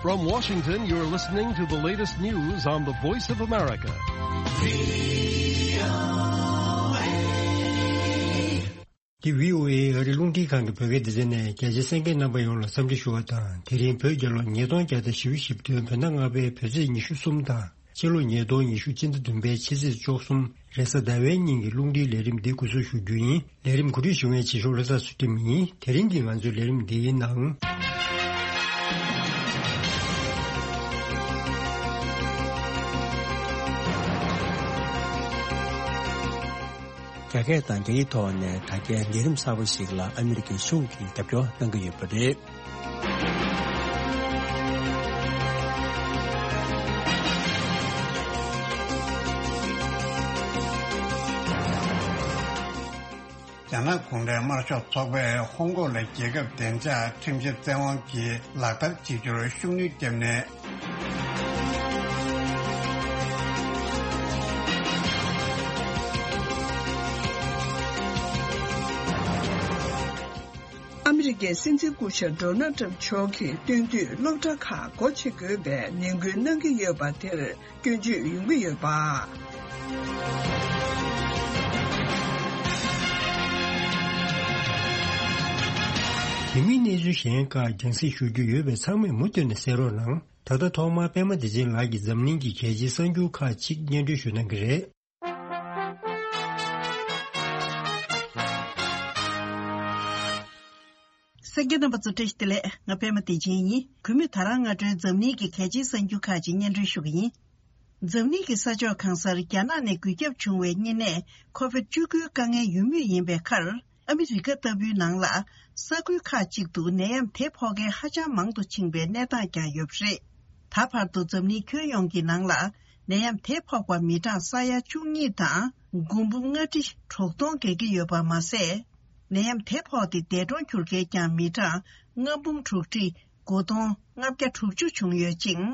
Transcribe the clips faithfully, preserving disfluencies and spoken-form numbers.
From Washington, you're listening to the latest news on the Voice of America. འདི་བྷི་ཨོ་ཨེ་ཨ་རི་རླུང་འཕྲིན་ཁང་གི་བོད་སྐད་སྡེ་ཚན་ནས། རྒྱ་ཆེའི་གསན་མཁན་རྣམ་པ་ཡོངས་ལ་འཚམས་འདྲི་ཞུ་བ་དང་། དེ་རིང་བོད་རྒྱལ་ལོ་ཉིས་སྟོང་བརྒྱ་དང་བཞི་བཅུ་ཞེ་བདུན། བོད་ཟླ་ལྔ་པའི་བོད་ཚེས་ཉི་ཤུ་གསུམ་དང་། ཕྱི་ལོ་ཉིས་སྟོང་ཉི་ཤུ་སྤྱི་ཟླ་བདུན་པའི་ཕྱི་ཚེས་བཅུ་གསུམ། རེས་གཟའ་ཟླ་བའི་ཉིན་གྱི་རླུང་འཕྲིན་ལས་རིམ་འདི་འགོ་འཛུགས་ཞུ་རྒྱུ་ཡིན། ལས་རིམ་གོ་སྒྲིག་ཞུ་མཁན་བྱེད་ཤོག་བློ་བཟང་ཚུལ་ཁྲིམས་ཡིན། དེ་རིང་གི་ང་ཚོའི་ལས་རིམ་འདིའི་ནང་། རྒྱ་སྐད་དང་རྒྱ་ཡིག་ཐོག་ནས་དྲ་རྒྱའི་ལས་རིམ་གསར་པ་ཞིག་ལ་ཨ་མི་རི་ཀའི་གཞུང་གིས་རྒྱབ་སྐྱོར་གནང་གི་ཡོད་པ་རེད། རྒྱ་ནག་གུང་ཁྲན་དམར་ཤོག་ཚོགས་པས་ཧོང་ཀོང་ལ་རྒྱལ་ཁབ་བདེ་འཇགས་ཁྲིམས་ཞིབ་བཙན་དབང་གིས་ལག་བསྟར་བྱེད་རྒྱུར་ཤུགས་སྣོན་བརྒྱབ་ནས། ཨ་མི་རི་ཀའི་སྲིད་འཛིན་སྐུ་ཞབས་ཌོ་ནལ་ཊམ་མཆོག་གིས་སྟོན་དུས་སློབ་གྲྭ་ཁག་སྒོ་ཕྱེ་དགོས་པའི་ནན་སྐུལ་གནང་གི་ཡོད་པ་དེར་སྐྱོན་བརྗོད་ཡོང་གི་ཡོད་པ། དེ་མིན་གནས་ཚུལ་གཞན་ཁག་རྒྱང་སྲིང་ཞུ་རྒྱུ་ཡོད་པས་ཚང་མས་མུ་མཐུད་ནས་གསན་རོགས་གནང་། ད་ལྟ་ཐོག་མར་པད་མ་བདེ་ཆེན་ལགས་ཀྱིས་འཛམ་གླིང་གི་གལ་ཆེའི་གསར་འགྱུར་ཁག་ཅིག་སྙན་སྒྲོན་ཞུ་གནང་གི་རེད། གསན་མཁན་རྣམ་པ་ཚོ་བཀྲ་ཤིས་བདེ་ལེགས། ང་པད་མ་བདེ་ཆེན་ཡིན། གུས་མོས་ད་རང་སྔ་དྲོའི་འཛམ་གླིང་གི་གལ་ཆེའི་གསར་འགྱུར་ཁག་ཅིག་སྙན་སྒྲོན་ཞུ་གི་ཡིན། འཛམ་གླིང་གི་ས་ཕྱོགས་གང་སར་རྒྱ་ནག་ནས་འགོས་ཁྱབ་བྱུང་བའི་གཉན་ནད་ཁོ་བིད་བཅུ་དགུའི་དཀའ་ངལ་ཡོད་མུས་ཡིན་པའི་ཁར། ཨ་མི་རི་ཀ་ལྟ་བུའི་ནང་ལ་ས་ཁུལ་ཁག་ཅིག་ཏུ་ནད་ཡམས་དེ་ཕོག་མཁན་ཧ་ཅང་མང་དུ་ཕྱིན་པའི་གནས་སྟངས་ཀྱང་ཡོད་པ་རེད། ད་བར་དུ་འཛམ་གླིང་ཁྱོན་ཡོངས་ཀྱི་ནང་ལ་ནད་ཡམས་དེ་ཕོག་པ་མི་གྲངས་ས་ཡ་བཅུ་གཉིས་དང་། མགོ་འབུམ་ལྔ་ཁྲི་དྲུག་སྟོང་བརྒལ་གྱི་ཡོད་པ་མ་ཟད། ནད་ཡམས་དེ་ཕོག་སྟེ་འདས་གྲོངས་གྱུར་མཁན་ཀྱང་མི་གྲངས་ལྔ་འབུམ་དྲུག་ཁྲི་དགུ་སྟོང་ལྔ་བརྒྱ་དྲུག་ཅུ་བྱུང་ཡོད་ཅིང་།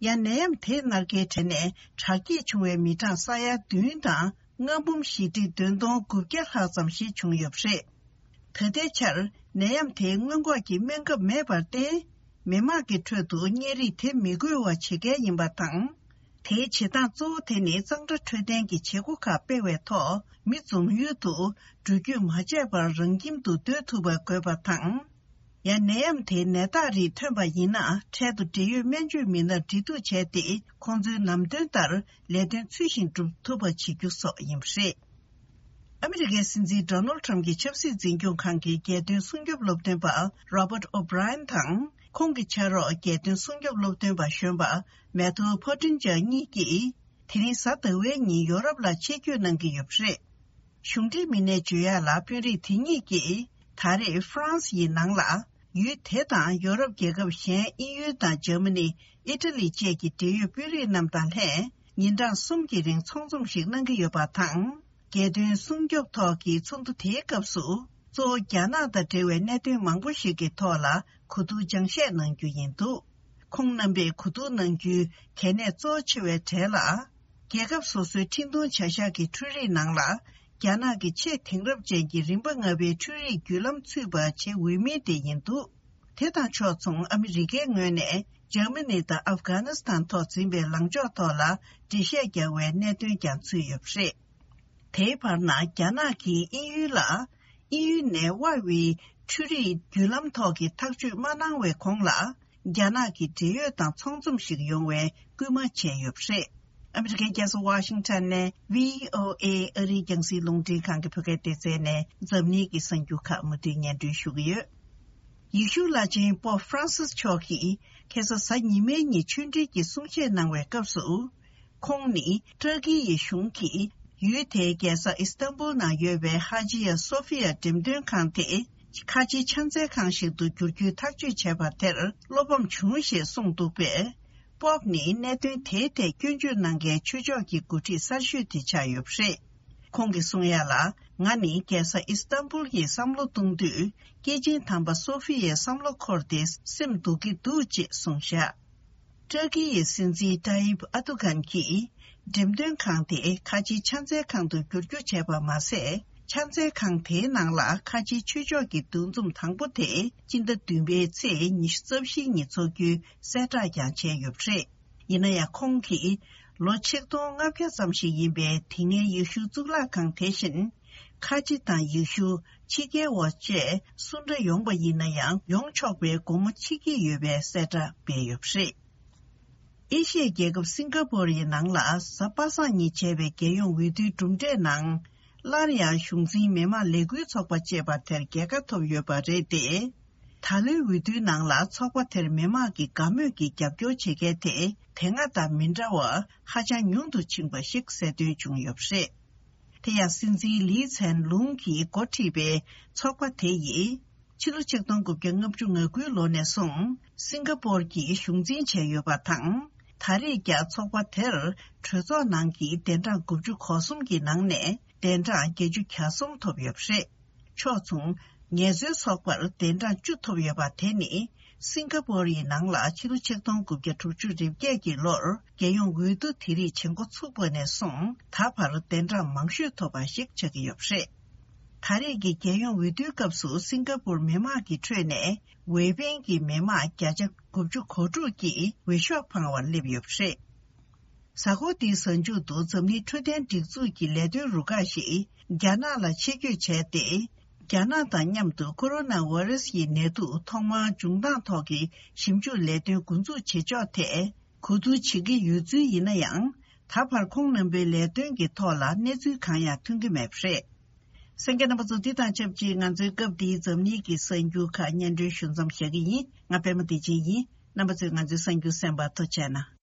ཡང་ནད་ཡམས་དེ་མནར་གྱི་གྲས་ནས་དྲག་སྐྱེད་བྱུང་བའི་མི་གྲངས་ས་ཡ་བདུན་དང་ལྔ་འབུམ་བཞི་ཁྲི་བདུན་སྟོང་དགུ་བརྒྱ་ལྷག་ཙམ་ཞིག་བྱུང་ཡོད་པ་རེད། ད་ལྟའི་ཆར་ནད་ཡམས་དེའི་སྔོན་འགོག་གི་སྨན་ཁབ་མེད་པར་བརྟེན། མི་མང་གི་ཁྲོད་དུ་གཉན་རིགས་དེ་མི་འགོས་པ་བྱེད་གལ་ཡིན་པ་དང་། དེའི་བྱེད་སྟངས་གཙོ་བོ་དེ་ནི་གཙང་སྦྲ་འཕྲོད་བསྟེན་གྱི་བྱེད་སྒོ་ཁག་སྤེལ་བའི་ཐོག་མི་འཛོམས་ཡུལ་དུ་འགྲུལ་སྐྱོད་མ་བྱས་པར་རང་ཁྱིམ་དུ་སྡོད་ཐུབ་པ་དགོས་པ་དང་། ཡང་ནད་ཡམས་དེའི་ནད་རྟགས་རིགས་ཐོན་པ་ཡིན་ན། འཕྲལ་དུ་འབྲེལ་ཡོད་སྨན་བཅོས་མི་སྣར་འབྲེལ་གཏུག་བྱས་ཏེ། ཁོང་ཚོའི་ལམ་སྟོན་ལྟར་ལས་དོན་ཚུལ་བཞིན་སྒྲུབ་ཐུབ་པ་བྱེད་རྒྱུ་སོགས་ཡིན་པ་རེད། ཨ་མི་རི་ཀའི་སྲིད་འཛིན་ཌོ་ནལ་ཊམ་གྱི་ཆབ་སྲིད་འཛིན་སྐྱོང་ཁང་གི་རྒྱལ་དོན་སྲུང་སྐྱོབ་སློབ་སྟོན་པ་རོ་བརྟ་ཨོ་བྷི་རའི་ཡན་དང་། ཁོང་གི་ཕྱག་རོགས་རྒྱལ་དོན་སྲུང་སྐྱོབ་སློབ་སྟོན་པ་གཞོན་པ་མེ་ཐོ་ཕོ་ཏིན་ཇར་གཉིས་ཀྱིས། དེ་རིང་གཟའ་ཟླ་བའི་ཉིན་ཡོ་རོབ་ལ་ཆེད་བསྐྱོད་གནང་གི་ཡོད་པ་རེད། གཞུང་འབྲེལ་མི་སྣས་བརྗོད་ཡག་ལ། དཔོན་རིགས་དེ་གཉིས་ཀྱིས་ད་རེས་ཧྥ་རན་སི་ཡི་ནང་ལ། ཡུལ་དེ་དང་ཡོ་རོབ་རྒྱལ་ཁབ་གཞན་དབྱིན་ཡུལ་དང་འཇར་མ་ནི། ཨི་ཊ་ལི་བཅས་ཀྱི་འབྲེལ་ཡོད་དཔོན་རིགས་རྣམས་དང་ལྷན། ཉིན་གྲངས་གསུམ་གྱི་རིང་ཚོགས་འཛོམས་ཤིག་གནང་གི་ཡོད་པ་དང་། རྒྱལ་དོན་སྲུང་སྐྱོབ་ཐོག་གི་ཚོགས་འདུ་དེའི་སྐབས་སུ། གཙོ་བོ་རྒྱ་ནག་དང་འབྲེལ་བའི་གནད་དོན་མང་པོ་ཞིག་གི་ཐོག་ལ་གོ་བསྡུར་སྦྱང་བཤད་གནང་རྒྱུ་ཡིན་འདུག་ཁོང་རྣམ་པས་གོ་བསྡུར་གནང་རྒྱུའི་གལ་གནད་གཙོ་ཆེ་བའི་གྲས་ལ། རྒྱལ་ཁབ་སོ་སོའི་འཕྲིན་གཏོང་བྱ་གཞག་གི་འཕྲུལ་རིག་ནང་ལ། རྒྱ་ནག་གི་ཆེས་དེང་རབས་ཅན་གྱི་རིམ་པ་ལྔ་པའི་འཕྲུལ་རིག་བརྒྱུད་ལམ་ཚུད་པ་བྱེད་འོས་མིན་དེ་ཡིན་འདུག་དེ་དང་ཕྱོགས་མཚུངས། ཨ་མི་རི་ཀའི་ངོས་ནས་འཇར་མ་ནི་དང་ཨབ་གྷ་ནི་སི་ཐན་ཐོག་འཛིན་པའི་ལངས་ཕྱོགས་ཐོག་ལ་འགྲེལ་བཤད་རྒྱག་པའི་གནད་དོན་ཀྱང་ཚུད་ཡོད་པ་རེད། དེའི་བར་ན། རྒྱ་ནག་གིས་དབྱིན་ཡུལ་ལ། དབྱིན་ཡུལ་ནས་ཝའེ་ཝེ་འཕྲུལ་རིག་བརྒྱུད་ལམ་ཐོག་གི་ཐག་གཅོད་མ་གནང་བའི་གོང་ལ། རྒྱ་ནག་གི་འབྲེལ་ཡོད་དང་ཚོགས་འཛོམས་ཤིག་ཡོང་བའི་སྐུལ་མ་བྱས་ཡོད་པ་རེད། ཨ་མི་རི་ཀའི་རྒྱལ་ས་ཝ་ཤིང་ཊོན་ནས་བྷི་ཨོ་ཨེ་ཨ་རིའི་རྒྱང་སྲིང་རླུང་འཕྲིན་ཁང་གི་བོད་སྐད་སྡེ་ཚན་ནས་འཛམ་གླིང་གི་གསར་འགྱུར་ཁག་མུ་མཐུད་སྙན་སྒྲོན་ཞུ་གི་ཡོད། ཡེ་ཤུ་བླ་ཆེན་པོབ་ཧྥ་རན་སིས་མཆོག་གིས་ཁ་སང་གཟའ་ཉི་མའི་ཉིན་ཆོས་འབྲེལ་གྱི་གསུང་བཤད་གནང་བའི་སྐབས་སུ། ཁོང་ནི་ཏུར་ཀི་ཡི་གཞུང་གིས་ཡུལ་དེའི་རྒྱལ་ས་ཨི་སི་ཏན་པུལ་ནང་ཡོད་པའི་ཧ་ཇི་ཡ་སོ་ཕི་ཡ་འགྲེམས་སྟོན་ཁང་དེ་ཁ་ཆེའི་ཕྱག་འཚལ་ཁང་ཞིག་ཏུ་བསྒྱུར་རྒྱུའི་ཐག་གཅོད་བྱས་པ་དེར་བློ་ཕམ་བྱུང་ཞེས་གསུངས་འདུག་པས། པོབ་ནི་གནད་དོན་དེའི་ཐད་སྐྱོན་བརྗོད་གནང་མཁན་ཆོས་ཕྱོགས་ཀྱི་འགོ་ཁྲིད་གསར་ཤོས་དེ་ཆགས་ཡོད་པ་རེད། ཁོང་གིས་གསུང་ཡ་ལ། ང་ནི་རྒྱལ་ས་ཨི་སི་ཏན་པུལ་གྱི་བསམ་བློ་གཏོང་དུས། སྐྱེས་ཆེན་དམ་པ་སོ་ཕི་ཡའི་བསམ་བློ་འཁོར་ཏེ་སེམས་སྡུག་གི་འདུག་ཅེས་གསུངས་བཞག་ཏུར་ཀི་ཡི་སྲིད་འཛིན་ཏཱ་ཡིབ་ཨར་དུ་གྷན་གྱིས་འགྲེམས་སྟོན་ཁང་དེ་ཁ་ཆེའི་ཕྱག་འཚལ་ཁང་དུ་བསྒྱུར་རྒྱུ་བྱས་པ་མ་ཟད། ཕྱག་འཚལ་ཁང་དེའི་ནང་ལ་ཁ་ཆེའི་ཆོས་ཕྱོགས་ཀྱི་འདུ་འཛོམས་དང་པོ་དེ་སྤྱི་ཟླ་བདུན་པའི་ཚེས་ཉི་ཤུ་རྩ་བཞིའི་ཉིན་འཚོགས་རྒྱུའི་གསལ་བསྒྲགས་ཀྱང་བྱས་ཡོད་པ་རེད། ཡིན་ན་ཡང་ཁོང་གིས་ལོ་ཆིག་སྟོང་ལྔ་བརྒྱ་ཙམ་ཞིག་ཡིན་པའི་དེ་སྔའི་ཡེ་ཤུའི་གཙུག་ལག་ཁང་དེ་བཞིན་ཁ་ཆེ་དང་ཡེ་ཤུ་ཕྱི་རྒྱལ་བ་བཅས་སུ་འདྲ་ཡོང་པ་ཡིན་ན་ཡང་ཡོང་ཆོག་པའི་སྒོ་མོ་ཕྱེ་གི་ཡོད་པའི་གསལ་བསྒྲགས་སྤེལ་ཡོད་པ་རེད། ཨེ་ཤི་ཡའི་རྒྱལ་ཁབ་སིང་ག་པོར་ཡི་ནང་ལ་གཟའ་པ་སངས་ཉིན་བྱས་པའི་རྒྱལ་ཡོངས་འོས་བསྡུའི་གྲུབ་འབྲས་ནང་། སླར་ཡང་གཞུང་འཛིན་མི་དམངས་ལས་འགུལ་ཚོགས་པ་ཅེས་པ་དེར་རྒྱལ་ཁ་ཐོབ་ཡོད་པ་རེད་དེ། ད་ལོའི་འོས་བསྡུའི་ནང་ལ་ཚོགས་པ་དེར་མི་དམངས་ཀྱི་དགའ་མོས་ཀྱི་རྒྱབ་སྐྱོར་བྱེད་མཁན་དེ་དེ་སྔ་དང་མི་འདྲ་བར་ཧ་ཅང་ཉུང་དུ་ཕྱིན་པ་ཞིག་གསལ་སྟོན་བྱུང་ཡོད་པ་རེད། དེ་ཡང་སྲིད་འཛིན་ལི་ཚན་ལུང་གིས་འགོ་ཁྲིད་པའི་ཚོགས་པ་དེ་ཡིས། ཕྱི་ལོ་ཆིག་སྟོང་དགུ་བརྒྱ་ལྔ་བཅུ་ང་དགུའི་ལོ་ནས་བཟུང་སིང་ག་པོར་གྱི་གཞུང་འཛིན་བྱས་ཡོད་པ་དང་། ད་རེས་ཀྱང་ཚོགས་པ་དེར་གྲོས་ཚོགས་ནང་གི་གདན་གྲངས་དགུ་བཅུ་གོ་གསུམ་གྱི་ནང་ནས་གདན་གྲངས་བརྒྱད་ཅུ་གྱ་གསུམ་ཐོབ་ཡོད་པ་རེད། ཕྱོགས་མཚུངས་ངལ་རྩོལ་ཚོགས་པར་གདན་གྲངས་བཅུ་ཐོབ་ཡོད་པ་དེ་ནི་སིང་ག་པོར་ཡི་ནང་ལ་ཕྱི་ལོ་ཆིག་སྟོང་དགུ་བརྒྱ་དྲུག་ཅུ་རེ་བརྒྱད་ཀྱི་ལོར་རྒྱལ་ཡོངས་འོས་བསྡུ་དེ་རིགས་བྱེད་འགོ་ཚུགས་པ་ནས་བཟུང་ད་བར་གདན་གྲངས་མང་ཤོས་ཐོབ་པ་ཞིག་ཆགས་ཀྱི་ཡོད་པ་རེད། ད་རེས་ཀྱི་རྒྱལ་ཡོངས་འོས་བསྡུའི་སྐབས་སུ་སིང་ག་པུར་མི་དམངས་ཀྱི་ཁྲོད་ནས་འོས་འཕེན་གྱི་མི་དམངས་བརྒྱ་ཆ་དགུ་བཅུ་གོ་དྲུག་གིས་འོས་ཤོག་འཕངས་པར་སླེབས་ཡོད་པ་རེད། གཟའ་འཁོར་འདིའི་གཟའ་མཇུག་ཏུ་འཛམ་གླིང་འཕྲོད་བསྟེན་སྒྲིག་འཛུགས་ཀྱི་ལས་དོན་རུ་ཁག་ཞིག་རྒྱ་ནག་ལ་ཆེད་བསྐྱོད་བྱས་ཏེ། རྒྱ་ནག་དང་མཉམ་དུ་ཀོ་རོ་ན་ཝེ་རུ་སི་ཡི་ནད་དུག་ཐོག་མར་འབྱུང་སྟངས་ཐོག་གི་ཞིབ་འཇུག་ལས་དོན་འགོ་འཛུགས་བྱེད་ཕྱོགས་ཐད་གོ་བསྡུར་བྱེད་ཀྱི་ཡོད་ཚུལ་ཡིན་ན་ཡང་། ད་བར་ཁོང་རྣམ་པའི་ལས་དོན་གྱི་ཐོག་ལ་གནས་ཚུལ་གང་ཡང་ཐོན་གྱི་མེད་པ་རེད། གསན་མཁན་རྣམ་པ་ཚོ། འདི་དང་ཆབས་ཅིག་ང་ཚོའི་སྐབས་འདིའི་འཛམ་གླིང་གི་གསར་འགྱུར་ཁག་སྙན་སྒྲོན་ཞུ་མཚམས་བཞག་གི་ཡིན། ང་པད་མ་བདེ་ཆེན་ཡིན། རྣམ་པ་ཚོས་ང་ཚོའི་གསར་འགྱུར་གསན་པར་ཐུགས་རྗེ་གནང་།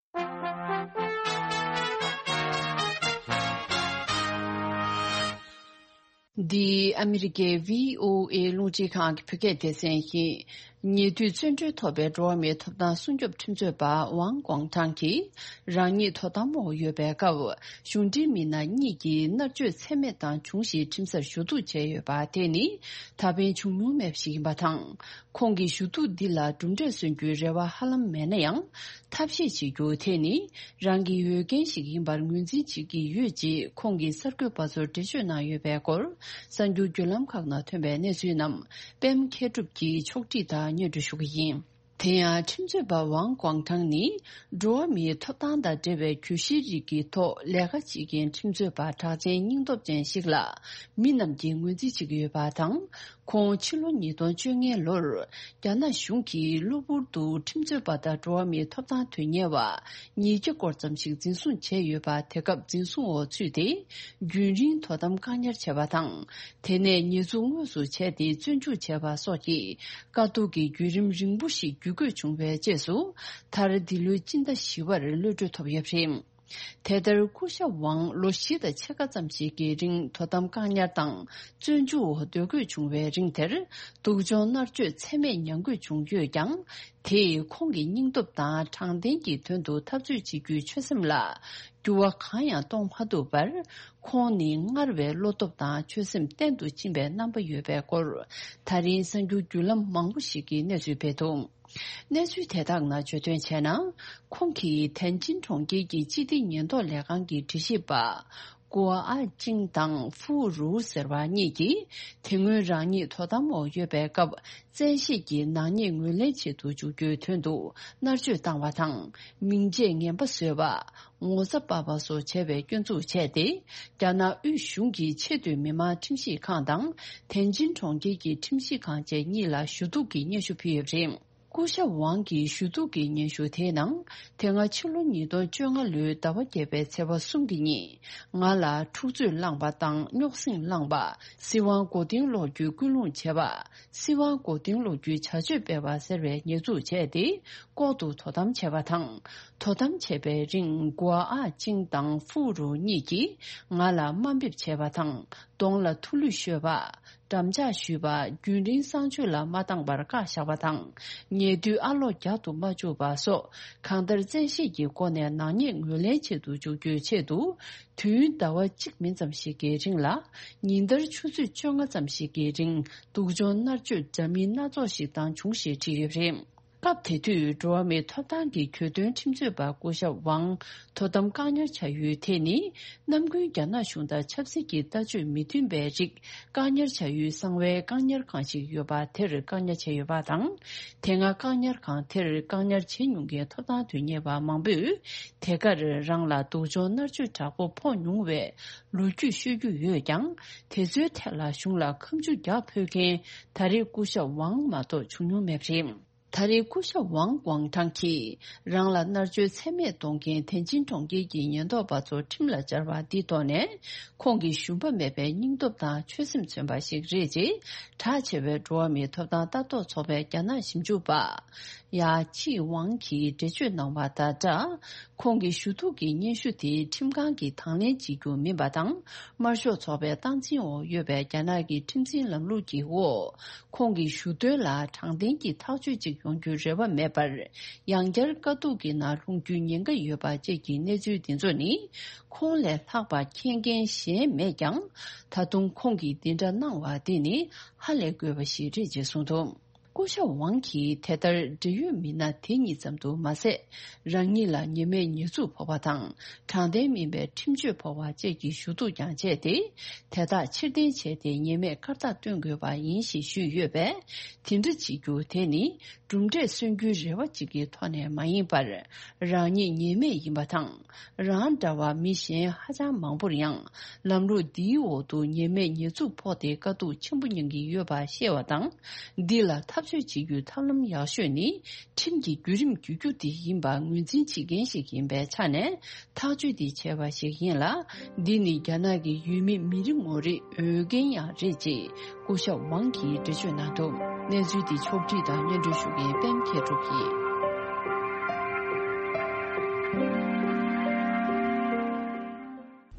འདི་ཨ་མི་རི་ཀའི་བྷི་ཨོ་ཨེ་རླུང་འཕྲིན་ཁང་གི་བོད་སྐད་སྡེ་ཚན་ཡིན། ཉེ་དུས་བཙོན་གྲོལ་ཐོབ་པའི་འགྲོ་བ་མིའི་ཐོབ་ཐང་སྲུང་སྐྱོབ་ཁྲིམས་རྩོད་པ་ཝང་ཀོང་ཐང་གིས། རང་ཉིད་དོ་དམ་འོག་ཡོད་པའི་སྐབས། གཞུང་འབྲེལ་མི་སྣ་གཉིས་ཀྱིས་མནར་གཅོད་ཚད་མེད་བཏང་བྱུང་ཞེས་ཁྲིམས་སར་ཞུ་གཏུག་བྱས་ཡོད་པ་དེ་ནི་ད་ཕན་བྱུང་མྱོང་མེད་པ་ཞིག་ཡིན་པ་དང་། ཁོང་གི་ཞུ་གཏུག་འདི་ལ་གྲུབ་འབྲས་སོན་རྒྱུའི་རེ་བ་ཧ་ལམ་མེད་ན་ཡང་། ཐབས་ཤེས་བྱེད་རྒྱུ་དེ་ནི་རང་གི་འོས་འགན་ཞིག་ཡིན་པར་ངོས་འཛིན་བྱེད་ཀྱི་ཡོད་ཅེས་ཁོང་གིས་གསར་འགོད་པ་ཚོར་འགྲེལ་བརྗོད་གནང་ཡོད་པའི་སྐོར། གསར་འགྱུར་བརྒྱུད་ལམ་ཁག་ནང་ཐོན་པའི་གནས་ཚུལ་རྣམས་པད་མ་མཁས་གྲུབ་ཀྱིས་ཕྱོགས་སྒྲིག་དང་སྙན་སྒྲོན་ཞུ་གི་ཡིན། དེ་ཡང་ཁྲིམས་རྩོད་པ་ཝང་ཀོང་ཐང་ནི་འགྲོ་བ་མིའི་ཐོབ་ཐང་དང་འབྲེལ་བའི་གྱོད་གཞིའི་རིགས་ཀྱི་ཐོག་ལས་ཀ་བྱེད་མཁན་ཁྲིམས་རྩོད་པ་གྲགས་ཅན་སྙིང་སྟོབས་ཅན་ཞིག་ལ་མི་རྣམས་ཀྱིས་ངོས་འཛིན་བྱེད་ཀྱི་ཡོད་པ་དང་། ཁོང་ཕྱི་ལོ་ཉིས་སྟོང་བཅོ་ལྔའི་ལོར་རྒྱ་ནག་གཞུང་གིས་གློ་བུར་དུ་ཁྲིམས་རྩོད་པ་དང་འགྲོ་བ་མིའི་ཐོབ་ཐང་དོན་གཉེར་བ་ཉིས་བརྒྱ་སྐོར་ཙམ་ཞིག་འཛིན་བཟུང་བྱས་ཡོད་པ། དེ་སྐབས་འཛིན་བཟུང་འོག་ཚུད་དེ་རྒྱུན་རིང་དོ་དམ་བཀག་ཉར་བྱས་པ་དང་། དེ་ནས་ཉེས་འཛུགས་དངོས་སུ་བྱས་ཏེ་བཙོན་འཇུག་བྱས་པ་སོགས་ཀྱི་དཀའ་སྡུག་གི་བརྒྱུད་རིམ་རིང་པོ་ཞིག་བརྒྱུད་དགོས་བྱུང་བའི་རྗེས་སུ། མཐར་འདི་ལོའི་སྤྱི་ཟླ་བཞི་པར་གློད་གྲོལ་ཐོབ་ཡོད་པ་རེད། དེ་ལྟར་སྐུ་ཞབས་ཝང་ལོ་བཞི་དང་ཕྱེད་ཀ་ཙམ་ཞིག་གི་རིང་དོ་དམ་བཀག་ཉར་དང་བཙོན་འཇུག་འོག་སྡོད་དགོས་བྱུང་བའི་རིང་དེར། སྡུག་སྦྱོང་མནར་གཅོད་ཚད་མེད་མྱངས་དགོས་བྱུང་ཡོད་ཀྱང་། དེས་ཁོང་གི་སྙིང་སྟོབས་དང་དྲང་བདེན་གྱི་དོན་དུ་འཐབ་རྩོད་བྱེད་རྒྱུའི་ཆོད་སེམས་ལ་འགྱུར་བ་གང་ཡང་གཏོང་མ་ཐུབ་པར། ཁོང་ནི་སྔར་བས་བློ་སྟོབས་དང་ཆོད་སེམས་བརྟན་དུ་ཕྱིན་པའི་རྣམ་པ་ཡོད་པའི་སྐོར། ད་རིང་གསར་འགྱུར་བརྒྱུད་ལམ་མང་པོ་ཞིག་གིས་གནས་ཚུལ་སྤེལ་འདུག། གནས་ཚུལ་དེ་དག་ནང་བརྗོད་དོན་བྱས་ན། ཁོང་གིས་ཐན་ཅིན་གྲོང་ཁྱེར་གྱི་སྤྱི་བདེ་ཉེན་རྟོག་ལས་ཁང་གི་འགྲེལ་བཤད་པ། གོ་ཨ་ཅིང་དང་ཧྥུའུ་རུའུ་ཟེར་བ་གཉིས་ཀྱིས། དེ་སྔོན་རང་ཉིད་དོ་དམ་འོག་ཡོད་པའི་སྐབས། བཙན་ཤེད་ཀྱིས་ནག་ཉེས་ངོས་ལེན་བྱེད་དུ་འཇུག་རྒྱུའི་དོན་དུ། མནར་གཅོད་བཏང་བ་དང་། མིང་ཆད་ངན་པ་བཟོས་པ། ངོ་ཚ་སྤར་བ་སོགས་བྱས་པའི་སྐྱོན་འཛུགས་བྱས་ཏེ། རྒྱ་ནག་དབུས་གཞུང་གི་ཆེས་མཐོའི་མི་དམངས་ཁྲིམས་ཞིབ་ཁང་དང་། ཐན་ཅིན་གྲོང་ཁྱེར་གྱི་ཁྲིམས་ཞིབ་ཁང་བཅས་གཉིས་ལ་ཞུ་གཏུག་གི་སྙན་ཞུ་ཕུལ་ཡོད་པ་རེད། སྐུ་ཞབས་ཝང་གི་ཞུ་གཏུག་གི་སྙན་ཞུ་དེའི་ནང་། དེ་སྔ་ཕྱི་ལོ་ཉིས་སྟོང་བཅོ་ལྔ་ལོའི་ཟླ་བ་བརྒྱད་པའི་ཚེས་པ་གསུམ་གྱི་ཉིན། ང་ལ་འཁྲུག་རྩོད་བསླངས་པ་དང་རྙོག་ཟིང་བསླངས་པ། སྲིད་དབང་མགོ་རྟིང་སློག་རྒྱུའི་སྐུལ་སློང་བྱས་པ། སྲིད་དབང་མགོ་རྟིང་སློག་རྒྱུའི་བྱ་སྤྱོད་སྤེལ་བ་ཟེར་བའི་ཉེས་འཛུགས་བྱས་ཏེ། ལྐོག་ཏུ་དོ་དམ་བྱས་པ་དང་། དོ་དམ་བྱས་པའི་རིང་། གོ་ཨ་ཅིང་དང་ཧྥུའུ་རུའུ་གཉིས་ཀྱིས་ང་ལ་དམའ་འབེབས་བྱས་པ་དང་། གདོང་ལ་ཐུགས་ལུས་གཤོད་པ། འགྲམ་ལྕག་གཞུས་པ། རྒྱུན་རིང་གསང་སྤྱོད་ལ་མ་བཏང་བར་བཀག་བཞག་པ་དང་། ཉེ་དུས་ཨ་ལོ་རྒྱག་ཏུ་མ་བཅུག་པ་སོགས། གང་ལྟར་བཙན་ཤེད་ཀྱི་སྒོ་ནས་ནག་ཉེས་ངོས་ལེན་བྱེད་དུ་འཇུག་རྒྱུའི་ཆེད་དུ། དུས་ཡུན་ཟླ་བ་གཅིག་མིན་ཙམ་ཞིག་གི་རིང་ལ། ཉིན་ལྟར་ཆུ་ཚོད་བཅོ་ལྔ་ཙམ་ཞིག་གི་རིང་། སྡུག་སྦྱོང་མནར་གཅོད་འདྲ་མིན་སྣ་ཚོགས་ཤིག་བཏང་བྱུང་ཞེས་བྲིས་ཡོད་པ་རེད། སྐབས་དེ་དུས་འགྲོ་བ་མིའི་ཐོབ་ཐང་གི་གྱོད་དོན་ཁྲིམས་རྩོད་པ་སྐུ་ཞབས་ཝང་དོ་དམ་བཀག་ཉར་བྱ་ཡུལ་དེ་ནི། ནམ་རྒྱུན་རྒྱ་ནག་གཞུང་དང་ཆབ་སྲིད་ཀྱི་ལྟ་སྤྱོད་མི་མཐུན་པའི་རིགས་བཀག་ཉར་བྱ་ཡུལ་གསང་བའི་བཀག་ཉར་ཁང་ཞིག་ཡོད་པ་དེར་བཀག་ཉར་བྱས་ཡོད་པ་དང་། དེ་སྔ་བཀག་ཉར་ཁང་དེར་བཀག་ཉར་བྱེད་མྱོང་མཁན་ཐོབ་ཐང་དོན་གཉེར་བ་མང་པོས། དེ་གར་རང་ལ་སྡུག་སྦྱོང་མནར་གཅོད་དྲག་པོ་ཕོག་མྱོང་བའི་ལོ་རྒྱུས་ཤོད་རྒྱུ་ཡོད་ཀྱང་། དེ་ཚོའི་ཐད་ལ་གཞུང་ལ་ཁ་མཆུ་རྒྱག་ཕོད་མཁན་ད་རེས་སྐུ་ཞབས་ཝང་མ་གཏོགས་བྱུང་མྱོང་མེད་པ་རེད། ད་རེས་སྐུ་ཞབས་ཝང་ཀོང་ཀྲང་གིས་རང་ལ་མནར་གཅོད་ཚད་མེད་གཏོང་མཁན་ཐེན་ཅིན་གྲོང་ཁྱེར་གྱི་ཉེན་རྟོག་པ་ཚོ་ཁྲིམས་ལ་སྦྱར་བ་འདིའི་ཐོག་ནས། ཁོང་གི་ཞུམ་པ་མེད་པའི་སྙིང་སྟོབས་དང་ཆོད་སེམས་མཚོན་པ་ཞིག་རེད་ཅེས། གྲགས་ཆེ་བའི་འགྲོ་བ་མིའི་ཐོབ་ཐང་ལྟ་རྟོག་ཚོགས་པའི་རྒྱ་ནག་ཞིབ་འཇུག་པ་ཡ་ཆི་ཝང་གིས་འགྲེལ་བརྗོད་གནང་བ་དང་སྦྲགས། ཁོང་གི་ཞུ་གཏུག་གི་སྙན་ཞུ་དེ་ཁྲིམས་ཁང་གིས་དང་ལེན་བྱེད་རྒྱུ་མིན་པ་དང་། དམར་ཤོག་ཚོགས་པའི་སྟངས་འཛིན་འོག་ཡོད་པའི་རྒྱ་ནག་གི་ཁྲིམས་འཛིན་ལམ་ལུགས་ཀྱི་འོག་ཁོང་གི་ཞུ་དོན་ལ་དྲང་བདེན་གྱི་ཐག་གཅོད་ཅིག་ཡོང་རྒྱུའི་རེ་བ་མེད་པར། ཡང་བསྐྱར་དཀའ་སྡུག་གི་ནང་ལྷུང་རྒྱུའི་ཉེན་ཁ་ཡོད་པ་བཅས་ཀྱི་གནས་ཚུལ་འདི་ཚོ་ནི། ཁོང་ལས་ལྷག་པ་མཁྱེན་མཁན་གཞན་མེད་ཀྱང་། ད་དུང་ཁོང་གིས་འདི་འདྲ་གནང་བ་འདི་ནི་ཧ་ལས་དགོས་པ་ཞིག་རེད་ཅེས་གསུངས་འདུག་སྐུ་ཞབས་ཝང་གིས་དེ་ལྟར་འབྲེལ་ཡོད་མི་སྣ་དེ་གཉིས་ཙམ་དུ་མ་ཟད། རང་ཉིད་ལ་ཉེས་མེད་ཉེས་འཛུགས་ཕོག་པ་དང་། དྲང་བདེན་མིན་པའི་ཁྲིམས་གཅོད་ཕོག་པ་བཅས་ཀྱི་ཞུ་གཏུག་ཀྱང་བྱས་ཏེ། དེ་དག་ཕྱིར་འཐེན་བྱས་ཏེ་ཉེས་མེད་སྐར་རྟགས་སྟོན་དགོས་པ་ཡིན་ཞེས་ཞུས་ཡོད་པས། དེ་འདྲ་བྱེད་རྒྱུ་དེ་ནི་གྲུབ་འབྲས་སོན་རྒྱུའི་རེ་བ་གཅིག་གི་ཐོག་ནས་མ་ཡིན་པར། རང་ཉིད་ཉེས་མེད་ཡིན་པ་དང་། རང་འདྲ་བ་མི་གཞན་ཧ་ཅང་མང་པོར་ཡང་ལམ་ལུགས་འདིའི་འོག་ཏུ་ཉེས་མེད་ཉེས་འཛུགས་ཕོག་སྟེ་དཀའ་སྡུག་ཆེན་པོ་མྱངས་ཀྱི་ཡོད་པ་ཤེས་པ་དང་། འདི་ལ་འཐབ་རྩོད་བྱེད་རྒྱུའི་ཐབས་ལམ་ཡག་ཤོས་ནི་ཁྲིམས་ཀྱི་བརྒྱུད་རིམ་བརྒྱུད་རྒྱུ་དེ་ཡིན་པ་ངོས་འཛིན་བྱེད་མཁན་ཞིག་ཡིན་པའི་ཆ་ནས། ཐག་གཅོད་འདི་བྱས་པ་ཞིག་ཡིན་ལ། འདི་ནི་རྒྱ་ནག་གི་ཡུལ་མི་མི་རེ་ངོ་རེའི་འོས་འགན་ཡང་རེད་ཅེས་སྐུ་ཞབས་ཝང་གིས་འགྲེལ་བརྗོད་གནང་འདུག་གནས་ཚུལ་འདི་ཕྱོགས་བསྒྲིགས་དང་སྙན་སྒྲོན་ཞུ་མཁན་པད་མ་མཁས་གྲུབ་ཡིན།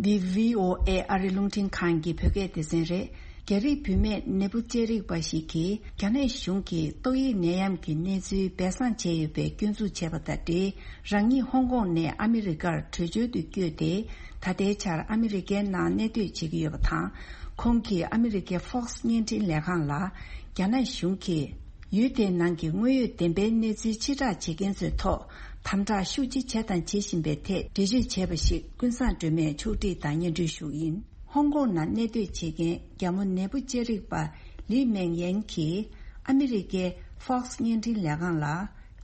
འདི་བྷི་ཨོ་ཨེ་ཨ་རི་རླུང་འཕྲིན་ཁང་གི་བོད་སྐད་སྡེ་ཚན་རེད། རྒྱ་རིགས་བུད་མེད་ནད་འབུ་ཅན་རིགས་པ་ཞིག་གིས་རྒྱ་ནག་གཞུང་གིས་ཏོག་དབྱིབས་ནད་ཡམས་ཀྱི་གནས་ཚུལ་སྦས་གསང་བྱས་ཡོད་པའི་སྐྱོན་འཛུགས་བྱས་པ་དང་འབྲེལ། རང་ཉིད་ཧོང་ཀོང་ནས་ཨ་མི་རི་ཀར་བྲོས་བྱོལ་དུ་བསྐྱོད་དེ། ད་ལྟའི་ཆར་ཨ་མི་རི་ཀའི་ནང་གནས་སྡོད་བྱེད་ཀྱི་ཡོད་པ་དང་། ཁོང་གིས་ཨ་མི་རི་ཀའི་Fox་བརྙན་འཕྲིན་ལས་ཁང་ལ། རྒྱ་ནག་གཞུང་གིས་ཡུལ་དེའི་ནང་གི་དངོས་ཡོད་བདེན་པའི་གནས་ཚུལ་ཕྱིར་བསྒྲགས་བྱེད་མཁན་ཚོའི་ཐོག་དམ་དྲག་ཤུགས་ཆེ་བྱས་དང་བྱེད་བཞིན་པའི་ཐད་འགྲེལ་བརྗོད་བྱས་པ་ཞིག་ཀུན་བཟང་སྒྲོལ་མས་ཕྱོགས་བསྒྲིགས་དང་སྙན་སྒྲོན་ཞུ་གི་ཡིན། ཧོང་ཀོང་ནང་གནས་སྡོད་བྱེད་མཁན་རྒྱ་མོ་ནད་འབུ་ཅན་རིགས་པ་ལི་མེང་ཡན་གྱིས་ཨ་མི་རི་ཀའི་Fox་བརྙན་འཕྲིན་ལས་ཁང་ལ།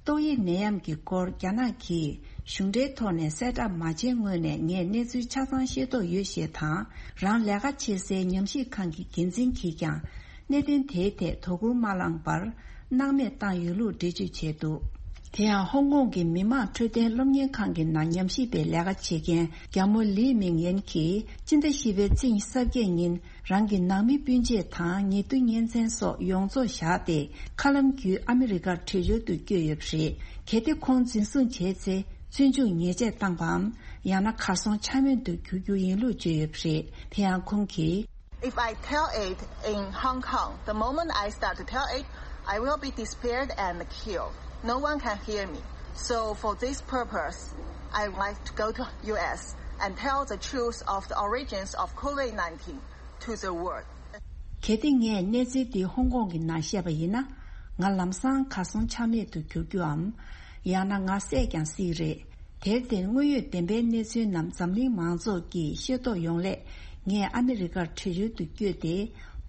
ཏོག་དབྱིབས་ནད་ཡམས་ཀྱི་སྐོར་རྒྱ་ནག་གིས་གཞུང་འབྲེལ་ཐོག་ནས་གསལ་བསྒྲགས་མ་བྱས་སྔོན་ནས་ངས་གནས་ཚུལ་ཆ་ཚང་ཤེས་རྟོགས་ཡོད་ཞེས་དང་། རང་ལས་ཀ་བྱེད་སའི་ཉམས་ཞིབ་ཁང་གི་འགན་འཛིན་གྱིས་ཀྱང་གནད་དོན་དེའི་ཐད་དོ་ཁུར་མ་བླངས་པར་སྣང་མེད་བཏང་ཡོད་ལུགས་འགྲེལ་བརྗོད་བྱས་འདུག་དེ་ཡང་ཧོང་ཀོང་གི་མི་དམངས་འཕྲོད་བསྟེན་སློབ་གཉེར་ཁང་གི་ནང་ཉམས་ཞིབ་པའི་ལས་ཀ་བྱེད་མཁན་རྒྱ་མོ་ལི་མིང་ཡན་གྱིས་སྤྱི་ཟླ་བཞི་པའི་ཚེས་ཉི་ཤུ་རྩ་བརྒྱད་ཉིན། རང་གི་ནང་མི་སྤུན་མཆེད་དང་ཉེ་དུ་གཉེན་ཚན་སོགས་ཡོངས་རྫོགས་བཞག་སྟེ། མཁའ་ལམ་བརྒྱུད་ཨ་མི་རི་ཀར་བྲོས་བྱོལ་དུ་བསྐྱོད་ཡོད་པ་རེད། གལ་ཏེ་ཁོང་འཛིན་བཟུང་བྱས་ཚེ། བཙོན་འཇུག་ཉེས་ཆད་བཏང་པའམ། ཡང་ན་གར་སོང་ཆ་མེད་དུ་འགྱུར་རྒྱུ་ཡིན་ལུགས་བརྗོད་ཡོད་པ་རེད། དེ་ཡང་ཁོང་གིས། If I tell it in Hong Kong, the moment I start to tell it, I will be disappeared and killed. No one can hear me. So for this purpose, I would like to go to U S and tell the truth of the origins of COVID nineteen to the world. གལ་ཏེ་ངས་གནས་ཚུལ་འདི་ཧོང་ཀོང་གི་ནང་བཤད་པ་ཡིན་ན། ང་ལམ་སང་གར་སོང་ཆ་མེད་དུ་འགྱུར་རྒྱུའམ། ཡང་ན་ང་བསད་ཀྱང་སྲིད་རེད། དེར་བརྟེན་དངོས་ཡོད་བདེན་པའི་གནས་ཚུལ་རྣམས་འཛམ་གླིང་མང་ཚོགས་ཀྱིས་ཤེས་རྟོགས་ཡོང་སླད། ངས་ཨ་མི་རི་ཀར་བྲོས་བྱོལ་དུ་བསྐྱོད་དེ།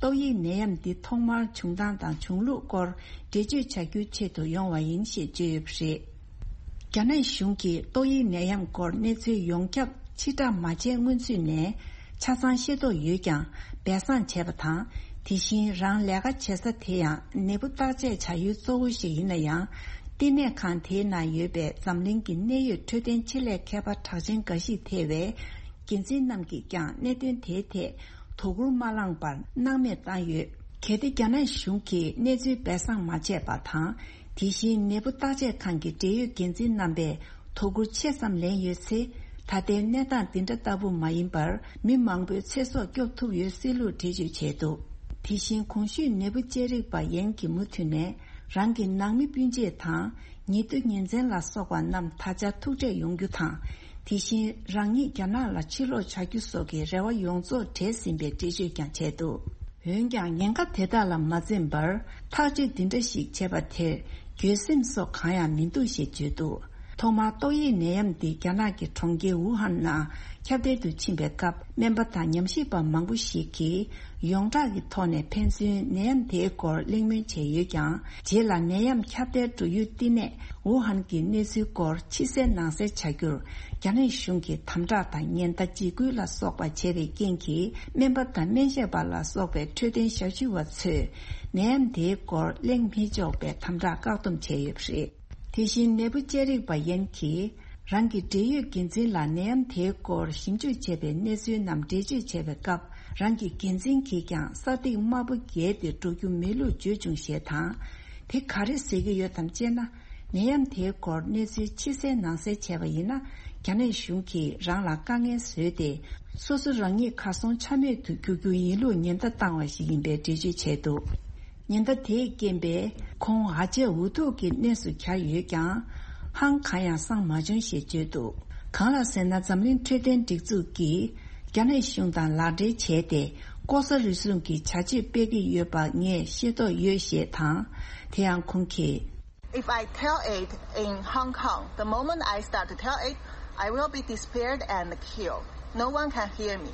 ཏོག་དབྱིབས་ནད་ཡམས་འདི་ཐོག་མར་བྱུང་སྟངས་དང་བྱུང་ལུགས་སྐོར་འགྲེལ་བརྗོད་བྱ་རྒྱུའི་ཆེད་དུ་ཡོང་བ་ཡིན་ཞེས་བརྗོད་ཡོད་པ་རེད། རྒྱ་ནག་གཞུང་གིས་ཏོག་དབྱིབས་ནད་ཡམས་སྐོར་གནས་ཚུལ་ཡོངས་ཁྱབ་ཕྱིར་བསྒྲགས་མ་བྱས་སྔོན་ཚུད་ནས་ཆ་ཚང་ཤེས་རྟོགས་ཡོད་ཀྱང་སྦས་གསང་བྱས་པ་དང་། དེ་བཞིན་རང་ལས་ཀ་བྱེད་ས་དེ་ཡང་ནད་འབུ་བརྟག་དཔྱད་བྱ་ཡུལ་གཙོ་བོ་ཞིག་ཡིན་ན་ཡང་། བསྟི་གནས་ཁང་དེའི་ནང་ཡོད་པའི་འཛམ་གླིང་གི་གནད་ཡོད་འཕྲོད་བསྟེན་ཆེད་ལས་མཁས་པ་གྲགས་ཅན་འགའ་ཞིག་ཐེ་བའི་འགན་འཛིན་རྣམས་ཀྱིས་ཀྱང་གནད་དོན་དེའི་ཐད་དོ་ཁུར་མ་བླངས་པར་སྣང་མེད་བཏང་ཡོད། གལ་ཏེ་རྒྱ་ནག་གཞུང་གིས་གནས་ཚུལ་སྦས་གསང་མ་བྱས་པ་དང་། དེ་བཞིན་ནད་འབུ་བརྟག་དཔྱད་ཁང་གི་འབྲེལ་ཡོད་འགན་འཛིན་རྣམ་པས་དོ་ཁུར་ཆེ་ཙམ་ལེན་ཡོད་ཚེ། ད་ལྟའི་གནས་སྟངས་འདི་འདྲ་ལྟ་བུ་མ་ཡིན་པར་མི་མང་པོའི་ཚེ་སྲོག་སྐྱོབ་ཐུབ་ཡོད་སྲིད་ལུགས་འགྲེལ་བརྗོད་བྱས་འདུག་དེ་བཞིན་གོང་ཞུས་ནད་འབུ་དཔྱད་རིག་པ་ཡན་གྱིས་མུ་མཐུད་ནས་རང་གི་ནང་མི་སྤུན་མཆེད་དང་ཉེ་དུ་ཉེ་ཚན་ལ་སོགས་པ་རྣམས་ད་ཆ་ཐུག་འཕྲད་ཡོང་རྒྱུ་དང་། དེ་བཞིན་རང་ཉིད་རྒྱ་ནག་ལ་ཕྱིར་ལོག་བྱ་རྒྱུ་སོགས་ཀྱི་རེ་བ་ཡོངས་རྫོགས་བྲལ་ཟིན་པའི་འགྲེལ་བརྗོད་ཀྱང་བྱས་འདུག་འོན་ཀྱང་ཉེན་ཁ་དེ་དག་ལ་མ་འཛེམས་པར་ཐག་གཅོད་འདི་འདྲ་ཞིག་བྱས་པ་དེར་འགྱོད་སེམས་སོགས་གང་ཡང་མི་འདུག་ཞེས་བརྗོད་འདུག་ཐོག་མར་ཏོག་དབྱིབས་ནད་ཡམས་འདི་རྒྱ་ནག་གི་གྲོང་ཁྱེར་ཝུ་ཧན་ནང་ཁྱབ་གདལ་དུ་ཕྱིན་པའི་སྐབས། སྨན་པ་དང་ཉམས་ཞིབ་པ་མང་པོ་ཞིག་གིས་ཡོངས་གྲགས་ཀྱི་ཐོག་ནས་ཕན་ཚུན་ནད་ཡམས་དེའི་སྐོར་གླེང་མོལ་བྱས་ཡོད་ཀྱང་། རྗེས་ལ་ནད་ཡམས་ཁྱབ་གདལ་འགྲོ་ཡུལ་བསྟི་གནས་ཝུ་ཧན་གྱི་གནས་ཚུལ་སྐོར་ཕྱི་གསལ་ནང་གསལ་བྱ་རྒྱུར། རྒྱ་ནག་གཞུང་གིས་དམ་དྲག་དང་ཉེན་བརྡ་འཇིགས་སྐུལ་ལ་སོགས་པ་བྱས་པའི་རྐྱེན་གྱིས། སྨན་པ་དང་སྨན་ཞབས་པ་ལ་སོགས་པའི་འཕྲོད་བསྟེན་ཞབས་ཞུ་བ་ཚོས་ནད་ཡམས་དེའི་སྐོར་གླེང་མི་ཆོག་པའི་དམ་དྲག་བཀག་སྡོམ་བྱས་ཡོད་པ་རེད། དེ་བཞིན་ནད་འབུ་ཅེ་རིག་པ་ཡན་གྱིས་རང་གི་འབྲེལ་ཡོད་འགན་འཛིན་ལ་ནད་ཡམས་དེའི་སྐོར་ཞིབ་འཇུག་བྱས་པའི་གནས་ཚུལ་རྣམས་འགྲེལ་བརྗོད་བྱས་པའི་སྐབས། རང་གི་འགན་འཛིན་གྱིས་ཀྱང་ས་ཐིག་དམར་པོ་བརྒལ་ཏེ་འགྲོ་རྒྱུ་མེད་ལུགས་བརྗོད་བྱུང་ཞེས་དང་། དེ་ག་རེ་ཟེར་གྱི་ཡོད་དམ་ཅེ་ན། ནད་ཡམས་དེའི་སྐོར་གནས་ཚུལ་ཕྱི་གསལ་ནང་གསལ་བྱས་པ་ཡིན་ན། རྒྱ་ནག་གཞུང་གིས་རང་ལ་དཀའ་ངལ་བཟོས་ཏེ། སོ་སོ་རང་ཉིད་གར་སོང་ཆ་མེད་དུ་འགྱུར་རྒྱུ་ཡིན་ལུགས་ཉེན་བརྡ་བཏང་བ་ཞིག་ཡིན་པའི་འགྲེལ་བརྗོད་བྱས་འདུག་ཉེན་བརྡ་དེས་རྐྱེན་པས་ཁོང་ཨ་ཅེ་འུ་ཐུག་གི་གནས་སུ་གྱར་ཡོད་ཀྱང་། ཧང་གང་ཡང་སངས་མ་བྱུང་ཞེས་བརྗོད་འདུག་གང་ལགས་ཟེར་ན། འཛམ་གླིང་འཕྲོད་བསྟེན་སྒྲིག་འཛུགས་ཀྱིས་རྒྱ་ནག་གཞུང་དང་ལག་འབྲེལ་བྱས་ཏེ། ལྐོག་ཟ་རུལ་སུངས་ཀྱི་བྱ་སྤྱོད་སྤེལ་གྱི་ཡོད་པ་ངས་ཤེས་རྟོགས་ཡོད་ཞེས་དང་། དེ་ཡང་ཁོང་གིས། If I tell it in Hong Kong, the moment I start to tell it, I will be disappeared and killed. No one can hear me.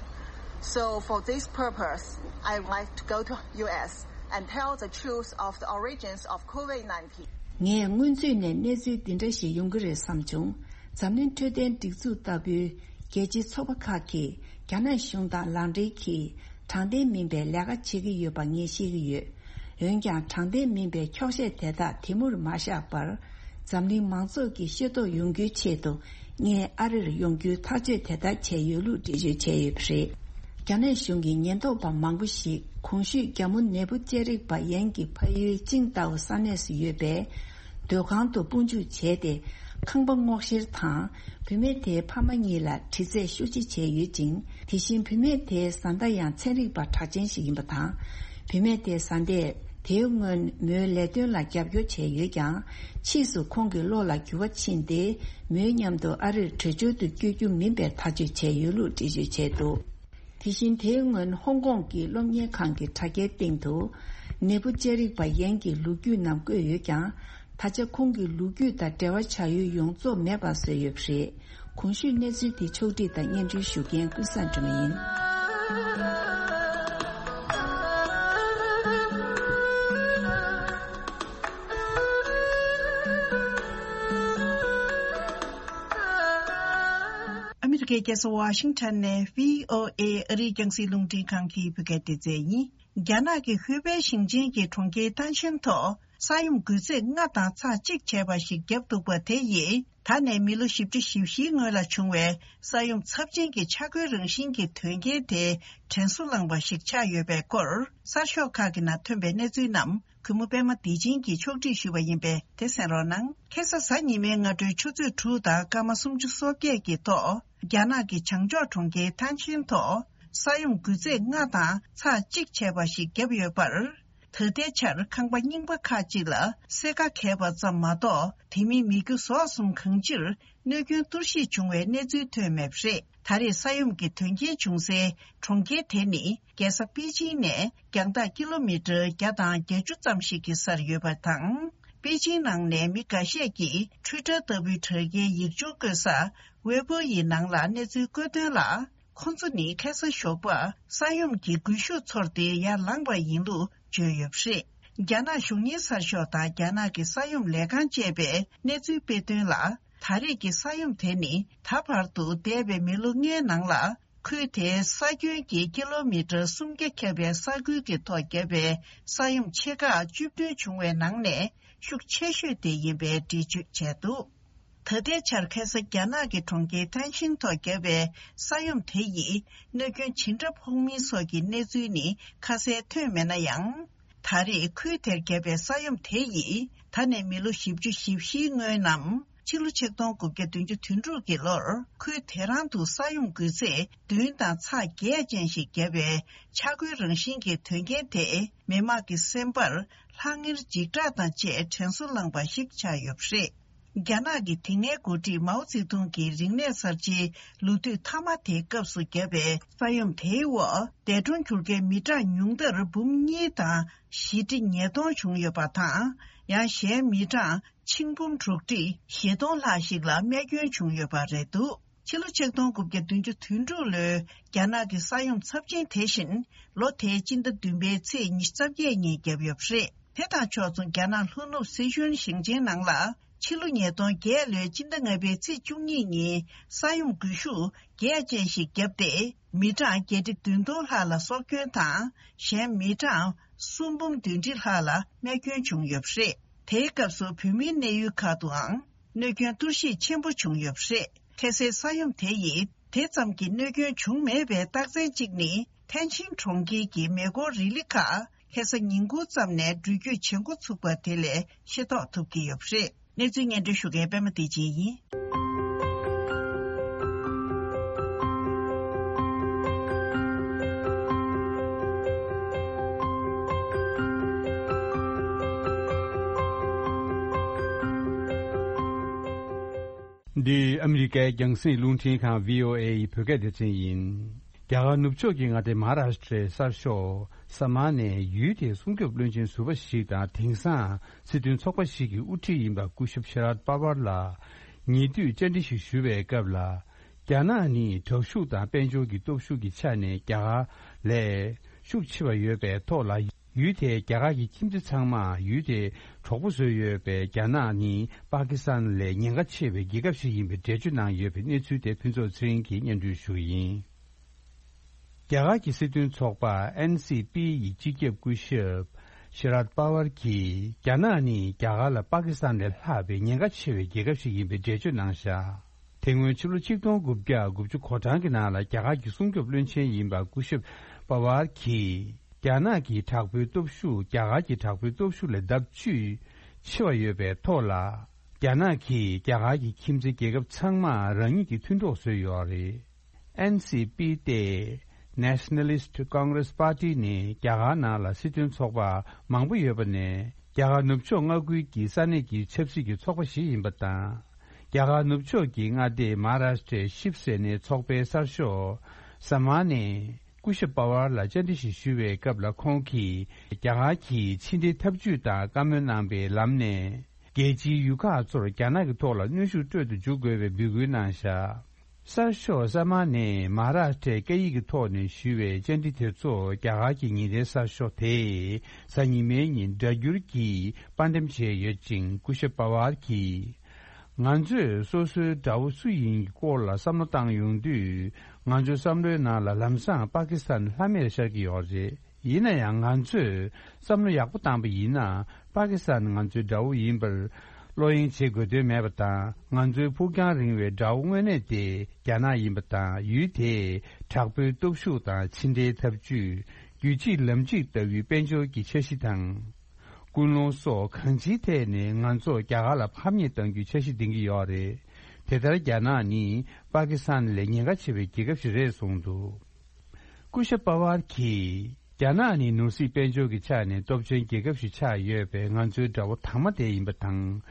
So for this purpose, I would like to go to U S and tell the truth of the origins of COVID nineteen. ངས་སྔོན་ཚུད་ནས་གནས་ཚུལ་འདི་འདྲ་ཞིག་ཡོང་གི་རེད་བསམ་བྱུང་། འཛམ་གླིང་འཕྲོད་བསྟེན་སྒྲིག་འཛུགས་ལྟ་བུའི་རྒྱལ་སྤྱིའི་ཚོགས་པ་ཁག་གིས་རྒྱ་ནག་གཞུང་དང་ལག་འབྲེལ་གྱིས་དྲང་བདེན་མིན་པའི་ལས་ཀ་བྱེད་ཀྱི་ཡོད་པ་ངས་ཤེས་ཀྱི་ཡོད། འོན་ཀྱང་དྲང་བདེན་མིན་པའི་འཁྱོག་བཤད་དེ་དག་དེ་མུར་མ་བཞག་པར། འཛམ་གླིང་མང་ཚོགས་ཀྱིས་ཤེས་རྟོགས་ཡོང་རྒྱུའི་ཆེད་དུ། ངས་ཨ་རིར་ཡོང་རྒྱུའི་ཐག་གཅོད་དེ་ལྟར་བྱས་ཡོད་ལུགས་འགྲེལ་བརྗོད་བྱས་ཡོད་པ་རེད། རྒྱ་ནག་གཞུང་གི་ཉེན་རྟོག་པ་མང་པོ་ཞིག་གོང་ཞུས་རྒྱ་མོ་ནད་འབུ་ཅེ་རིག་པ་ཡན་གྱི་ཕ་ཡུལ་ཅིང་ཏའོ་ས་གནས་སུ་ཡོད་པའི་སྡོད་ཁང་དུ་དཔུང་འཇུག་བྱས་ཏེ། ཁང་པ་སྔོག་བཤེར་དང་། བུད་མེད་དེའི་ཕ་མ་གཉིས་ལ་དྲི་རྩད་ཤུགས་ཆེ་བྱས་ཡོད་ཅིང་། དེ་བཞིན་བུད་མེད་དེའི་བཟའ་ཟླ་ཡང་ཚན་རིག་པ་གྲགས་ཅན་ཞིག་ཡིན་པ་དང་། བུད་མེད་དེའི་བཟའ་ཟླས་དེའི་སྔོན་མོའི་ལས་དོན་ལ་རྒྱབ་སྐྱོར་བྱས་ཡོད་ཀྱང་། ཕྱིས་སུ་ཁོང་གི་བློ་ལ་འགྱུར་བ་ཕྱིན་ཏེ། མོའི་མཉམ་དུ་ཨ་རིར་བྲོས་བྱོལ་དུ་བསྐྱོད་རྒྱུ་མིན་པའི་ཐག་གཅོད་བྱས་ཡོད་ལུགས་འགྲེལ་བརྗོད་བྱས་འདུག་དེ་བཞིན་དེའི་སྔོན་ཧོང་ཀོང་གི་སློབ་གཉེར་ཁང་གི་དྲ་རྒྱའི་སྟེང་དུ། ནད་འབུ་ཅེ་རིག་པ་ཡན་གྱི་ལོ་རྒྱུས་རྣམས་བཀོད་ཡོད་ཀྱང་། ད་ཆ་ཁོང་གི་ལོ་རྒྱུས་དང་འབྲེལ་བ་བྱ་ཡུལ་ཡོངས་རྫོགས་མེད་པ་བཟོས་ཡོད་པ་རེད། གོང་ཞུས་གནས་ཚུལ་འདི་ཕྱོགས་སྒྲིག་དང་སྙན་སྒྲོན་ཞུ་མཁན་ཀུན་བཟང་སྒྲོལ་མ་ཡིན། ཨ་མི་རི་ཀའི་རྒྱལ་ས་ཝ་ཤིང་ཊོན་ནས་བྷི་ཨོ་ཨེ་ཨ་རིའི་རྒྱང་སྲིང་རླུང་འཕྲིན་ཁང་གི་བོད་སྐད་སྡེ་ཚན་ཡིན། རྒྱ་ནག་གི་ཧུའེ་པེ་ཞིང་ཆེན་གྱི་གྲོང་ཁྱེར་ཐན་ཤན་ཐོག་ས་ཡོམ་འགུལ་ཚད་ལྔ་དང་ཚེག་གཅིག་བྱས་པ་ཞིག་བརྒྱབ་འདུག་པ་དེ་ཡིས་ད་ནས་མི་ལོ་བཞི་བཅུ་ཞེ་བཞིའི་སྔོན་ལ་བྱུང་བའི་ས་ཡོམ་ཚབས་ཆེན་གྱི་ཆག་སྒོའི་རང་བཞིན་གྱི་དོན་རྐྱེན་དེ་དྲན་གསོ་བསླངས་པ་ཞིག་ཆགས་ཡོད་པའི་སྐོར། གསར་ཤོག་ཁག་གི་ནང་ཐོན་པའི་གནས་ཚུལ་རྣམས་གུས་མོ་པད་མ་བདེ་ཆེན་གྱིས་ཕྱོགས་སྒྲིག་ཞུས་པ་ཡིན་པས་དེ་གསན་རོགས་གནང་། ཁ་སང་གཟའ་ཉི་མའི་སྔ་དྲོའི་ཆུ་ཚོད་དྲུག་དང་སྐར་མ་སུམ་ཅུ་སོ་བརྒྱད་ཀྱི་ཐོག་རྒྱ་ནག་གི་བྱང་ཕྱོགས་གྲོང་ཁྱེར་ཐན་ཤིན་ཐོག་ས་ཡོམ་འགུལ་ཚད་ལྔ་དང་ཚེག་གཅིག་བྱས་པ་ཞིག་བརྒྱབ་ཡོད་པར། ད་ལྟའི་ཆར་ཁང་པ་རྙིང་པ་ཁག་ཅིག་ལ་སེར་ཁ་གས་པ་ཙམ་མ་གཏོགས། དེ་མིན་མི་རྒྱུ་ཟོག་གསུམ་གང་ཅིར་གནོད་སྐྱོན་གཏོར་བཤིག་བྱུང་བའི་གནས་ཚུལ་ཐོན་མེད་པ་རེད། ད་རེས་ས་ཡོམ་གྱི་དོན་རྐྱེན་བྱུང་སའི་གྲོང་ཁྱེར་དེ་ནི། རྒྱལ་ས་པེ་ཅིང་ནས་རྒྱང་ཐག་ཀི་ལོ་མི་ཊར་བརྒྱ་དང་བརྒྱད་ཅུ་ཙམ་ཞིག་གི་སར་ཡོད་པ་དང་། པེ་ཅིང་ནང་ནས་མི་འགའ་ཤས་ཀྱིས་ཊུའི་ཊར་ལྟ་བུའི་དྲ་རྒྱའི་ཡིག་ཆུང་བཀོད་ས་ཝེ་པོ་ཡི་ནང་ལ་གནས་ཚུལ་བཀོད་དོན་ལ། ཁོ་ཚོ་ནི་ཁ་སང་ཞོགས་པ་ས་ཡོམ་གྱི་སྒུལ་ཤུགས་ཚོར་ཏེ་ཡར་ལངས་པ་ཡིན་ལུགས་བརྗོད་ཡོད་པ་རེད། རྒྱ་ནག་གཞུང་གཉེར་གསར་ཤོག་དང་རྒྱ་ནག་གི་ས་ཡོམ་ལས་ཁང་བཅས་པས་གནས་ཚུལ་སྤེལ་དོན་ལ། ད་རེས་ཀྱི་ས་ཡོམ་དེ་ནི་ད་བར་དུ་འདས་པའི་མི་ལོ་ལྔའི་ནང་ལ། ཁུལ་དེའི་ས་ཁྱོན་གྱི་ཀི་ལོ་མི་ཊར་སུམ་བརྒྱ་ཁྱབ་པའི་ས་ཁུལ་གྱི་ཐོག་བརྒྱབ་པའི་ས་ཡོམ་ཆེ་ཁག་བཅུ་བདུན་བྱུང་བའི་ནང་ནས་ཤུགས་ཆེ་ཤོས་དེ་ཡིན་པའི་འགྲེལ་བརྗོད་བྱས་འདུག་ད་ལྟའི་ཆར་ཁ་སང་རྒྱ་ནག་གི་གྲོང་ཁྱེར་ཐན་ཤིན་ཐོག་བརྒྱབ་པའི་ས་ཡོམ་དེ་ཡིས་གནོད་སྐྱོན་ཇི་འདྲ་ཕོག་མིན་སོགས་ཀྱི་གནས་ཚུལ་ནི་ཁ་གསལ་ཐོན་མེད་ན་ཡང་། ད་རེས་ཁུལ་དེར་བརྒྱབ་པའི་ས་ཡོམ་དེ་ཡིས་ད་ནས་མི་ལོ་བཞི་བཅུ་ཞེ་བཞིའི་སྔོན་ནམ། ཕྱི་ལོ་ཆིག་སྟོང་དགུ་བརྒྱ་བདུན་ཅུ་དོན་དྲུག་གི་ལོར་ཁུལ་དེ་རང་དུ་ས་ཡོམ་འགུལ་ཚད་བདུན་དང་ཚེག་བརྒྱད་ཅན་ཞིག་བརྒྱབ་པའི་ཆག་སྒོའི་རང་བཞིན་གྱི་དོན་རྐྱེན་དེས་མི་དམངས་ཀྱི་སེམས་པར་ལྷང་ངེར་འཇིགས་སྐྲག་དང་བཅས་དྲན་གསོ་བསླངས་པ་ཞིག་ཆགས་ཡོད་པ་རེད། རྒྱ་ནག་གི་དེ་སྔའི་འགོ་ཁྲིད་མའོ་ཙེ་ཏུང་གི་རིག་གནས་གསར་བརྗེའི་ལོ་དུས་མཐའ་མ་དེའི་སྐབས་སུ་བརྒྱབ་པའི་ས་ཡོམ་དེའི་འོག་འདས་གྲོངས་གྱུར་མཁན་མི་གྲངས་ཉུང་མཐར་འབུམ་གཉིས་དང་བཞི་ཁྲི་ཉིས་སྟོང་བྱུང་ཡོད་པ་དང་། ཡང་གཞན་མི་གྲངས་ཆིག་འབུམ་དྲུག་ཁྲི་བཞི་སྟོང་ལྷག་ཞིག་ལ་རྨས་སྐྱོན་བྱུང་ཡོད་པ་རེད་འདུག་ཕྱི་ལོ་ཆིག་སྟོང་དགུ་བརྒྱ་བདུན་ཅུ་དོན་དྲུག་ལོའི་རྒྱ་ནག་གི་ས་ཡོམ་ཚབས་ཆེན་དེ་བཞིན་ལོ་དེའི་སྤྱི་ཟླ་བདུན་པའི་ཚེས་ཉི་ཤུ་རྩ་བརྒྱད་ཉིན་བརྒྱབ་ཡོད་པ་རེད། དེ་དང་ཕྱོགས་མཚུངས་རྒྱ་ནག་ལྷོ་ནུབ་སི་ཁྲོན་ཞིང་ཆེན་ནང་ལ་ཕྱི་ལོ་ཉིས་སྟོང་བརྒྱད་ལོའི་སྤྱི་ཟླ་ལྔ་པའི་ཚེས་བཅུ་གཉིས་ཉིན་ས་ཡོམ་སྒུལ་ཤུགས་རྒྱས་ཅན་ཞིག་བརྒྱབ་སྟེ། མི་གྲངས་བརྒྱད་ཁྲི་བདུན་སྟོང་ལྷག་ལ་སྲོག་སྐྱོན་དང་། གཞན་མི་གྲངས་སུམ་འབུམ་བདུན་ཁྲི་ལྷག་ལ་རྨས་སྐྱོན་བྱུང་ཡོད་པ་རེད། དེའི་སྐབས་སུ་བོད་མིའི་གནས་ཡུལ་ཁག་ཏུའང་གནོད་སྐྱོན་གཏོར་བཤིག་ཆེན་པོ་བྱུང་ཡོད་པ་རེད། ཁ་སའི་ས་ཡོམ་དེ་ཡིས་དེ་ཙམ་གྱི་གནོད་སྐྱོན་བྱུང་མེད་པའི་རྟགས་མཚན་གཅིག་ནི། ཐེན་ཅིན་གྲོང་ཁྱེར་གྱི་མེ་འཁོར་རི་ལི་ཁག་ཁ་ས་ཉིན་གུང་ཙམ་ནས་འགྲུལ་སྐྱོད་བྱེད་འགོ་ཚུགས་པ་དེ་ལས་ཤེས་རྟོགས་ཐུབ་ཀྱི་ཡོད་པ་རེད། གནས་ཚུལ་སྙན་སྒྲོན་ཞུ་མཁན་པད་མ་བདེ་ཆེན་ཡིན། འདི་ཨ་མི་རི་ཀའི་རྒྱང་སྲིང་རླུང་འཕྲིན་ཁང་བྷི་ཨོ་ཨེ་ཡི་བོད་སྐད་སྡེ་ཚན་ཡིན། རྒྱ་གར་ནུབ་ཕྱོགས་ཀྱི་མངའ་སྡེ་མ་ཧཱ་རཱ་ཤི་ཏྲའི་གསར་ཤོག་ས་མ་ནས་ཡུལ་དེའི་སྲུང་སྐྱོབ་བློན་ཆེན་ཟུར་པ་ཞིག་དང་། དེང་སང་སྲིད་དོན་ཚོགས་པ་ཞིག་གི་དབུ་ཁྲིད་ཡིན་པ་སྐུ་ཞབས་ཤ་རཱད་པ་ཝར་ལ་ཉེ་དུས་བཅར་འདྲི་ཞིག་ཞུ་བའི་སྐབས་ལ། རྒྱ་ནག་ནི་དྲག་ཤུགས་དང་དཔལ་འབྱོར་གྱི་སྟོབས་ཤུགས་ཀྱི་ཆ་ནས་རྒྱ་གར་ལས་ཤུགས་ཆེ་བ་ཡོད་པའི་ཐོག་ལ། ཡུལ་དེའི་རྒྱ་གར་གྱི་ཁྱིམ་མཚེས་ཚང་མ་ཡུལ་དེའི་གྲོགས་པོ་བཟོས་ཡོད་པས། རྒྱ་ནག་ནི་པ་ཀི་སི་ཐན་ལས་ཉེན་ཁ་ཆེ་བའི་རྒྱལ་ཁབ་ཞིག་ཡིན་པའི་འགྲེལ་བརྗོད་གནང་ཡོད་པའི་གནས་ཚུལ་དེ་ཕུན་ཚོགས་ཚེ་རིང་གིས་སྙན་སྒྲོན་ཞུ་གི་ཡིན། རྒྱ་གར་གྱི་སྲིད་དོན་ཚོགས་པ་ཨེན་སི་པི་ཡི་སྤྱི་ཁྱབ་སྐུ་ཞབས་ཤ་རཱད་པ་ཝར་གྱིས། རྒྱ་ནག་ནི་རྒྱ་གར་ལ་པ་ཀི་སི་ཐན་ལས་ལྷག་པའི་ཉེན་ཁ་ཆེ་བའི་རྒྱལ་ཁབ་ཞིག་ཡིན་པའི་འགྲེལ་བརྗོད་གནང་བཞག་དེ་སྔོན་ཕྱི་ལོ་ཆིག་སྟོང་དགུ་བརྒྱ་དགུ་བཅུ་གོ་གྲངས་ཀྱི་ནང་ལ་རྒྱ་གར་གྱི་སྲུང་སྐྱོབ་བློན་ཆེན་ཡིན་པ་སྐུ་ཞབས་པ་ཝར་གྱིས། རྒྱ་ནག་གི་དྲག་པོའི་སྟོབས་ཤུགས་རྒྱ་གར་གྱི་དྲག་པོའི་སྟོབས་ཤུགས་ལས་ལྡབ་བཅུ་ཆེ་བ་ཡོད་པའི་ཐོག་ལ། རྒྱ་ནག་གིས་རྒྱ་གར་གྱི་ཁྱིམ་མཚེས་རྒྱལ་ཁབ་ཚང་མ་རང་ཉིད་ཀྱི་མཐུན་གྲོགས་བཟོས་ཡོད་རེད། ཨེན་སི་པི་སྟེ། Nationalist Congress Party ནི་རྒྱ་གར་ནང་ལ་སྲིད་དོན་ཚོགས་པ་མང་པོ་ཡོད་པ་ནས། རྒྱ་གར་ནུབ་ཕྱོགས་མངའ་ཁུལ་གྱི་ས་གནས་ཀྱི་ཆབ་སྲིད་ཀྱི་ཚོགས་པ་ཞིག་ཡིན་པ་དང་། རྒྱ་གར་ནུབ་ཕྱོགས་ཀྱི་མངའ་སྡེ་མ་ཧཱ་རཱ་ཤི་ཏྲའི་ཤིབ་སེ་ནའི་ཚོགས་པའི་གསར་ཤོག་ས་མ་ནས་སྐུ་ཞབས་པ་ཝར་ལ་བཅར་འདྲི་ཞིག་ཞུ་བའི་སྐབས་ལ། ཁོང་གིས་རྒྱ་གར་གྱིས་ཕྱི་འབྲེལ་ཐབས་ཇུས་དང་བཀའ་མོལ་གནང་པའི་ལམ་ནས། རྒྱལ་སྤྱིའི་ཡུལ་ཁག་ཚོར་རྒྱ་ནག་གི་ཐོག་ལ་གནོན་ཤུགས་སྤྲོད་དུ་འཇུག་དགོས་པའི་འབོད་སྐུལ་གནང་བཞག་གསར་ཤོག་ས་མ་ནས་མ་ཧཱ་རཱ་ཤི་ཏྲའི་སྐད་ཡིག་གི་ཐོག་ནས་ཞུས་པའི་བཅར་འདྲི་དེ་ཚོ་རྒྱ་གར་གྱི་ཉིན་རེའི་གསར་ཤོག་དེས་གཟའ་ཉི་མའི་ཉིན་སྒྲ་སྒྱུར་གྱིས་པར་འགྲེམས་བྱས་ཡོད་ཅིང་། སྐུ་ཞབས་པ་ཝར་གྱིས། ང་ཚོས་སོ་སོའི་དགྲ་བོ་སུ་ཡིན་གྱི་སྐོར་ལ་བསམ་བློ་བཏང་ཡོང་དུས། ང་ཚོའི་བསམ་བློའི་ནང་ལ་ལམ་སང་པ་ཀི་སི་ཐན་ལྷམ་མེར་ཤར་གྱི་ཡོད་རེད། ཡིན་ན་ཡང་། ང་ཚོས་བསམ་བློ་ཡག་པོ་བཏང་པ་ཡིན་ན། པ་ཀི་སི་ཐན་ང་ཚོའི་དགྲ་བོ་ཡིན་པར་བློ་གཡེང་བྱེད་དགོས་དོན་མེད་པ་དང་། ང་ཚོའི་ཕུགས་རྒྱང་རིང་བའི་དགྲ་བོ་དངོས་གནས་དེ་རྒྱ་ནག་ཡིན་པ་དང་། ཡུལ་དེའི་དྲག་པོའི་སྟོབས་ཤུགས་དང་། ཕྱི་འབྲེལ་ཐབས་ཇུས། རྒྱུད་གཅིག་ལམ་གཅིག་ལྟ་བུའི་དཔལ་འབྱོར་གྱི་འཆར་གཞི་དང་། ཀུན་སློང་སོགས་གང་ཅིའི་ཐད་ནས་ང་ཚོར་རྒྱ་གར་ལ་ཕམ་ཉེས་གཏང་རྒྱུའི་འཆར་གཞི་འདིང་གི་ཡོད་རེད། དེ་ལྟར་རྒྱ་ནག་ནི་པ་ཀི་སི་ཐན་ལས་ཉེན་ཁ་ཆེ་བའི་རྒྱལ་ཁབ་ཞིག་རེད་གསུངས་འདུག་སྐུ་ཞབས་པ་ཝར་གྱིས། རྒྱ་ནག་ནི་ནོར་སྲིད་དཔལ་འབྱོར་གྱི་ཆ་ནས་སྟོབས་ཆེན་རྒྱལ་ཁབ་ཞིག་ཆགས་ཡོད་པས། ང་ཚོའི་དགྲ་བོ་དང་མ་དེ་ཡིན་པ་དང་།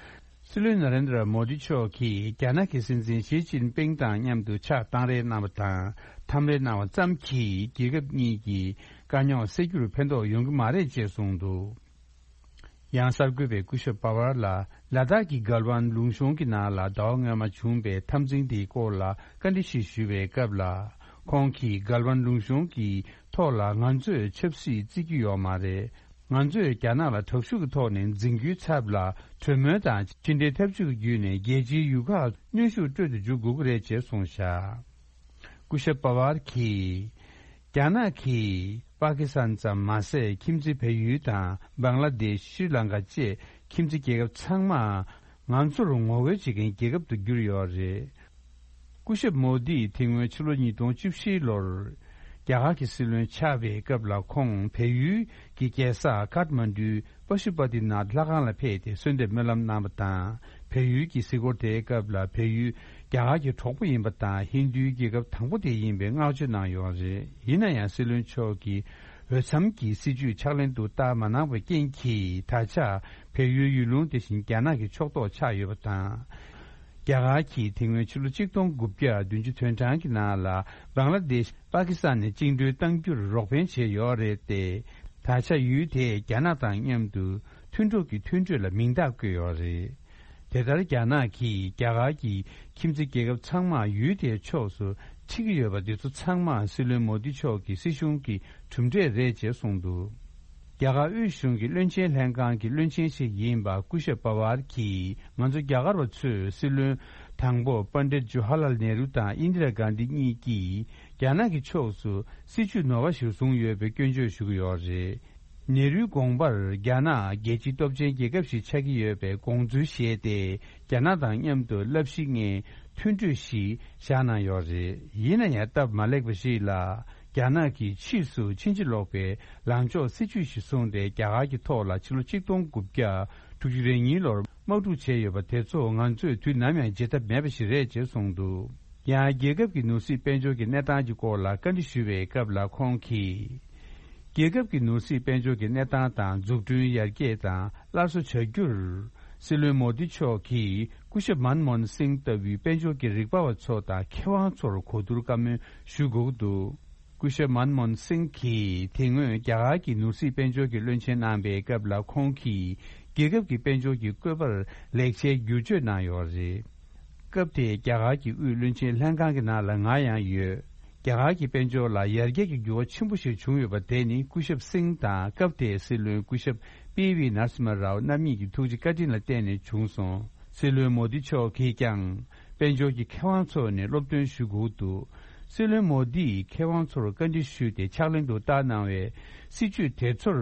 སྲིད་བློན་ན་རེན་དྲ་མོ་དི་མཆོག་གིས་རྒྱ་ནག་གི་སྲིད་འཛིན་ཞི་ཅིན་ཕིང་དང་མཉམ་དུ་ཕྱག་བཏང་རེས་གནང་བ་དང་། འཐམ་རེས་གནང་བ་ཙམ་གྱིས་རྒྱལ་ཁབ་གཉིས་ཀྱི་དཀའ་རྙོག་སེལ་རྒྱུར་ཕན་ཐོགས་ཡོང་གི་མ་རེད་ཅེས་གསུངས་འདུག་ཡང་གསར་འགོད་པས་སྐུ་ཞབས་པ་ཝར་ལ་ལ་དྭགས་ཀྱི་གལ་ཝན་ལུང་གཤོང་གི་ནང་ལ་ཟླ་བ་སྔོན་མ་བྱུང་པའི་འཐབ་འཛིང་དེའི་སྐོར་ལ་བཀའ་འདྲི་ཞིག་ཞུས་པའི་སྐབས་ལ། ཁོང་གིས་གལ་ཝན་ལུང་གཤོང་གི་ཐོག་ལ་ང་ཚོས་ཆབ་སྲིད་བརྩི་རྒྱུ་ཡོད་མ་རེད། ང་ཚོས་རྒྱ་ནག་ལ་དྲག་ཤུགས་ཀྱི་ཐོག་ནས་འཛིང་རྒྱུའི་ཚབ་ལ་གྲོས་མོལ་དང་ཕྱི་འབྲེལ་ཐབས་ཇུས་ཀྱི་བརྒྱུད་ནས་རྒྱལ་སྤྱིའི་ཡུལ་ཁག་གནོན་ཤུགས་སྤྲོད་དུ་འཇུག་དགོས་ཀྱི་རེད་ཅེས་གསུངས་བཞག་སྐུ་ཞབས་པ་ཝར་གྱིས། རྒྱ་ནག་གིས་པ་ཀི་སི་ཐན་ཙམ་མ་ཟད། ཁྱིམ་མཚེས་བལ་ཡུལ་དང་། བང་ལ་དེཤ། ཤྲི་ལང་ཀ་བཅས་ཁྱིམ་མཚེས་རྒྱལ་ཁབ་ཚང་མ་ང་ཚོར་ངོ་རྒོལ་བྱེད་མཁན་རྒྱལ་ཁབ་ཏུ་གྱུར་ཡོད་རེད། སྐུ་ཞབས་མོ་དིས་དེ་སྔོན་ཕྱི་ལོ་ཉིས་སྟོང་བཅུ་བཞི་ལོར་རྒྱ་གར་གྱི་སྲིད་བློན་ཆགས་པའི་སྐབས་ལ། ཁོང་བལ་ཡུལ་གྱི་རྒྱལ་ས་ཀཏ་མན་ཌུའི་པ་ཤུ་པ་ཏི་ནཱཐ་ལྷ་ཁང་ལ་ཕེབས་ཏེ་གསོལ་འདེབས་སྨོན་ལམ་གནང་བ་དང་། བལ་ཡུལ་གྱི་གཟིགས་སྐོར་དེའི་སྐབས་ལ། བལ་ཡུལ་རྒྱ་གར་གྱི་གྲོགས་པོ་ཡིན་པ་དང་། ཧིན་རྡུའི་རྒྱལ་ཁབ་དང་པོ་དེ་ཡིན་པའི་བསྔགས་བརྗོད་གནང་ཡོད་རེད། ཡིན་ན་ཡང་། སྲིད་བློན་མཆོག་གིས་ འོས་འཚམ་གྱི་སྲིད་ཇུས་ཕྱག་ལེན་དུ་བསྟར་མ་གནང་བའི་རྐྱེན་གྱིས། ད་ཆ་བལ་ཡུལ་ཡུལ་ལུང་དེ་བཞིན་རྒྱ་ནག་གི་ཕྱོགས་གཏོགས་ཆགས་ཡོད་པ་དང་། རྒྱ་གར་གྱིས་དེ་སྔོན་ཕྱི་ལོ་ཆིག་སྟོང་དགུ་བརྒྱ་བདུན་ཅུ་དོན་གྲངས་ཀྱི་ནང་ལ། བང་ལ་དེཤ་པ་ཀི་སི་ཐན་ནས་བཅིངས་འགྲོལ་གཏང་རྒྱུར་རོགས་ཕན་བྱས་ཡོད་རེད་དེ། ད་ཆ་ཡུལ་དེས་རྒྱ་ནག་དང་མཉམ་དུ་མཐུན་གྲོགས་ཀྱི་མཐུན་གྲོས་ལ་མིང་རྟགས་བཀོད་ཡོད་རེད། དེ་ལྟར་རྒྱ་ནག་གིས་རྒྱ་གར་གྱི་ཁྱིམ་མཚེས་རྒྱལ་ཁབ་ཚང་མ་ཡུལ་དེའི་ཕྱོགས་སུ་ཁྲིད་ཀྱི་ཡོད་པ་འདི་ཚོ་ཚང་མ་སྲིད་བློན་མོ་དི་མཆོག་གི་སྲིད་གཞུང་གི་གྲུབ་འབྲས་རེད་ཅེས་གསུངས་འདུག་རྒྱ་གར་དབུས་གཞུང་གི་བློན་ཆེན་ལྷན་ཁང་གི་བློན་ཆེན་ཞིག་ཡིན་པ་སྐུ་ཞབས་པ་ཝར་གྱིས། ང་ཚོ་རྒྱ་གར་བ་ཚོས་སྲིད་བློན་དང་པོ་པཎ་ཌིད་ཇོ་ཧར་ལལ་ནེ་རུ་དང་ཨིན་དི་ར་གྷན་དྷི་གཉིས་ཀྱིས་རྒྱ་ནག་གི་ཕྱོགས་སུ་སྲིད་ཇུས་ནོར་བ་ཞིག་བཟུང་ཡོད་པའི་སྐྱོན་བརྗོད་ཞུ་གི་ཡོད་རེད། ནེ་རུའི་དགོངས་པར། རྒྱ་ནག་རྒྱལ་སྤྱིའི་སྟོབས་ཆེན་རྒྱལ་ཁབ་ཞིག་ཆགས་ཀྱི་ཡོད་པའི་དགོངས་ཚུལ་བཞེས་ཏེ། རྒྱ་ནག་དང་མཉམ་དུ་བསླབ་གཞི་ལྔའི་མཐུན་གྲོས་ཤིག་བཞག་གནང་ཡོད་རེད། ཡིན་ན་ཡང་སྟབས་མ་ལེགས་པ་ཞིག་ལ། རྒྱ་ནག་གིས་ཕྱིས་སུ་ཕྱིན་ཅི་ལོག་པའི་ལངས་ཕྱོགས་སྲིད་ཇུས་ཤིག་བཟུང་སྟེ། རྒྱ་གར་གྱི་ཐོག་ལ་ཕྱི་ལོ་ཆིག་སྟོང་དགུ་བརྒྱ་དྲུག་ཅུ་རེ་གཉིས་ལོར་དམག་འཁྲུག་བྱས་ཡོད་པ་དེ་ཚོ་ང་ཚོས་དུས་ནམ་ཡང་བརྗེད་ཐབས་མེད་པ་ཞིག་རེད་ཅེས་གསུངས་འདུག་ཡང་རྒྱལ་ཁབ་ཀྱི་ནོར་སྲིད་དཔལ་འབྱོར་གྱི་གནས་སྟངས་ཀྱི་སྐོར་ལ་བཀའ་འདྲི་ཞུས་པའི་སྐབས་ལ་ཁོང་གིས། རྒྱལ་ཁབ་ཀྱི་ནོར་སྲིད་དཔལ་འབྱོར་གྱི་གནས་སྟངས་དང་འཛུགས་སྐྲུན་ཡར་རྒྱས་དང་སླར་གསོ་བྱ་རྒྱུར། སྲིད་བློན་མོ་དི་མཆོག་གིས་སྐུ་ཞབས་མན་མོ་ཧན་སིང་ལྟ་བུའི་དཔལ་འབྱོར་གྱི་རིག་པ་བ་ཚོ་དང་མཁས་དབང་ཚོར་གོ་བསྡུར་བཀའ་མོལ་ཞུ་དགོས་ཀྱི་འདུག་སྐུ་ཞབས་མན་མོ་ཧན་སིང་གིས་དེ་སྔོན་རྒྱ་གར་གྱི་ནོར་སྲིད་དཔལ་འབྱོར་གྱི་བློན་ཆེན་གནང་པའི་སྐབས་ལ་ཁོང་གིས་རྒྱལ་ཁབ་ཀྱི་དཔལ་འབྱོར་གྱི་བཀོད་པར་ལེགས་ཆའི་བསྒྱུར་བཅོས་གནང་ཡོད་རེད། སྐབས་དེའི་རྒྱ་གར་གྱི་དབུས་བློན་ཆེན་ལྷན་ཁང་གི་ནང་ལ་ང་ཡང་ཡོད། རྒྱ་གར་གྱི་དཔལ་འབྱོར་ལ་ཡར་རྒྱས་ཀྱི་འགྱུར་བ་ཆེན་པོ་ཞིག་བྱུང་ཡོད་པ་དེ་ནི་སྐུ་ཞབས་སིང་དང་སྐབས་དེའི་སྲིད་བློན་སྐུ་ཞབས་པི་ཝི་ནར་སི་མ་རའོ་རྣམ་གཉིས་ཀྱི་ཐུགས་རྗེ་བཀའ་དྲིན་ལ་བརྟེན་ནས་བྱུང་སོང་། སྲིད་བློན་མོ་དི་མཆོག་གིས་ཀྱང་དཔལ་འབྱོར་གྱི་མཁས་དབང་ཚོ་ནས་སློབ་སྟོན་ཞུ་དགོས་འདུག་སྲིད་བློན་མོ་དིས་མཁས་དབང་ཚོར་བཀའ་འདྲི་ཞུས་ཏེ་ཕྱག་ལེན་དུ་བསྟར་གནང་བའི་སྲིད་ཇུས་དེ་ཚོར་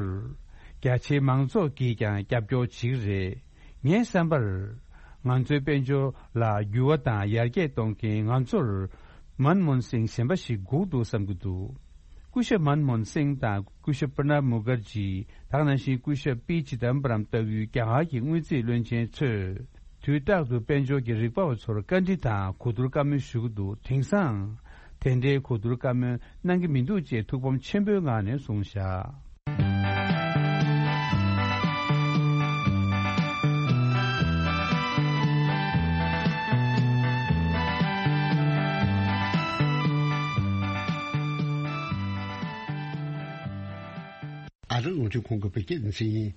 རྒྱ་ཆེའི་མང་ཚོགས་ཀྱིས་ཀྱང་རྒྱབ་སྐྱོར་བྱེད་ཀྱི་རེད། ངའི་བསམ་པར། ང་ཚོའི་དཔལ་འབྱོར་ལ་འགྱུར་བ་དང་ཡར་རྒྱས་གཏོང་མཁན་ང་ཚོར་མན་མོན་སིང་གཞན་པ་ཞིག་དགོས་འདུག་བསམ་གྱི་འདུག་སྐུ་ཞབས་མན་མོན་སིང་དང་སྐུ་ཞབས་པྲ་ནབ་མུ་ཁར་ཇི། ད་ག་ནང་བཞིན་སྐུ་ཞབས་པི་ཅི་དམ་པ་རམ་ལྟ་བུའི་རྒྱ་གར་གྱི་དངུལ་རྩིས་བློན་ཆེན་ཚོས། དུས་རྟག་ཏུ་དཔལ་འབྱོར་གྱི་རིག་པ་བ་ཚོར་བཀའ་འདྲི་དང་གོ་བསྡུར་བཀའ་མོལ་ཞུ་གི་འདུག་དེང་སང་། དེ་འདྲའི་གོ་བསྡུར་བཀའ་མོལ་གནང་གི་མི་འདུག་ཅེས་ཐུགས་ཕམ་ཆེན་པོའི་ངང་ནས་གསུངས་བཞག་ཨ་རི་རླུང་འཕྲིན་ཁང་གི་བོད་སྐད་སྡེ་ཚན་ཡིན།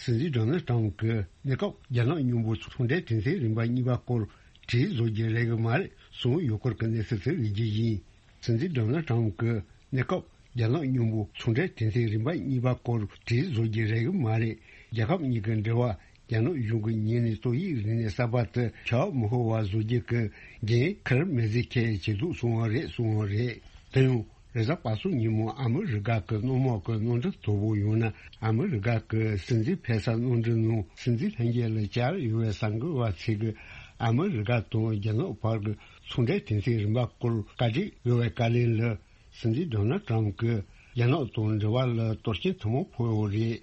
སྲིད་འཛིན་ཌོ་ནལ་ཏྲམ་གྱི་གནས་སྐབས་རྒྱ་ནག་མཉམ་པོ་ཚོང་འབྲེལ་གྲོས་མཐུན་རིམ་པ་གཉིས་པ་སྐོར་བྲིས་བཟོ་རྒྱུ་རེད་གི་མ་རེད་གསུངས་ཡོད་སྐོར་གྱི་གནས་ཚུལ་དེ་ལ་རྒྱུ་ཡིན། སྲིད་འཛིན་ཌོ་ནལ་ཏྲམ་གྱི་གནས་སྐབས་རྒྱ་ནག་མཉམ་པོ་ཚོང་འབྲེལ་གྲོས་མཐུན་རིམ་པ་གཉིས་པ་སྐོར་བྲིས་བཟོ་རྒྱུ་རེད་གི་མ་རེད། རྒྱལ་ཁབ་གཉིས་ཀྱི་འབྲེལ་བ་རྒྱ་ནག་གཞུང་གི་ཉིན་ནས་ཏོག་དབྱིབས་རིམས་ནད་གསར་པ་དེ་ཁྱབ་མི་ཤོར་བ་བཟོ་རྒྱུ་གི་འགན་ཁུར་མི་བཟོད་ཁས་བྱེད་འདུག་གསུངས་པ་རེད་གསུངས་པ་རེད། དེ་ཡང་རེས་གཟའ་པ་སངས་ཉིན་མོ་ཨ་མི་རི་ཀ་གི་སྣོལ་དམག་གི་གནམ་གྲུ་དོ་པོ་ཡང་ན་ཨ་མི་རི་ཀ་གི་སྲིད་འཛིན་ཕེབས་ས་གནམ་གྲུ་ནང་སྲིད་འཛིན་ལྷན་རྒྱས་ལ་བཅར་ཡོད་པའི་གསར་འགོད་པ་ཚོས་ཀྱིས་ཨ་མི་རི་ཀ་དང་རྒྱ་ནག་བར་གྱི་ཚོང་འབྲེལ་གྲོས་མཐུན་རིམ་པ་སྐོར་བཀའ་འདྲི་ཡོད་པའི་བཀའ་ལན་ལ། སྲིད་འཛིན་ཌོ་ནལ་ཏྲམ་གྱིས་རྒྱ་ནག་དང་འབྲེལ་བ་ལ་གཏོར་སྐྱོན་ཐུན་མོང་ཕོག་ཡོད་རེད།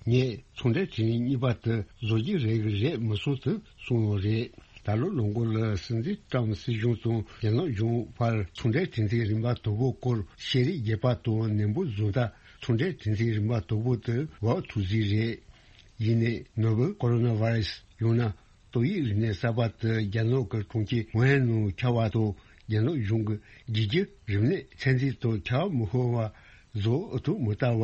ངས་ཚོང་འབྲེལ་གྲོས་མཐུན་གཉིས་པ་དེ་བཟོ་རྒྱུ་རེད་གི་རེད་མི་སོང་ཟེར་གསུངས་ཡོད་རེད། ད་ལོ་ལོ་འགོ་ལ་སྲིད་འཛིན་ཏྲམ་སྲིད་གཞུང་དང་རྒྱ་ནག་གཞུང་བར་ཚོང་འབྲེལ་གྲོས་མཐུན་རིམ་པ་དོ་པོ་སྐོར་བཤད་རེས་བརྒྱབ་པ་དང་ནན་པོ་བཟོ་ད་ཚོང་འབྲེལ་གྲོས་མཐུན་རིམ་པ་དོ་པོ་དེ་འབབ་ཐུབ་རྩིས་རེད། ཡིན་ནའི་ནོ་བེལ་ཀོ་རོ་ན་བྷ་རེ་སི་ཡང་ན། ཏོག་དབྱིབས་རིམས་ནད་གསར་པ་དེ་རྒྱ་ནག་གི་གྲོང་ཁྱེར་ཝུ་ཧན་ནང་ཁྱབ་པ་དང་རྒྱ་ནག་གཞུང་གིས་རྒྱལ་སྤྱིའི་རིམས་ནད་ཚད་འཛིན་དང་ཁྱབ་མི་ཤོར་བ་བཟོ་ཨུ་ཐུག་མི་ལྟ་བ་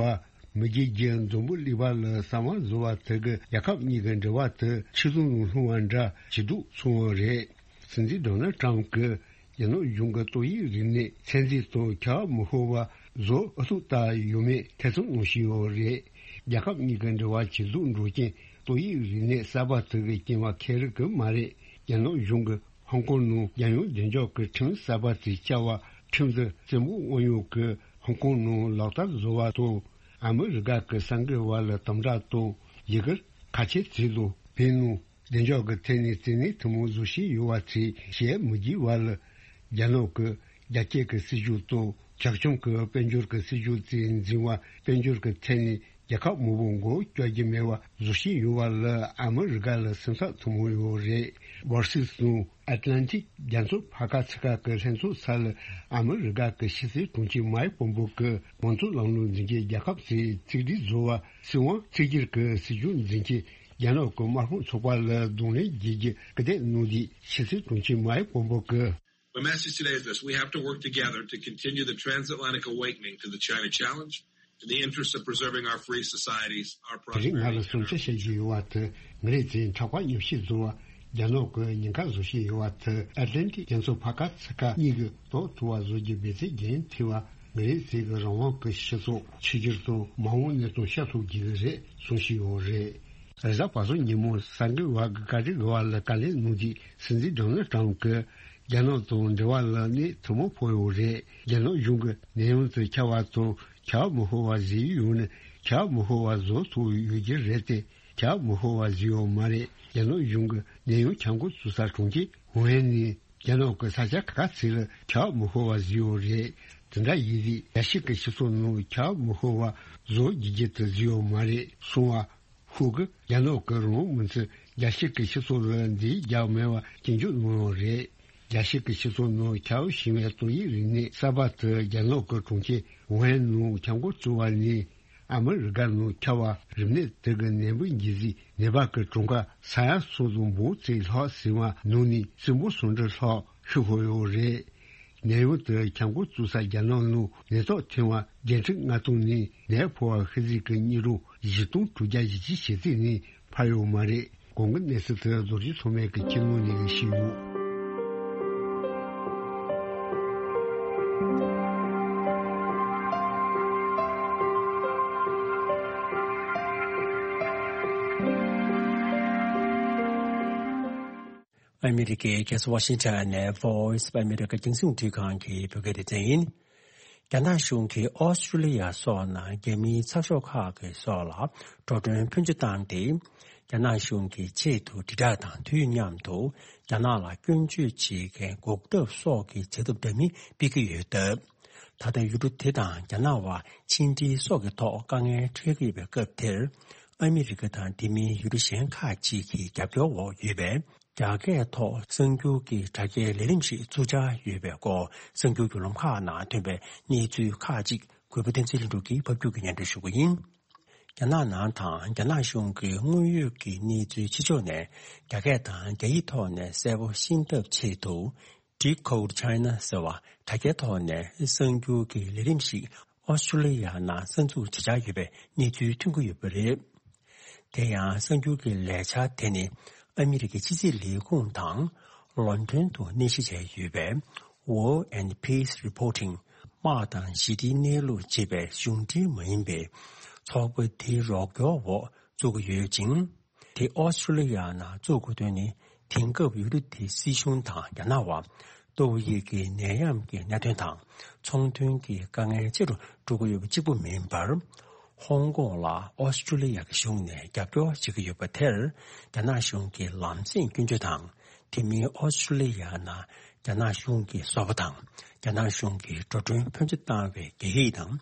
མི་རྒྱལ་གྱི་འཛམ་བུ་གླིང་པ་ལ་གསང་བ་བཟོ་བ་དེ་གིས་རྒྱལ་ཁབ་གཉིས་ཀྱི་འབྲེལ་བ་དེ་ཆུ་ཟོམ་ནང་ལྷུང་བ་འདྲ་བྱེད་འདུག་གསུངས་པ་རེད། སྲིད་འཛིན་ཌོ་ནལ་ཏྲམ་གྱིས་རྒྱ་ནག་གཞུང་གིས་ཏོག་དབྱིབས་རིམས་ནད་ཚད་འཛིན་དང་ཁྱབ་མི་ཤོར་བ་བཟོ་ཨུ་ཐུག་ལྟ་ཡོད་མེད་ཐེ་ཚོམ་གནང་བཞིན་ཡོད་རེད། རྒྱལ་ཁབ་གཉིས་ཀྱི་འབྲེལ་བ་ཇེ་སྡུག་འགྲོ་རྐྱེན་ཏོག་དབྱིབས་རིམས་ནད་གསར་པ་དེ་གི་རྐྱེན་པ་ཁེར་རེ་གི་མ་རེད། རྒྱ་ནག་གཞུང་གིས་ཧོང་ཀོང་ནང་རྒྱལ་ཡོངས་བདེ་འཇགས་ཀྱི་ཁྲིམས་གསར་པ་དེ་བསྐྱར་བ་ཁྲིམས་དེ་བཙན་པོ་དབང་ཡོད་ཀྱི་ཧོང་ཀོང་ནང་ལག་བསྟར་བཟོ་བ་དང་ཨ་མི་རི་ཀ་གི་གསར་འགོད་པ་ལ་དམ་དྲག་དང་ཡི་གེར་ཁ་ཆེ་བྱས་ལོ་བོད་ནང་བདེ་འཇགས་ཀྱི་ཐད་ནས་བཙན་གནོན་ཐུན་མོང་བཟོ་བཞིན་ཡོད་པ་དེ་བྱེད་མི་དགོས་པ་ལ་རྒྱ་ནག་གི་རྒྱ་སྐྱེད་ཀྱི་སྲིད་ཇུས་དང་བྱ་ཁྱུང་གི་དཔལ་འབྱོར་གྱི་སྲིད་ཇུས་དེ་འཛིན་པ་དཔལ་འབྱོར་གྱི་ཐད་ནས་ རྒྱལ་ཁབ་མང་པོ་མགོ་བསྐྱོར་རྒྱུ་མེད་པ་བཟོ་བཞིན་ཡོད་པ་ལ་ཨ་མི་རི་ཀ་ལ་སེམས་འཚབ་ཐོན་མུས་ཡོད་རེད། Washington Atlantic རྒྱ་མཚོ་ཕར་ཁ་ཚུར་ཁ་གི་ལྷན་ཚོགས་ས་ལ་ཨ་མི་རི་ཀ་གི་ཕྱི་སྲིད་དྲུང་ཆེ་མའིག་པོམ་པོ་གི་མང་གཙོ་ལམ་ལུགས་འཛིན་གྱི་རྒྱལ་ཁབ་ཚོའི་གཅིག་སྒྲིལ་བཟོ་བ་སྲིད་དབང་གཅིག་གྱུར་གྱི་སྲིད་ཇུས་འཛིན་གྱི་རྒྱ་ནག་གི་དམར་ཤོག་ཚོགས་པ་ལ་གདོང་ལེན་བྱེད་རྒྱུ་སྐུལ་འདེད་གནང་དུས་ཕྱི་སྲིད་དྲུང་ཆེ་མའིག་པོམ་པོ་གིས། My message today is this. We have to work together to continue the transatlantic awakening to the China challenge in the interest of preserving our free societies, our དེ་རིང་ང་ལ་གསུང་ཆ་བཤད་ཀྱི་ཡོད་པ་དེ། ང་རའི་བཙན་འཕྲག་པ་མཉམ་བཤད་བཟོ་བ་རྒྱ་ནག་གི་ཉེན་ཁ་བཟོ་བཞིན་ཡོད་པ་དེ། ཨེ་ཏི་ལན་ཏིག་རྒྱ་མཚོ་ཕར་ཁ་ཚུར་ཁ་གཉིས་ཀྱི་ཐོག་ཐུག་པ་བཟོ་རྒྱུ་འབད་བརྩོན་རྒྱག་ཐུབ་པ། ང་རའི་བཙན་གྱི་རང་དབང་གི་སྤྱི་ཚོགས་ཆིག་སྒྱུར་དང་མ་འོངས་གནས་སྟངས་ཤར་ཐུབ་རྒྱུ་རེད་གསུང་བཞིན་ཡོད་རེད། རེས་གཟའ་པ་སངས་ཉིན་མོ་གསར་འགོད་པ་གིས་བཀའ་འགྲེམས་ཀྱི་བར་ལ་བཀའ་ལན་གནང་དུས་སྲིད་འཛིན་ཌོ་ནལ་ཊམ་གྱིས། རྒྱ་ནག་དང་འབྲེལ་བ་ལ་གནོད་ཐུན་མོང་ཕོག་ཡོད་རེད། རྒྱ་ནག་གཞུང་གིས་ནད་ཡམས་དེ་ཁྱབ་པ་དང་ཁྱབ་མི་ཕོད་པ་བཟོས་ཡོད་ན། ཁྱབ་མི་ཕོད་པ་བཟོ་ཐུབ་ཡོད་ཀྱི་རེད་དེ། ཁྱབ་མི་ཕོད་པ་བཟོས་ཡོད་མ་རེད། རྒྱ་ནག་གཞུང་གིས་ནད་ཡམས་ཁྱབ་འགོ་བཙུགས་ས་གྲོང་ཁྱེར་ཝུ་ཧན་ནས་རྒྱ་ནག་གི་ས་ཆ་ཁག་ཁག་ཚོ་ལ་ཁྱབ་མི་ཕོད་པ་བཟོས་ཡོད་རེད། དེ་འདྲ་ཡིན་དུས་རྒྱལ་སྤྱི་གི་སྤྱི་ཚོགས་ནང་ཁྱབ་མི་ཕོད་པ་བཟོ་རྒྱུ་ཅིག་དེ་བཟོས་ཡོད་མ་རེད་གསུངས་པ། ཁོ་གིས་རྒྱ་ནག་གི་རང་དབང་མི་ཚོས་རྒྱལ་སྤྱི་གི་སྤྱི་ཚོགས་ལ་འདི་རྒྱག་མེད་པ་སྐྱོན་བརྗོད་གནང་ཡོད་རེད། རྒྱལ་སྤྱི་གི་སྤྱི་ཚོགས་ནང་ཁྱབ་ཞིང་བའི་ཏོག་དབྱིབས་རིམས་ནད་གསར་པ་དེ་རྒྱ་ནག་གི་གྲོང་ཁྱེར་ཝུ་ཧན་ནང་ཁྱབ་འགོ་བཙུགས་པ་ནས། ཨ་མི་རི་ཀ་ནང་ཁྱབ་པ་རིམས་ནད་དེ་གི་ནད་འབུ་འགོས་རྗེས་ནད་པ་གི་གྲངས་ཀ་ས་ཡ་གསུམ་དང་འབུམ་གཅིག་ལྷག་ཟིན་པ་ནང་ནས་སྲིན་འབུ་སུམ་ཁྲི་ལྷག་ཤི་འཕོས་ཡོད་རེད། ནད་ཡམས་དེ་ཁྱབ་འགོ་བཙུགས་ས་རྒྱ་ནག་ནང་ནད་ཐོག་ཐོན་པ་བརྒྱད་ཁྲི་ལྔ་སྟོང་ནས་ནད་ཕོག་པ་ཤི་ཚད་ཀྱི་སྙིགས་རོ་བཞི་སྟོང་དྲུག་བརྒྱ་བཞི་བཅུ་ཞེ་གཅིག་ནས་འཕར་ཡོད་མ་རེད། གོང་གི་གནས་ཚུལ་དེ་རྡོ་རྗེ་ཐོགས་མེད་ཀྱིས་ཁྱེར་ཡོང་ནས་ཞུས་ཡོད། ཨ་མི་རི་ཀའི་རྒྱལ་ས་ཝ་ཤིང་ཊོན་ནས་Voice of America རྒྱང་སྲིང་རླུང་འཕྲིན་ཁང་གི་བོད་སྐད་སྡེ་ཚན་ཡིན། རྒྱ་ནག་གཞུང་གིས་ཨོ་སི་ཀྲུ་ལི་ཡ་སོགས་ནང་རྒྱ་མིའི་ཚགས་ཤོག་ཁག་གི་སོགས་ལ་འགྲོ་གྲོན་ཕོན་ཆེ་བཏང་སྟེ། རྒྱ་ནག་གཞུང་གི་ཆེད་དུ་དྲིལ་བསྒྲགས་དང་དུས་མཉམ་དུ་རྒྱ་ནག་ལ་སྐྱོན་བརྗོད་བྱེད་མཁན་འགོག་ཐབས་སོགས་ཀྱི་བྱ་ཐབས་འདྲ་མིན་སྤེལ་གྱི་ཡོད་སྟབས། ད་ལྟ་ཡུལ་གྲུ་དེ་དང་རྒྱ་ནག་བར་ཕྱི་འབྲེལ་སོགས་ཀྱི་ཐོག་དཀའ་ངལ་འཕྲད་ཀྱི་ཡོད་པའི་སྐབས་དེར། ཨ་མི་རི་ཀ་དང་དེ་མིན་ཡུལ་གྲུ་གཞན་ཁག་ཅིག་གི་རྒྱབ་སྐྱོར་འོག་ཡོད་པའི། རྒྱ་སྐད་ཐོག་གསར་འགྱུར་གྱི་དྲ་རྒྱའི་ལས་རིམ་ཞིག་བཙུགས་འཆར་ཡོད་པའི་སྐོར་གསར་འགྱུར་བརྒྱུད་ལམ་ཁག་ནང་ཐོན་པའི་གནས་ཚུལ་ཁག་ཅིག་གུས་པ་བསྟན་འཛིན་ལྷུན་གྲུབ་ཀྱིས་ཕབ་སྒྱུར་གྱིས་སྙན་སྒྲོན་ཞུ་གི་ཡིན། རྒྱ་ནག་ནང་དང་རྒྱ་ནག་གཞུང་གི་དངོས་ཡོད་ཀྱི་གནས་ཚུལ་ཕྱི་ཕྱོགས་ནས་རྒྱ་སྐད་དང་རྒྱ་ཡིག་ཐོག་ནས་གསལ་པོ་ཤེས་ཐབས་ཆེད་དུ། Decode China ཟེར་བ་དྲ་རྒྱའི་ཐོག་ནས་གསར་འགྱུར་གྱི་ལས་རིམ་ཞིག་ཨོ་སི་ཀྲུ་ལི་ཡ་ནང་གསར་འཛུགས་བྱེད་འཆར་ཡོད་པའི་གནས་ཚུལ་ཐོན་གྱི་ཡོད་པ་རེད། དེ་ཡང་གསར་འགྱུར་གྱི་ལས་འཆར་དེ་ནི་ཨ་མི་རི་ཀའི་ཕྱི་སྲིད་ལས་ཁུངས་དང་ལོན་ཌོན་དུ་གནས་གཞི་བྱས་ཡོད་པའི་War and Peace Reporting དམག་དང་ཞི་བདེའི་གནས་ལུགས་ཅེས་པའི་གཞུང་འབྲེལ་མ་ཡིན་པའི་ཚོགས་པ་དེའི་རོགས་སྐྱོར་འོག་བཙུགས་ཀྱི་ཡོད་ཅིང་། དེ་ཨོ་སི་ཀྲུ་ལི་ཡ་ནང་བཙུགས་དགོས་དོན་ནི། དེང་སྐབས་ཡུལ་གྲུ་དེའི་སྲིད་གཞུང་དང་རྒྱ་ནག་བར་ཏོག་དབྱིབས་ཀྱི་ནད་ཡམས་ཀྱི་གནད་དོན་དང་ཚོང་དོན་གྱི་དཀའ་ངལ་ཆེ་རུ་འགྲོ་གི་ཡོད་པ་གཅིག་པུ་མིན་པར། ཧོང་ཀོང་ལ་ཨོ་སི་ཀྲུ་ལི་ཡ་གི་གཞུང་ནས་རྒྱབ་སྐྱོར་བྱེད་ཀྱི་ཡོད་པ་དེར་རྒྱ་ནག་གཞུང་གིས་ལམ་སེང་སྐྱོན་བརྗོད་དང་། དེ་མིན་ཨོ་སི་ཀྲུ་ལི་ཡ་ནང་རྒྱ་ནག་གཞུང་གི་ཟུར་པ་དང་རྒྱ་ནག་གཞུང་གིས་འགྲོ་གྲོན་ཕོན་ཆེ་བཏང་བའི་རྒྱ་ཡིག་དང་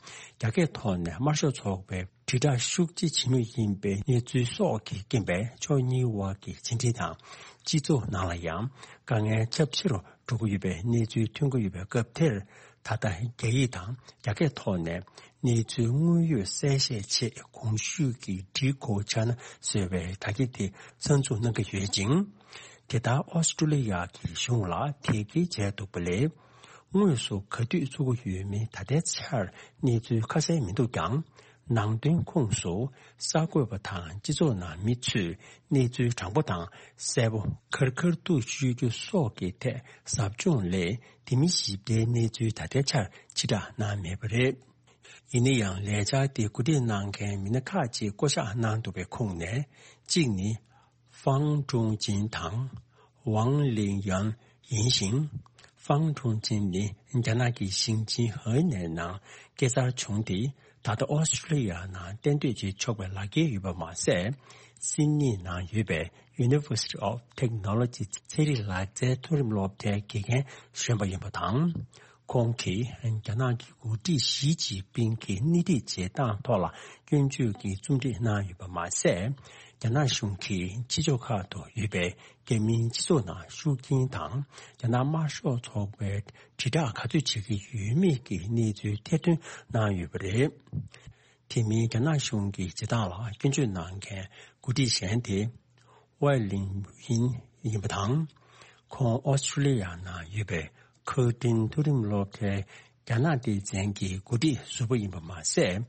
རྒྱ་སྐད་ཐོག་ནས་དམར་ཤོག་ཚོགས་པའི་དྲིལ་བསྒྲགས་ཤུགས་ཆེ་བྱེད་མུས་ཡིན་པའི་གནས་ཚུལ་སོགས་ཀྱི་རྐྱེན་པས་ཕྱོགས་གཉིས་དབར་གྱི་ཕྱི་འབྲེལ་དང་སྤྱི་ཚོགས་ནང་ལ་ཡང་དཀའ་ངལ་ཁྱབ་ཆེ་རུ་འགྲོ་གི་ཡོད་པའི་གནས་ཚུལ་ཐོན་གྱི་ཡོད་པའི་སྐབས་དེར། ད་ལྟ་རྒྱ་ཡིག་དང་རྒྱ་སྐད་ཐོག་ནས་གནས་ཚུལ་དངོས་ཡོད་གསལ་བཤད་ཆེད་གོང་ཞུས་ཀྱི་Decode China ཟེར་བའི་དྲ་རྒྱ་དེ་གསར་འཛུགས་གནང་གི་ཡོད་ཅིང་། དེ་ལྟར་ཨོ་སི་ཀྲུ་ལི་ཡ་གི་གཞུང་ལ་དེ་གའི་བྱས་འདུག་པ་ལས། དངོས་སུ་ག་དུས་བཙུགས་ཀྱི་ཡོད་མིན་ད་ལྟའི་ཆར་གནས་ཚུལ་ཁ་གསལ་མི་འདུག་ཀྱང་། ནང་དོན་ཁོངས་སུ་གསར་འགོད་པ་དང་སྤྱི་ཚོགས་ནང་མི་ཚོས་གནས་ཚུལ་དྲང་པོ་དང་གསལ་པོ་ཁེར་ཁེར་དུ་ཤོད་རྒྱུ་སོགས་ཀྱི་ཐད་ཟབ་སྦྱོང་ལས་དེ་མིན་ཞིབ་ཕྲའི་གནས་ཚུལ་ད་ལྟའི་ཆར་ཕྱིར་བསྒྲགས་གནང་མེད་པ་རེད། ཡིན་ན་ཡང་ལས་འཆར་དེ་གོ་སྒྲིག་གནང་མཁན་མི་སྣ་ཁག་ཅིག་བསྐོ་གཞག་གནང་འདུག་པའི་ཁོངས་ནས་གཅིག་ནི། ཧྥང་ཀྲུང་ཅིན་དང་ཝང་ལིང་ཡན་ཡིན་ཞིང་། ཧྥང་ཀྲུང་ཅིན་ནི་རྒྱ་ནག་གི་ཞིང་ཆེན་ཧེ་ནན་ནང་སྐྱེས་འཚར་བྱུང་སྟེ། ད་ལྟ་ཨོ་སི་ཀྲུ་ལི་ཡ་ནང་གཏན་སྡོད་བྱེད་ཆོག་པའི་ལག་འཁྱེར་ཡོད་པ་མ་ཟད། སིད་ནི་ནང་ཡོད་པའི་University of Technology ཚན་རིག་ལག་རྩལ་མཐོ་རིམ་སློབ་གྲྭའི་དགེ་རྒན་གཞོན་པ་ཡིན་པ་དང་། ཁོང་གིས་རྒྱ་ནག་གི་འགོ་ཁྲིད་ཞི་ཅིན་ཕིང་གི་སྣེ་ཁྲིད་བྱེད་སྟངས་ཐོག་ལ་སྐྱོན་བརྗོད་ཀྱི་རྩོམ་སྒྲིག་གནང་ཡོད་པ་མ་ཟད། རྒྱ་ནག་གཞུང་གིས་ཕྱི་ཕྱོགས་ཁག་ཏུ་ཡོད་པའི་རྒྱ་མིའི་སྤྱི་ཚོགས་ནང་ཤུགས་རྐྱེན་དང་། རྒྱ་ནག་དམར་ཤོག་ཚོགས་པའི་དྲིལ་བསྒྲགས་ག་ཚོད་བྱེད་ཀྱི་ཡོད་མེད་ཀྱི་གནས་ཚུལ་ཐེར་འདོན་གནང་ཡོད་པ་རེད། དེ་མིན་རྒྱ་ནག་གཞུང་གི་བྱེད་སྟངས་ལ་སྐྱོན་བརྗོད་གནང་མཁན་འགོ་ཁྲིད་གཞན་དེ་ཝའེ་ལིང་ཡིན་ཡིན་པ་དང་། ཁོང་ཨོ་སི་ཁྲུ་ལི་ཡ་ནང་ཡོད་པའི་ཁར་ཏིན་མཐོ་རིམ་སློབ་གྲྭའི་རྒྱ་ནག་སྡེ་ཚན་གྱི་འགོ་ཁྲིད་ཟུར་པ་ཡིན་པ་མ་ཟད།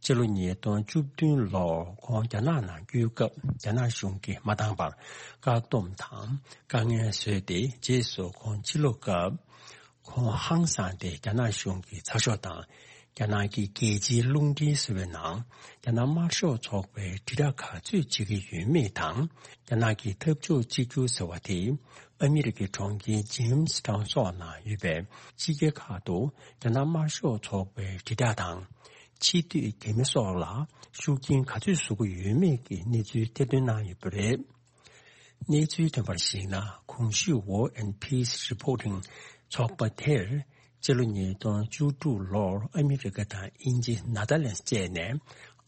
སྤྱི་ལོ་ཉིས་སྟོང་བཅུ་བདུན་ལོར་ཁོང་རྒྱ་ནག་ནང་བསྐྱོད་སྐབས་རྒྱ་ནག་གཞུང་གིས་མ་འདང་བར་བཀག་སྡོམ་དང་དཀའ་ངལ་བཟོས་ཏེ། རྗེས་སུ་ཁོང་ཕྱིར་ལོག་སྐབས། ཁོང་ཧང་སངས་ཏེ་རྒྱ་ནག་གཞུང་གི་ཚགས་ཤོག་དང་། རྒྱ་ནག་གི་རྒྱལ་སྤྱིའི་རླུང་འཕྲིན་ཟེར་བའི་ནང་རྒྱ་ནག་དམར་ཤོག་ཚོགས་པའི་དྲིལ་བསྒྲགས་ག་ཚོད་བྱེད་ཀྱི་ཡོད་མེད་དང་། རྒྱ་ནག་གི་འཐབ་ཕྱོགས་གཅིག་གྱུར་ཟེར་བ་དེ་ཨ་མི་རི་ཀའི་གྲོང་ཁྱེར་ཇེམ་སི་ཊའུན་སོགས་ནང་ཡོད་པའི་ཕྱི་རྒྱལ་ཁག་ཏུ་རྒྱ་ནག་དམར་ཤོག་ཚོགས་པའི་དྲིལ་བསྒྲགས་དང་། ཕྱི་སྡོད་རྒྱ་མི་སོགས་ལ་ཤུགས་རྐྱེན་ག་ཚོད་བཟོ་གི་ཡོད་མེད་ཀྱི་གནས་ཚུལ་ཐེར་འདོན་གནང་ཡོད་པ་རེད། གནས་ཚུལ་ཐོན་པར་གཞིགས་ན། གོང་ཞུས་War and Peace Reporting ཚོགས་པ་དེར་སྤྱི་ལོ་ཉིས་སྟོང་བཅུ་དྲུག་ལོར་ཨ་མི་རི་ཀ་དང་དབྱིན་ཇི། ནེ་དར་ལེནྜ་བཅས་ནས་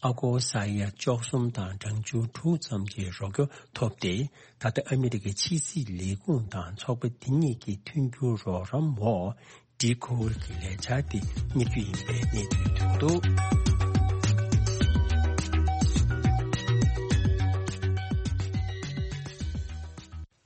ཨ་སྒོར་ས་ཡ་བཅུ་གསུམ་དང་གྲངས་ཆུང་དྲུག་ཙམ་གྱི་རོགས་སྐྱོར་ཐོབ་སྟེ། ད་ལྟ་ཨ་མི་རི་ཀའི་ཕྱི་སྲིད་ལས་ཁུངས་དང་ཚོགས་པ་དེ་གཉིས་ཀྱི་མཐུན་འགྱུར་རོགས་རམ་འོག་འགྲིག་ཁུལ་གྱི་ལས་འཆར་དེ་གཉེར་རྒྱུ་ཡིན་པའི་གནས་ཚུལ་ཐོན་འདུག།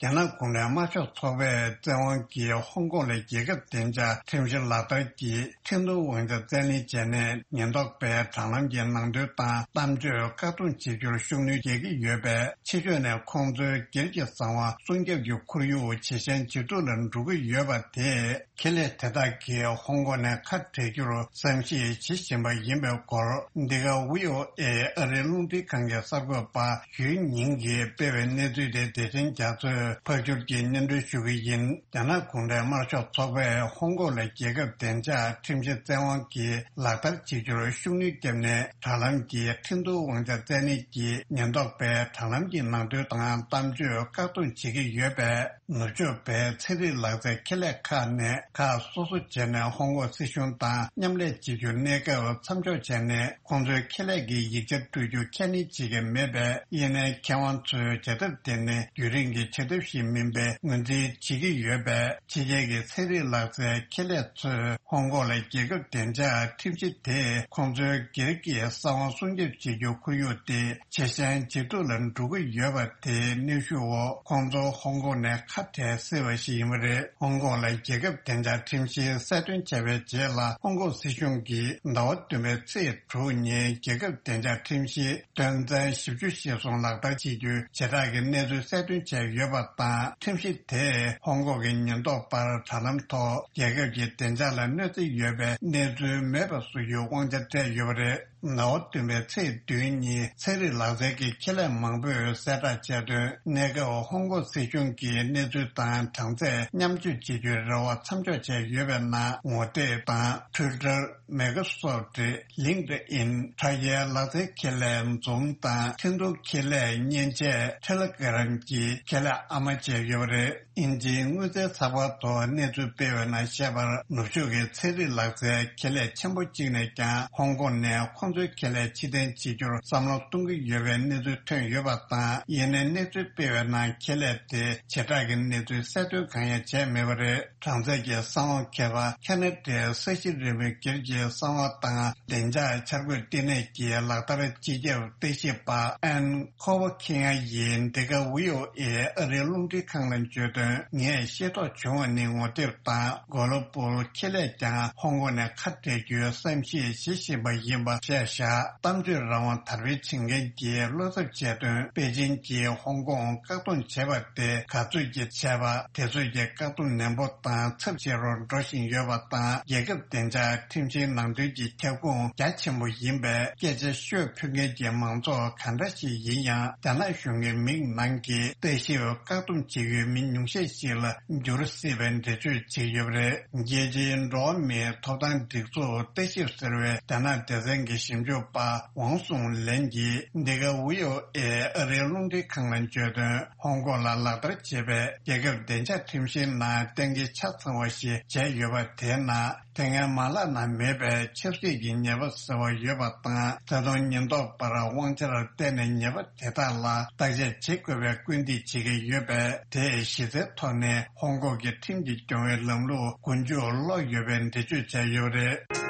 རྒྱ་ནག་གུང་ཁྲན་དམར་ཤོག་ཚོགས་པས་བཙན་དབང་གིས་ཧོང་ཀོང་ལ་རྒྱལ་ཁབ་བདེ་འཇགས་ཁྲིམས་གཞི་ལག་བསྟར་གྱིས་ཁྲིམས་མཐུན་དབང་ཆ་བཙན་ལེན་བྱས་ནས། ཉེན་རྟོག་པས་དྲ་ལམ་གྱི་ནང་དོན་དང་གཏམ་བརྗོད་བཀག་སྡོམ་བྱེད་རྒྱུར་ཤུགས་སྣོན་བརྒྱབ་ཀྱི་ཡོད་པས། ཕྱི་ཕྱོགས་ནས་ཁོང་ཚོའི་སྒེར་གྱི་གསང་བ་སྲུང་སྐྱོབ་ཀྱི་ཁོར་ཡུག་ཇེ་ཞན་ཇེ་སྡུག་ལ་འགྲོ་གི་ཡོད་པ་དེས། ཁེ་ལས་དེ་དག་གིས་ཧོང་ཀོང་ནས་ཁ་བྲལ་རྒྱུར་བསམ་གཞིག་བྱེད་བཞིན་པ་ཡིན་པའི་སྐོར། འདི་ག་ཝི་ཨོ་ཨེ་ཨ་རིའི་རླུང་འཕྲིན་ཁང་གི་གསར་འགོད་པ་ཡུའེ་ཉིང་གིས་སྤེལ་བའི་གནས་ཚུལ་དེ་བདེ་ཆེན་རྒྱ་མཚོས་ཕབ་སྒྱུར་གྱིས་སྙན་སྒྲོན་ཞུ་གི་ཡིན། རྒྱ་ནག་གུང་ཁྲན་དམར་ཤོག་ཚོགས་པས་ཧོང་ཀོང་ལ་རྒྱལ་ཁབ་བདེ་འཇགས་ཁྲིམས་གཞི་བཙན་དབང་གིས་ལག་བསྟར་བྱེད་རྒྱུར་ཤུགས་སྣོན་བརྒྱབ་ནས། དྲ་ལམ་གྱི་ཁྲིམས་མཐུན་དབང་ཆ་བཙན་ལེན་གྱིས་ཉེན་རྟོག་པས་དྲ་ལམ་གྱི་ནང་དོན་དང་གཏམ་བརྗོད་བཀག་སྡོམ་བྱེད་ཀྱི་ཡོད་པས། ནུབ་ཕྱོགས་པའི་ཚན་རིག་ལག་རྩལ་ཁེ་ལས་ཁག་ནས་ཁག་སོ་སོ་བྱས་ནས་ཧོང་ཀོང་སྲིད་གཞུང་དང་མཉམ་ལས་བྱེད་རྒྱུ་གནས་སྐབས་མཚམས་འཇོག་བྱས་ནས། ཁོང་ཚོའི་ཁེ་ལས་ཀྱི་ཡིག་ཆ་སྤྲོད་རྒྱུ་ཁས་ལེན་བྱེད་ཀྱི་མེད་པས། ཡིན་ནའི་མཁས་དབང་ཚོས་བྱ་ཐབས་དེ་ནི་རྒྱུན་རིང་གི་བྱ་ཐབས་ཤིག་མིན་པའི་ངོས་འཛིན་བྱེད་ཀྱི་ཡོད་པས། ཕྱི་རྒྱལ་གྱི་ཚན་རིག་ལག་རྩལ་ཁེ་ལས་ཚོས་ཧོང་ཀོང་ལ་རྒྱལ་ཁབ་བདེ་འཇགས་ཁྲིམས་གཞི་དེས་ཁོང་ཚོའི་སྒེར་གྱི་གསང་བ་སྲུང་སྐྱོབ་བྱེད་རྒྱུ་ཁོར་ཡུག་དེ་ཇེ་ཞན་ཇེ་སྡུག་ལ་འགྲོ་གི་ཡོད་པ་དེའི་གནོན་ཤུགས་འོག་ཁོང་ཚོ་ཧོང་ཀོང་ནས་ཁ་བྲལ་སྲིད་པ་ཞིག་ཡིན་པ་རེད། ཧོང་ཀོང་ལ་རྒྱལ་ཁབ་བདེ་འཇགས་ཁྲིམས་གཞི་གསལ་སྟོན་བྱས་པའི་རྗེས་ལ། ཧོང་ཀོང་སྲིད་གཞུང་གིས་ཟླ་བ་བདུན་པའི་ཚེས་དྲུག་ཉིན་རྒྱལ་ཁབ་བདེ་འཇགས་ཁྲིམས་གཞི་དོན་ཚན་བཞི་བཅུ་ཞེ་གསུམ་ལག་བསྟར་བྱེད་རྒྱུའི་བྱེ་བྲག་གི་གནས་ཚུལ་གསལ་སྟོན་བྱས་ཡོད་པ་དང་། ཁྲིམས་གཞི་དེས་ཧོང་ཀོང་གི་ཉེན་རྟོག་པར་དྲ་ལམ་ཐོག་རྒྱལ་ཁབ་ཀྱི་བདེ་འཇགས་ལ་གནོད་འཚེ་ཡོད་པའི་གནས་ཚུལ་མེད་པ་བཟོ་རྒྱུའི་དབང་ཆ་སྤྲད་ཡོད་པ་རེད། ཟླ་བ་བདུན་པའི་ཚེས་བདུན་ཉིན་ཚན་རིག་ལག་རྩལ་གྱི་ཁེ་ལས་མང་པོས་གསལ་བསྒྲགས་བྱས་དོན། གནས་སྐབས་ཧོང་ཀོང་སྲིད་གཞུང་གིས་གནས་ཚུལ་དང་གྲངས་ཚད་མཉམ་སྤྱོད་བྱེད་རྒྱུའི་རེ་བ་མཚམས་འཇོག་བྱས་ཡོད་པའི་ནང་ངོ་དེབ་དང་། Twitter། Microsoft། LinkedIn། དྲ་རྒྱའི་ལག་རྩལ་ཁེ་ལས་Zoom་དང་། འཕྲིན་ཐུང་ཁེ་ལས་མཉེན་ཆས་Telegram་གྱི་ཁེ་ལས་ཨ་མ་བཅས་ཡོད་པ་རེད། དབྱིན་ཇིའི་དངུལ་རྩའི་ཚགས་པར་ཐོག་གནས་ཚུལ་སྤེལ་བའི་ནང་བཤད་པར། ནུབ་ཕྱོགས་ཀྱི་ཚན་རིག་ལག་རྩལ་ཁེ་ལས་ཆེན་པོ་གཅིག་ནས་ཀྱང་ཧོང་ཀོང་ནས་ཁོང་ཚོའི་ཁེ་ལས་ཕྱིར་འཐེན་བྱེད་རྒྱུར་བསམ་བློ་གཏོང་གི་ཡོད་པའི་གནས་ཚུལ་ཐོན་ཡོད་པ་དང་། ཡིན་ནའི་གནས་ཚུལ་སྤེལ་བའི་ནང་ཁེ་ལས་དེ་བྱེ་བྲག་གི་གནས་ཚུལ་གསལ་སྟོན་གང་ཡང་བྱས་མེད་པ་རེད། གྲངས་ཚད་ཀྱི་གསང་བ་མཁས་པ་ཁེ་ན་ཌའི་ས་གཞི་རི་མོའི་སྒེར་གྱི་གསང་བ་དང་བདེ་འཇགས་འཆར་འགོད་ལྟེ་གནས་ཀྱི་ལག་བསྟར་སྤྱི་ཁྱབ་ལྟ་ཞིབ་པ་ཨན་ཁོ་བ་ཁི་ཡ་ཡིས་འདི་ག་ཝི་ཨོ་ཨེ་ཨ་རིའི་རླུང་འཕྲིན་ཁང་ལ་བརྗོད་དོན། ངས་ཤེས་རྟོགས་བྱུང་བ་ནི། ངོ་དེབ་དང་གོ་ལོ་པུལ་ཁེ་ལས་ཀྱང་ཧོང་ཀོང་ནས་ཁ་བྲལ་རྒྱུའི་བསམ་གཞིག་བྱེད་བཞིན་པ་ཡིན་པ་བཤད་བཞག་གཏམ་བརྗོད་རང་དབང་དར་སྤེལ་བྱེད་མཁན་གྱིས་བློ་འཚབ་བྱས་དོན། པེ་ཅིན་གྱིས་ཧོང་ཀོང་བཀག་སྡོམ་བྱས་པ་དེ་ག་ཚོད་ཀྱི་བྱས་པ། དེ་ཚོད་ཀྱི་བཀག་སྡོམ་ནན་པོ་དང་ཚབས་ཆེ་རུ་འགྲོ་བཞིན་ཡོད་པ་དང་། རྒྱལ་ཁབ་བདེ་འཇགས་ཁྲིམས་གཞིའི་ནང་དོན་གྱི་ཁྱབ་ཁོངས་རྒྱ་ཆེན་པོ་ཡིན་པས། སྐད་ཆ་ཤོད་ཕོད་མཁན་གྱི་མང་ཚོགས་ག་འདྲ་ཞིག་ཡིན་ཡང་། རྒྱ་ནག་གཞུང་གི་མིང་ནང་གི་ལྟ་ཞིབ་བཀག་སྡོམ་བྱེད་ཡུལ་མི་ཉུང་ཤས་ཤིག་ལ་འགྱུར་སྲིད་པའི་འགྲེལ་བརྗོད་བྱས་ཡོད་པ་རེད། རྒྱལ་སྤྱིའི་འགྲོ་བ་མིའི་ཐོབ་ཐང་སྒྲིག་འཛུགས་ལྟ་ཞིབ་ཟེར་བའི་རྒྱ་ནག་སྡེ་ཚན་གྱི་ ཞིབ་འཇུག་པ་ཝང་སུང་ལན་གྱིས་འདི་ག་ཝི་ཨོ་ཨེ་ཨ་རིའི་རླུང་འཕྲིན་ཁང་ལ་བརྗོད་དོན། ཧོང་ཀོང་ལ་ལག་བསྟར་བྱེད་པའི་རྒྱལ་ཁབ་བདེ་འཇགས་ཁྲིམས་གཞིའི་ནང་གཏན་འཁེལ་ཆ་ཚང་བ་ཞིག་བྱས་ཡོད་པ་དེའི་ནང་། དེ་སྔའི་མ་ལག་ནང་མེད་པའི་ཆབ་སྲིད་ཀྱི་ཉེས་པ་ཟེར་བ་ཡོད་པ་དང་། ད་དུང་ཉེན་རྟོག་པར་དབང་ཆར་བརྟེན་ནས་ཉེས་པ་དེ་དག་ལ་བརྟག་དཔྱད་བྱེད་དགོས་པའི་སྐུལ་འདེད་བྱེད་ཀྱི་ཡོད་པས། དེས་གཞི་རྩའི་ཐོག་ནས་ཧོང་ཀོང་གི་ཁྲིམས་ཀྱི་སྐྱོང་བའི་ལམ་ལུགས་མགོ་མཇུག་ལོག་ཡོད་པའི་འགྲེལ་བརྗོད་བྱས་ཡོད་པ་རེད།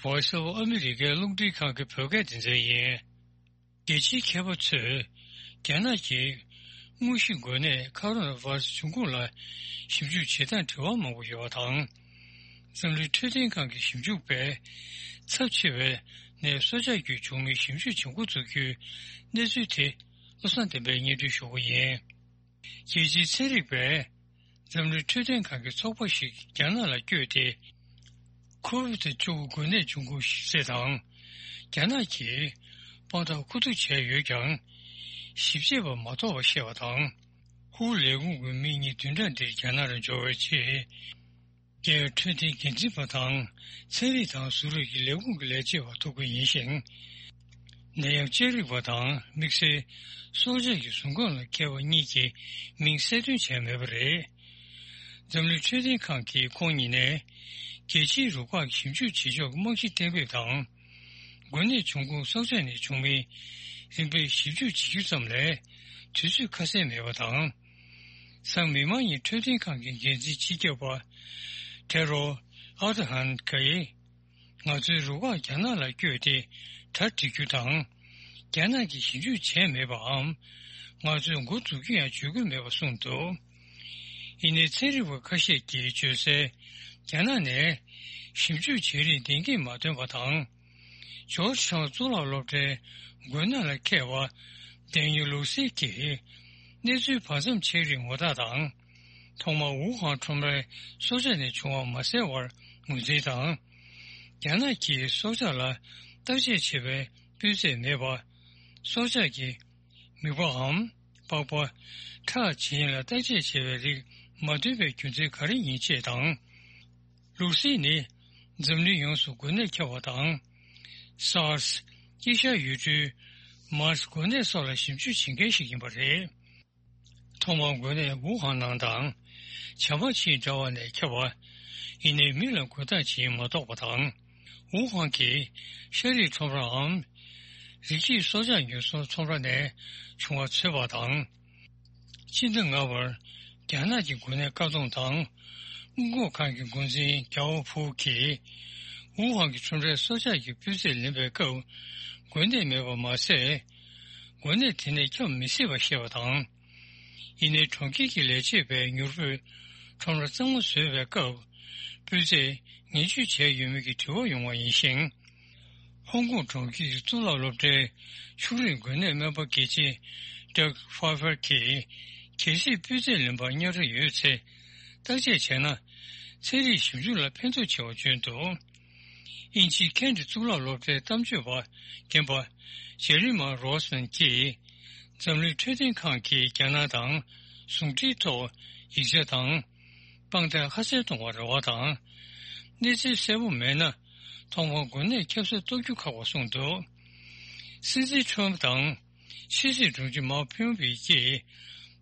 Voice of America རླུང་འཕྲིན་ཁང་གི་བོད་སྐད་སྡེ་ཚན་ཡིན། རྒྱལ་སྤྱིའི་མཁས་པ་ཚོས་རྒྱ་ནག་གི་དངོས་གཞི་འགོས་ནད་ཁ་རོ་ན་བྷ་ར་སི་འབྱུང་ཁུངས་ལ་ཞིབ་འཇུག་བྱེད་སྟངས་འབྲེལ་བ་མང་པོ་ཡོད་པ་དང་། འཛམ་གླིང་འཕྲོད་བསྟེན་ཁང་གི་ཞིབ་འཇུག་པས་ཚབས་ཆེ་བའི་ནད་གསོ་བྱ་རྒྱུད་བྱུང་མིན་ཞིབ་འཇུག་བྱེད་འགོ་ཚུགས་རྒྱུའི་གནས་ཚུལ་དེ་བློ་བཟང་བསྟན་པས་སྙན་སྒྲོན་ཞུ་གི་ཡིན། རྒྱལ་སྤྱིའི་ཚན་རིག་པས་འཛམ་གླིང་འཕྲོད་བསྟེན་ཁང་གི་ཚོགས་པ་ཞིག་རྒྱ་ནག་ལ་བསྐྱོད་དེ། ཁོ་ཝིད་བཅུ་དགུ་འགོས་ནད་འབྱུང་ཁུངས་ཞིབ་འཚོལ་དང་། རྒྱ་ནག་གིས་དཔང་རྟགས་མཁོ་བསྡུ་བྱས་ཡོད་ཀྱང་། ཞིབ་དཔྱད་པ་མ་ཐོབ་པ་བཤད་པ་དང་། ཧུའུ་ལས་ཁུངས་ཀྱི་མི་གཉིས་བདུན་ཕྲག་འདིར་རྒྱ་ནག་ལ་འབྱོར་བའི་རྗེས། རྒྱལ་ཡོངས་འཕྲོད་བསྟེན་འགན་འཛིན་པ་དང་། ཚན་རིག་དང་གཟུགས་རིག་གི་ལས་ཁུངས་ཀྱི་ལས་བྱེད་པ་ཐུག་པ་ཡིན་ཞིང་། ནད་ཡམས་དཔྱད་རིག་པ་དང་དམིགས་བསལ་སྲོག་ཆགས་ཀྱི་ཟུངས་ཁམས་ལ་མཁས་པ་གཉིས་ཀྱི་མིང་གསལ་སྟོན་བྱས་མེད་པ་རེད། འཛམ་གླིང་འཕྲོད་བསྟེན་ཁང་གིས་ཁོང་ཉིད་ནས་རྒྱལ་སྤྱིའི་རུ་ཁག་ཞིབ་འཇུག་བྱེད་ཕྱོགས་ཀྱི་རྨང་གཞི་གཏན་འབེབས་དང་། འགོས་ནད་འབྱུང་ཁུངས་སྲོག་ཆགས་ནས་བྱུང་མིན་རིམ་པས་ཞིབ་འཇུག་བྱེད་རྒྱུ་ཙམ་ལས་དུས་ཚོད་ཁ་གསལ་མེད་པ་དང་། སང་མི་མང་ཉིད་འཕྲོད་བསྟེན་ཁང་གི་འགན་འཛིན་སྤྱི་ཁྱབ་པ་ཐེ་རོ་ཨ་ཏི་ཧན་གྱིས། ང་ཚོའི་རུ་ཁག་རྒྱ་ནག་ལ་བསྐྱོད་དེ་གྲ་སྒྲིག་རྒྱུ་དང་། རྒྱ་ནག་གིས་ཞིབ་འཇུག་བྱས་མེད་པའམ། ང་ཚོས་འགོ་འཛུགས་རྒྱུ་ཡང་བརྗོད་ཀྱི་མེད་པ་གསུངས་འདུག། ཡིན་ནའི་ཚན་རིག་པ་ཁ་ཤས་ཀྱིས་བརྗོད་གསལ། རྒྱ་ནག་ནས་ཞིབ་འཇུག་བྱེད་རིང་བདེན་སྐྱིད་མ་ཐོན་པ་དང་། ཇོརྗ་ཊའུན་གཙུག་ལག་སློབ་གྲྭའི་འགོས་ནད་ལ་མཁས་པ་ཌེ་ནིལ་ལུག་སི་གྱིས་གནས་ཚུལ་བར་མཚམས་ཆད་རིགས་ངོ་རྟགས་དང་། ཐོག་མར་ཝུ་ཧན་ཁྲོམ་རའི་སྲོག་ཆགས་ནས་བྱུང་བ་མ་གསལ་བར་ངོས་འཛིན་དང་། རྒྱ་ནག་གིས་སྲོག་ཆགས་ལ་བརྟག་དཔྱད་བྱེད་པའི་སྤུས་ཚད་མེད་པ། སྲོག་ཆགས་ཀྱི་མིད་པའམ་པགས་པ། ཁྲག་བྱིན་ལ་བརྟག་དཔྱད་བྱེད་པའི་རིགས་མ་ཐོན་པའི་རྒྱུ་མཚན་ག་རེ་ཡིན་ཅེས་དང་། ལུག་སི་ནི་འཛམ་གླིང་ཡོངས་སུ་འགོས་ནད་ཁྱབ་པ་དང་། སཱར་སི། དཀྱིལ་ཤར་ཡུལ་གྲུའི་མཱར་སི་འགོས་ནད་སོགས་ལ་ཞིབ་འཇུག་བྱེད་མཁན་ཞིག་ཡིན་པ་རེད། ཐོག་མར་འགོས་ནད་ཝུ་ཧན་ནང་དང་། བྱམས་པ་ཆེའི་དྲ་བ་ནས་ཁྱབ་པ། ཡིན་ནའི་མི་ལ་འགོས་སྟངས་ཇི་ཡིན་མ་རྟོགས་པ་དང་། ཝུ་ཧན་གྱི་ཤ་རིགས་ཁྲོམ་རའམ། རིགས་སྐྱེས་སྲོག་ཆགས་ཉོ་ཚོང་ཁྲོམ་ར་ནས་བྱུང་བ་ཚོད་དཔག་དང་། སྤྱི་ཟླ་ལྔ་པར་རྒྱ་ནག་གི་འགོས་ནད་བཀག་སྡོམ་དང་སྔོན་འགོག་ཁང་གི་འགོ་འཛིན་རྒྱའོ་ཕུའུ་གིས། ཝུ་ཧན་གྱི་ཁྲོམ་རའི་སྲོག་ཆགས་ཀྱི་སྤུས་ཚད་ལེན་པའི་སྐབས་འགོས་ནད་མེད་པ་མ་ཟད། འགོས་ནད་དེ་ནས་ཁྱབ་མི་སྲིད་པ་བཤད་པ་དང་། ཡིན་ནའི་གྲོང་ཁྱེར་གྱི་ལས་བྱེད་པས་མྱུར་པོས་ཁྲོམ་ར་གཙང་མ་བཟོས་པའི་སྐབས། སྤུས་ཚད་ངན་ཇུས་བྱས་ཡོད་མེད་ཀྱི་དྲི་བ་ཡོང་བ་ཡིན་ཞིང་། ཧོང་ཀོང་གྲོང་ཁྱེར་གྱི་གཙུག་ལག་སློབ་གྲྭའི་ཕྱུགས་རིགས་འགོས་ནད་སྨན་པ་དགེ་ཆེ་ཌག་ཧྥ་ཧྥར་གྱིས། གལ་སྲིད་སྤུས་ཚད་ལེན་པར་གཉའ་ཁྲ་ཡོད་ཚེ། བརྟག་དཔྱད་བྱས་ན། ཚན་རིག་ཞིབ་འཇུག་ལ་ཕན་ཐོགས་ཆེ་བ་བརྗོད་འདུག། དབྱིན་ཇིའི་ཁེན་ཊི་གཙུག་ལག་སློབ་གྲྭའི་གཏམ་བརྗོད་པ་རྒན་པ་ཇེ་རི་མ་རོ་སི་མན་གྱིས། འཛམ་གླིང་འཕྲོད་བསྟེན་ཁང་གིས་རྒྱ་ནག་དང་ཟུང་འབྲེལ་ཐོག་ཡིག་ཆ་དང་། དཔང་རྟགས་ཁ་གསལ་གཏོང་བར་རེ་བ་དང་། གནས་ཚུལ་གསལ་པོ་མེད་ན། ཐོག་མར་འགོས་ནད་ཁྱབ་ས་རྟོགས་རྒྱུ་ཁག་པ་གསུངས་འདུག། སྲིད་འཛིན་ཁྲོམ་དང་། ཕྱི་སྲིད་དྲུང་ཆེ་མཱ་ཕིའུ་པི་ཀྱིས་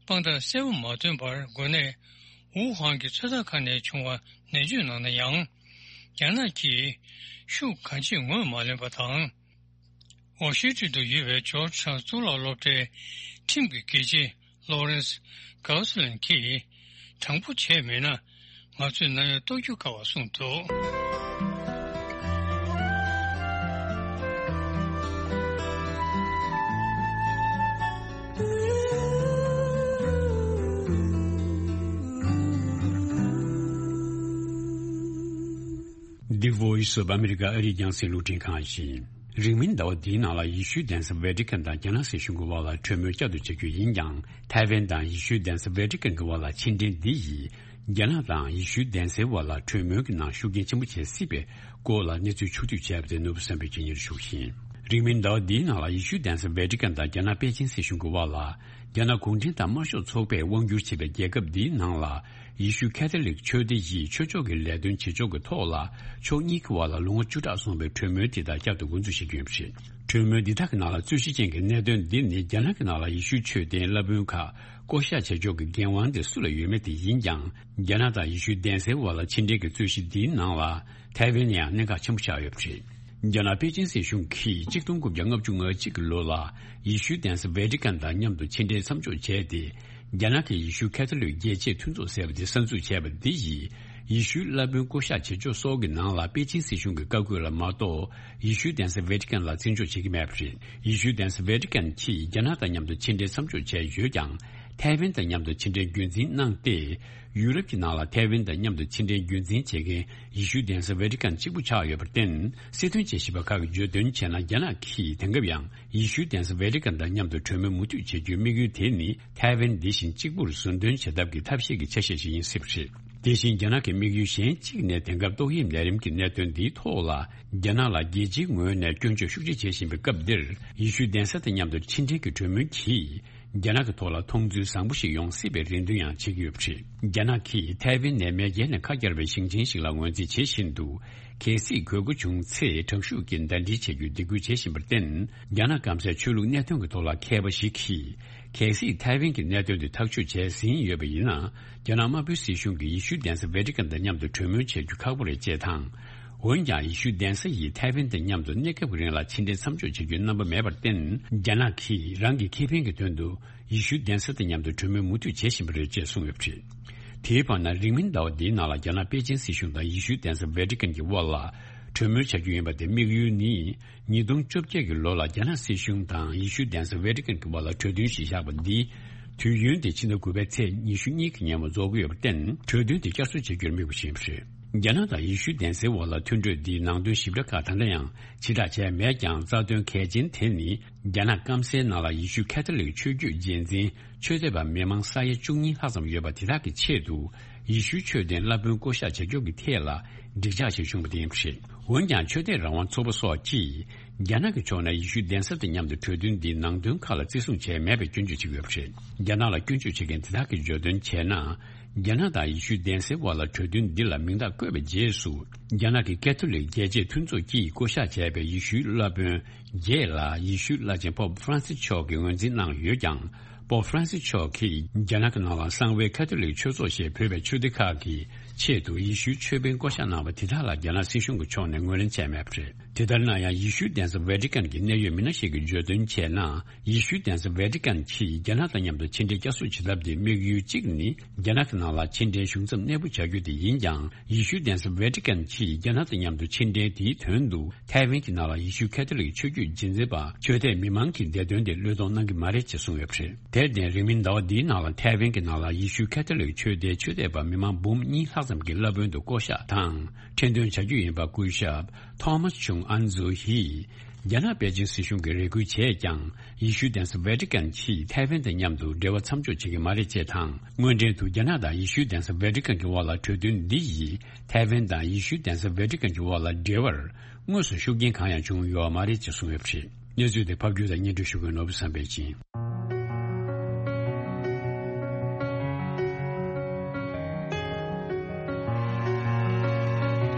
དཔང་རྟགས་གསལ་པོ་མ་ཐོན་པར་འགོས་ནད་ཝུ་ཧན་གྱི་ཚོད་ལྟ་ཁང་ནས་བྱུང་བ་ནན་བརྗོད་གནང་ན་ཡང་། རྒྱ་ནག་གིས་ཤུགས་གང་ཆེ་ངོས་མ་ལེན་པ་དང་། ཝ་ཤིང་ཏོན་དུ་ཡོད་པའི་ཇོརྗ་ཊའུན་གཙུག་ལག་སློབ་གྲྭའི་ཁྲིམས་ཀྱི་དགེ་ཆེ་ལོ་རེན་སི་གའོ་སི་ལན་གྱིས། དྲང་པོ་བྱས་མེད་ན། ང་ཚོས་ནམ་ཡང་རྟོགས་རྒྱུ་དཀའ་བ་གསུངས་འདུག། The Voice of America ཨ་རིའི་རྒྱང་སྲིང་རླུང་འཕྲིན་ཁང་ཡིན། རིང་མིན་ཟླ་བ་འདིའི་ནང་ལ་ཡེ་ཤུའི་གདན་ས་ཝེ་ཏི་ཀན་དང་རྒྱ་ནག་སྲིད་གཞུང་གི་དབར་ལ་གྲོས་མོལ་བསྐྱར་དུ་བྱ་རྒྱུ་ཡིན་ཀྱང་། ཐའེ་ཝན་དང་ཡེ་ཤུའི་གདན་ས་ཝེ་ཏི་ཀན་གྱི་དབར་ལ་ཕྱི་འབྲེལ་འདི་ཡིས། རྒྱ་ནག་དང་ཡེ་ཤུའི་གདན་སའི་དབར་ལ་གྲོས་མོལ་གྱི་ནང་ཤུགས་རྐྱེན་ཆེན་པོ་བྱེད་སྲིད་པའི་སྐོར་ལ་གནས་ཚུལ་ཕྱོགས་བསྡུས་བྱས་པ་དེ་ནོར་བུ་བསམ་འཕེལ་གྱིས་སྙན་ཞུ་ཞུ་གི་ཡིན། རིང་མིན་ཟླ་བ་འདིའི་ནང་ལ་ཡེ་ཤུའི་གདན་ས་ཝེ་ཏི་ཀན་དང་རྒྱ་ནག་པེ་ཅིན་སྲིད་གཞུང་གི་དབར་ལ། རྒྱ་ནག་གུང་ཁྲན་ཏང་དམར་ཤོག་ཚོགས་པས་དབང་བསྒྱུར་བྱེད་པའི་རྒྱལ་ཁབ་འདིའི་ནང་ལ། ཡེ་ཤུ་ཁ་ཐོ་ལིག་ཆོས་སྡེ་ཡིས་ཆོས་ཕྱོགས་ཀྱི་ལས་དོན་བྱེད་ཕྱོགས་ཀྱི་ཐོག་ལ། ཕྱོགས་གཉིས་ཀྱི་དབར་ལ་ལོ་ངོ་བཅུ་ཕྲག་སོང་བའི་གྲོས་མོལ་དེ་དག་བསྐྱར་དུ་འགོ་འཛུགས་བྱེད་ཀྱི་ཡོད་པ་རེད། གྲོས་མོལ་འདི་དག་གི་ནང་ལ་རྩོད་གཞི་ཅན་གྱི་གནད་དོན་འདི་ནི། རྒྱ་ནག་གི་ནང་ལ་ཡེ་ཤུའི་ཆོས་ལྡན་བླ་དཔོན་ཁག་བསྐོ་བཞག་བྱེད་ཕྱོགས་ཀྱི་འགན་དབང་དེ་སུ་ལ་ཡོད་མེད་དེ་ཡིན་ཀྱང་། རྒྱ་ནག་དང་ཡེ་ཤུའི་གདན་སའི་དབར་ལ་ཕྱི་འབྲེལ་གྱི་རྩོད་གཞི་འདིའི་ནང་ལ། ཐའེ་ཝན་ཡང་གནད་འགག་ཆེན་པོ་ཆགས་ཡོད་པ་རེད། རྒྱ་ནག་པེ་ཅིན་སྲིད་གཞུང་གིས་ཆིག་སྟོང་དགུ་བརྒྱ་ལྔ་བཅུ་ང་གཅིག་གི་ལོ་ལ། ཡེ་ཤུའི་གདན་ས་ཝེ་ཏི་ཀན་དང་མཉམ་དུ་ཕྱི་འབྲེལ་མཚམས་འཇོག་བྱས་ཏེ། རྒྱ་ནག་གི་ཡེ་ཤུ་ཁ་ཐོ་ལིག་རྒྱལ་གཅེས་མཐུན་ཚོགས་ཟེར་བ་དེ་གསར་འཛུགས་བྱས་པ་འདི་ཡིས། ཡེ་ཤུའི་བླ་དཔོན་བསྐོ་བཞག་བྱེད་ཕྱོགས་སོགས་ཀྱི་ནང་ལ་པེ་ཅིན་སྲིད་གཞུང་གི་བཀའ་བཀོད་ལ་མ་གཏོགས། ཡེ་ཤུའི་གདན་ས་ཝེ་ཏི་ཀན་ལ་བརྩི་འཇོག་བྱེད་ཀྱི་མེད་པ་རེད། ཡེ་ཤུའི་གདན་ས་ཝེ་ཏི་ཀན་གྱིས་རྒྱ་ནག་དང་མཉམ་དུ་ཕྱི་འབྲེལ་མཚམས་འཇོག་བྱས་ཡོད་ཀྱང་། ཐའེ་ཝན་དང་མཉམ་དུ་ཕྱི་འབྲེལ་རྒྱུན་འཛིན་གནང་སྟེ། ཡུ་རོབ་ཀྱི་ནང་ལ་ཐའེ་ཝན་དང་མཉམ་དུ་ཕྱི་འབྲེལ་རྒྱུན་འཛིན་བྱེད་མཁན་ཡེ་ཤུའི་གདན་ས་ཝེ་ཏི་ཀན་གཅིག་པུ་ཆགས་ཡོད་པར་བརྟེན། སྲིད་དོན་དཔྱད་ཞིབ་པ་ཁག་གིས་བརྗོད་དོན་བྱས་ན། རྒྱ་ནག་གིས་དེང་སྐབས་ཡང་ཡེ་ཤུའི་གདན་ས་ཝེ་ཏི་ཀན་དང་མཉམ་དུ་གྲོས་མོལ་མུ་མཐུད་བྱེད་རྒྱུའི་དམིགས་ཡུལ་དེ་ནི། ཐའེ་ཝན་འདི་བཞིན་གཅིག་པུར་ཟུར་འདོན་བྱེད་ཐབས་ཀྱི་ཐབས་ཤེས་ཀྱི་ཆ་ཤས་ཤིག་ཡིན་སྲིད་པ་རེད། དེ་བཞིན་རྒྱ་ནག་གི་དམིགས་ཡུལ་གཞན་གཅིག་ནས། དེང་སྐབས་ཏོག་དབྱིབས་ནད་རིམས་ཀྱི་གནད་དོན་འདིའི་ཐོག་ལ། རྒྱ་ནག་ལ་རྒྱལ་སྤྱིའི་ངོས་ནས་སྐྱོན་བརྗོད་ཤུགས་ཆེ་བྱེད་བཞིན་པའི་སྐབས་འདིར། ཡེ་ཤུའི་གདན་ས་དང་མཉམ་དུ་ཕྱི་འབྲེལ་གྱི་གྲོས་མོལ་གྱིས། རྒྱ་ནག་གི་ཐོག་ལ་མཐོང་ཚུལ་བཟང་པོ་ཞིག་ཡོང་སྲིད་པའི་རེ་འདུན་ཡང་བྱེད་ཀྱི་ཡོད་པ་རེད། རྒྱ་ནག་གིས་ཐའེ་ཝན་ནས་མེས་རྒྱལ་ནས་ཁ་གྱར་བའི་ཞིང་ཆེན་ཞིག་ལ་ངོས་འཛིན་བྱེད་བཞིན་དུ། གལ་སྲིད་དགོས་མཁོ་བྱུང་ཚེ། དྲག་ཤུགས་ཀྱིས་ཟླ་སྒྲིལ་བྱེད་རྒྱུའི་སྡིགས་སྐུལ་བྱེད་བཞིན་པར་བརྟེན། རྒྱ་ནག་སྐམ་སའི་ཆོས་ལུགས་གནད་དོན་གྱི་ཐོག་ལ་མཁས་པ་ཞིག་གིས། གལ་སྲིད་ཐའེ་ཝན་གྱི་གནད་དོན་དེ་ཐག་གཅོད་བྱས་ཟིན་ཡོད་པ་ཡིན་ན། རྒྱ་ནག་དམར་པོའི་སྲིད་གཞུང་གིས་ཡེ་ཤུའི་གདན་ས་ཝེ་ཏི་ཀན་དང་མཉམ་དུ་གྲོས་མོལ་བྱེད་རྒྱུ་ཁག་པོ་རེད་ཅེས་དང་། འོན་ཀྱང་། ཡེ་ཤུའི་གདན་ས་ཡིས་ཐའེ་ཝན་དང་མཉམ་དུ་གནས་སྐབས་ཀྱི་རིང་ལ་ཕྱི་འབྲེལ་མཚམས་འཇོག་བྱེད་རྒྱུའི་རྣམ་པ་མེད་པར་བརྟེན། རྒྱ་ནག་གིས་རང་གི་ཁེ་ཕན་གྱི་དོན་དུ། ཡེ་ཤུའི་གདན་ས་དང་མཉམ་དུ་གྲོས་མོལ་མུ་མཐུད་བྱེད་བཞིན་པ་རེད་ཅེས་གསུངས་ཡོད་པ་རེད། དེའི་བར་ན། རིང་མིན་ཟླ་བ་འདིའི་ནང་ལ། རྒྱ་ནག་པེ་ཅིན་སྲིད་གཞུང་དང་ཡེ་ཤུའི་གདན་ས་ཝེ་ཏི་ཀན་གྱི་དབར་ལ། གྲོས་མོལ་བྱ་རྒྱུ་ཡིན་པ་དེ་དམིགས་ཡུལ་ནི། ཉིས་སྟོང་བཅོ་བརྒྱད་ཀྱི་ལོ་ལ་རྒྱ་ནག་སྲིད་གཞུང་དང་ཡེ་ཤུའི་གདན་ས་ཝེ་ཏི་ཀན་གྱི་དབར་ལ་གྲོས་མཐུན་ཞིག་བཞག་པ་འདི། དུས་ཡུན་དེ་ཕྱི་ཟླ་དགུ་པའི་ཚེས་ཉི་ཤུ་གཉིས་ཀྱི་ཉིན་མོ་རྫོགས་ཀྱི་ཡོད་པར་བརྟེན། གྲོས་མཐུན་དེ་བསྐྱར་གསོ་བྱེད་རྒྱུར་དམིགས་པ་ཞིག་རེད། རྒྱ་ནག་དང་ཡེ་ཤུའི་གདན་སའི་དབར་ལ་མཐུན་གྲོས་འདིའི་ནང་དོན་ཞིབ་ཕྲ་ཁག་ད་ལྟ་ཡང་ཕྱིར་བསྒྲགས་བྱས་མེད་ཀྱང་། རྩ་དོན་གལ་ཆེན་དེ་ནི། རྒྱ་ནག་སྐམ་སའི་ནང་ལ་ཡེ་ཤུ་ཁ་ཐོ་ལིག་ཆོས་བརྒྱུད་རྗེས་འཛིན་ཆོས་དད་པ་མི་མང་ས་ཡ་བཅུ་གཉིས་ལྷག་ཙམ་ཡོད་པ་དེ་དག་གི་ཆེད་དུ། ཡེ་ཤུའི་ཆོས་ལྡན་བླ་དཔོན་བསྐོ་བཞག་བྱ་རྒྱུ་གི་ཐད་ལ། འགྲིག་འཇགས་ཤིག་བྱུང་བ་དེ་ཡིན་པ་རེད། འོན་ཀྱང་། ཆོས་དད་རང་དབང་ཚོགས་པ་སོགས་ཀྱིས། རྒྱ་ནག་གི་ཕྱོགས་ནས་ཡེ་ཤུའི་གདན་ས་དང་མཉམ་དུ་གྲོས་མཐུན་འདིའི་ནང་དོན་ཁག་ལ་བརྩི་སྲུང་བྱས་མེད་པའི་སྐྱོན་བརྗོད་བྱེད་ཀྱི་ཡོད་པ་རེད། རྒྱ་ནག་ལ་སྐྱོན་བརྗོད་བྱེད་མཁན་དེ་དག་གིས་བརྗོད་དོན་བྱས་ན། རྒྱ་ནག་དང་ཡེ་ཤུའི་གདན་སའི་དབར་ལ་གྲོས་མཐུན་འདི་ལ་མིང་རྟགས་བཀོད་པའི་རྗེས་སུ། རྒྱ་ནག་གི་ཀེ་ཐོ་ལིག་རྒྱལ་གཅེས་མཐུན་ཚོགས་ཀྱིས་བསྐོ་བཞག་བྱས་པའི་ཡེ་ཤུའི་བླ་དཔོན་བརྒྱད་ལ། ཡེ་ཤུའི་བླ་ཆེན་པོབ་ཧྥ་རན་སི་མཆོག་གིས་ངོས་འཛིན་གནང་ཡོད་ཀྱང་། པོབ་ཧྥ་རན་སི་མཆོག་གིས་རྒྱ་ནག་གི་ནང་ལ་གསང་བའི་ཁ་ཐོ་ལིག་ཆོས་ཚོགས་ཞེས་འབོད་པའི་ཆོས་སྡེ་ཁག་གི་ཆེད་དུ་ཡེ་ཤུའི་ཆོས་དཔོན་བསྐོ་བཞག་གནང་བ་དེ་དག་ལ་རྒྱ་ནག་སྲིད་གཞུང་གི་ཕྱོགས་ནས་ངོས་ལེན་བྱས་མེད་པ་རེད། དེ་ལྟར་ན་ཡང་། ཡེ་ཤུའི་གདན་ས་ཝེ་ཏི་ཀན་གྱི་གནད་ཡོད་མི་སྣ་ཞིག་གིས་བརྗོད་དོན་བྱས་ན། ཡེ་ཤུའི་གདན་ས་ཝེ་ཏི་ཀན་གྱིས་རྒྱ་ནག་དང་མཉམ་དུ་ཕྱི་འབྲེལ་བསྐྱར་གསོ་བྱེད་ཐབས་དེའི་དམིགས་ཡུལ་གཅིག་ནི། རྒྱ་ནག་གི་ནང་ལ་ཕྱི་འབྲེལ་གཞུང་ཚབ་གནས་སྤོ་བྱ་རྒྱུ་དེ་ཡིན་ཀྱང་། ཡེ་ཤུའི་གདན་ས་ཝེ་ཏི་ཀན་གྱིས་རྒྱ་ནག་དང་མཉམ་དུ་ཕྱི་འབྲེལ་དེའི་དོན་དུ། ཐའེ་ཝན་གྱི་ནང་ལ་ཡེ་ཤུ་ཁ་ཐོ་ལིག་ཆོས་བརྒྱུད་རྗེས་འཛིན་པ་ཆོས་དད་མི་མང་གི་བདེ་དོན་དེ་བློས་གཏོང་གནང་གི་མ་རེད་ཅེས་གསུངས་ཡོད་པ་རེད། དེར་བརྟེན། རིང་མིན་ཟླ་བ་འདིའི་ནང་ལ་ཐའེ་ཝན་གྱི་ནང་ལ་ཡེ་ཤུ་ཁ་ཐོ་ལིག་ཆོས་སྡེའི་ཆོས་དད་པ་མི་མང་འབུམ་གཉིས་ལྷག་ཙམ་གྱི་བླ་དཔོན་དུ་བསྐོ་བཞག་དང་། ཁྲི་འདོན་བྱ་རྒྱུ་ཡིན་པ་སྐུ་ཞབས་ཐོ་མཱས་ཆུང་ཨན་ཛུ་ཧིས། རྒྱ་ནག་པེ་ཅིན་སྲིད་གཞུང་གིས་རེ་སྐུལ་བྱས་ཀྱང་། ཡེ་ཤུའི་གདན་ས་ཝེ་ཏི་ཀན་གྱིས་ཐའེ་ཝན་དང་མཉམ་དུ་འབྲེལ་བ་མཚམས་འཇོག་བྱེད་ཀྱི་མ་རེད་ཅེས་དང་། དངོས་འབྲེལ་དུ་རྒྱ་ནག་དང་ཡེ་ཤུའི་གདན་ས་ཝེ་ཏི་ཀན་གྱི་དབར་ལ་གྲོས་མཐུན་འདི་ཡིས་ཐའེ་ཝན་དང་ཡེ་ཤུའི་གདན་ས་ཝེ་ཏི་ཀན་གྱི་དབར་ལ་འབྲེལ་བར་དངོས་སུ་ཤུགས་རྐྱེན་གང་ཡང་བྱུང་ཡོད་མ་རེད་ཅེས་གསུངས་ཡོད་པ་རེད། གནས་ཚུལ་དེ་ཕབ་སྒྱུར་དང་སྙན་སྒྲོན་ཞུ་མཁན་ནོར་བུ་བསམ་འཕེལ་ཡིན། གསན་མཁན་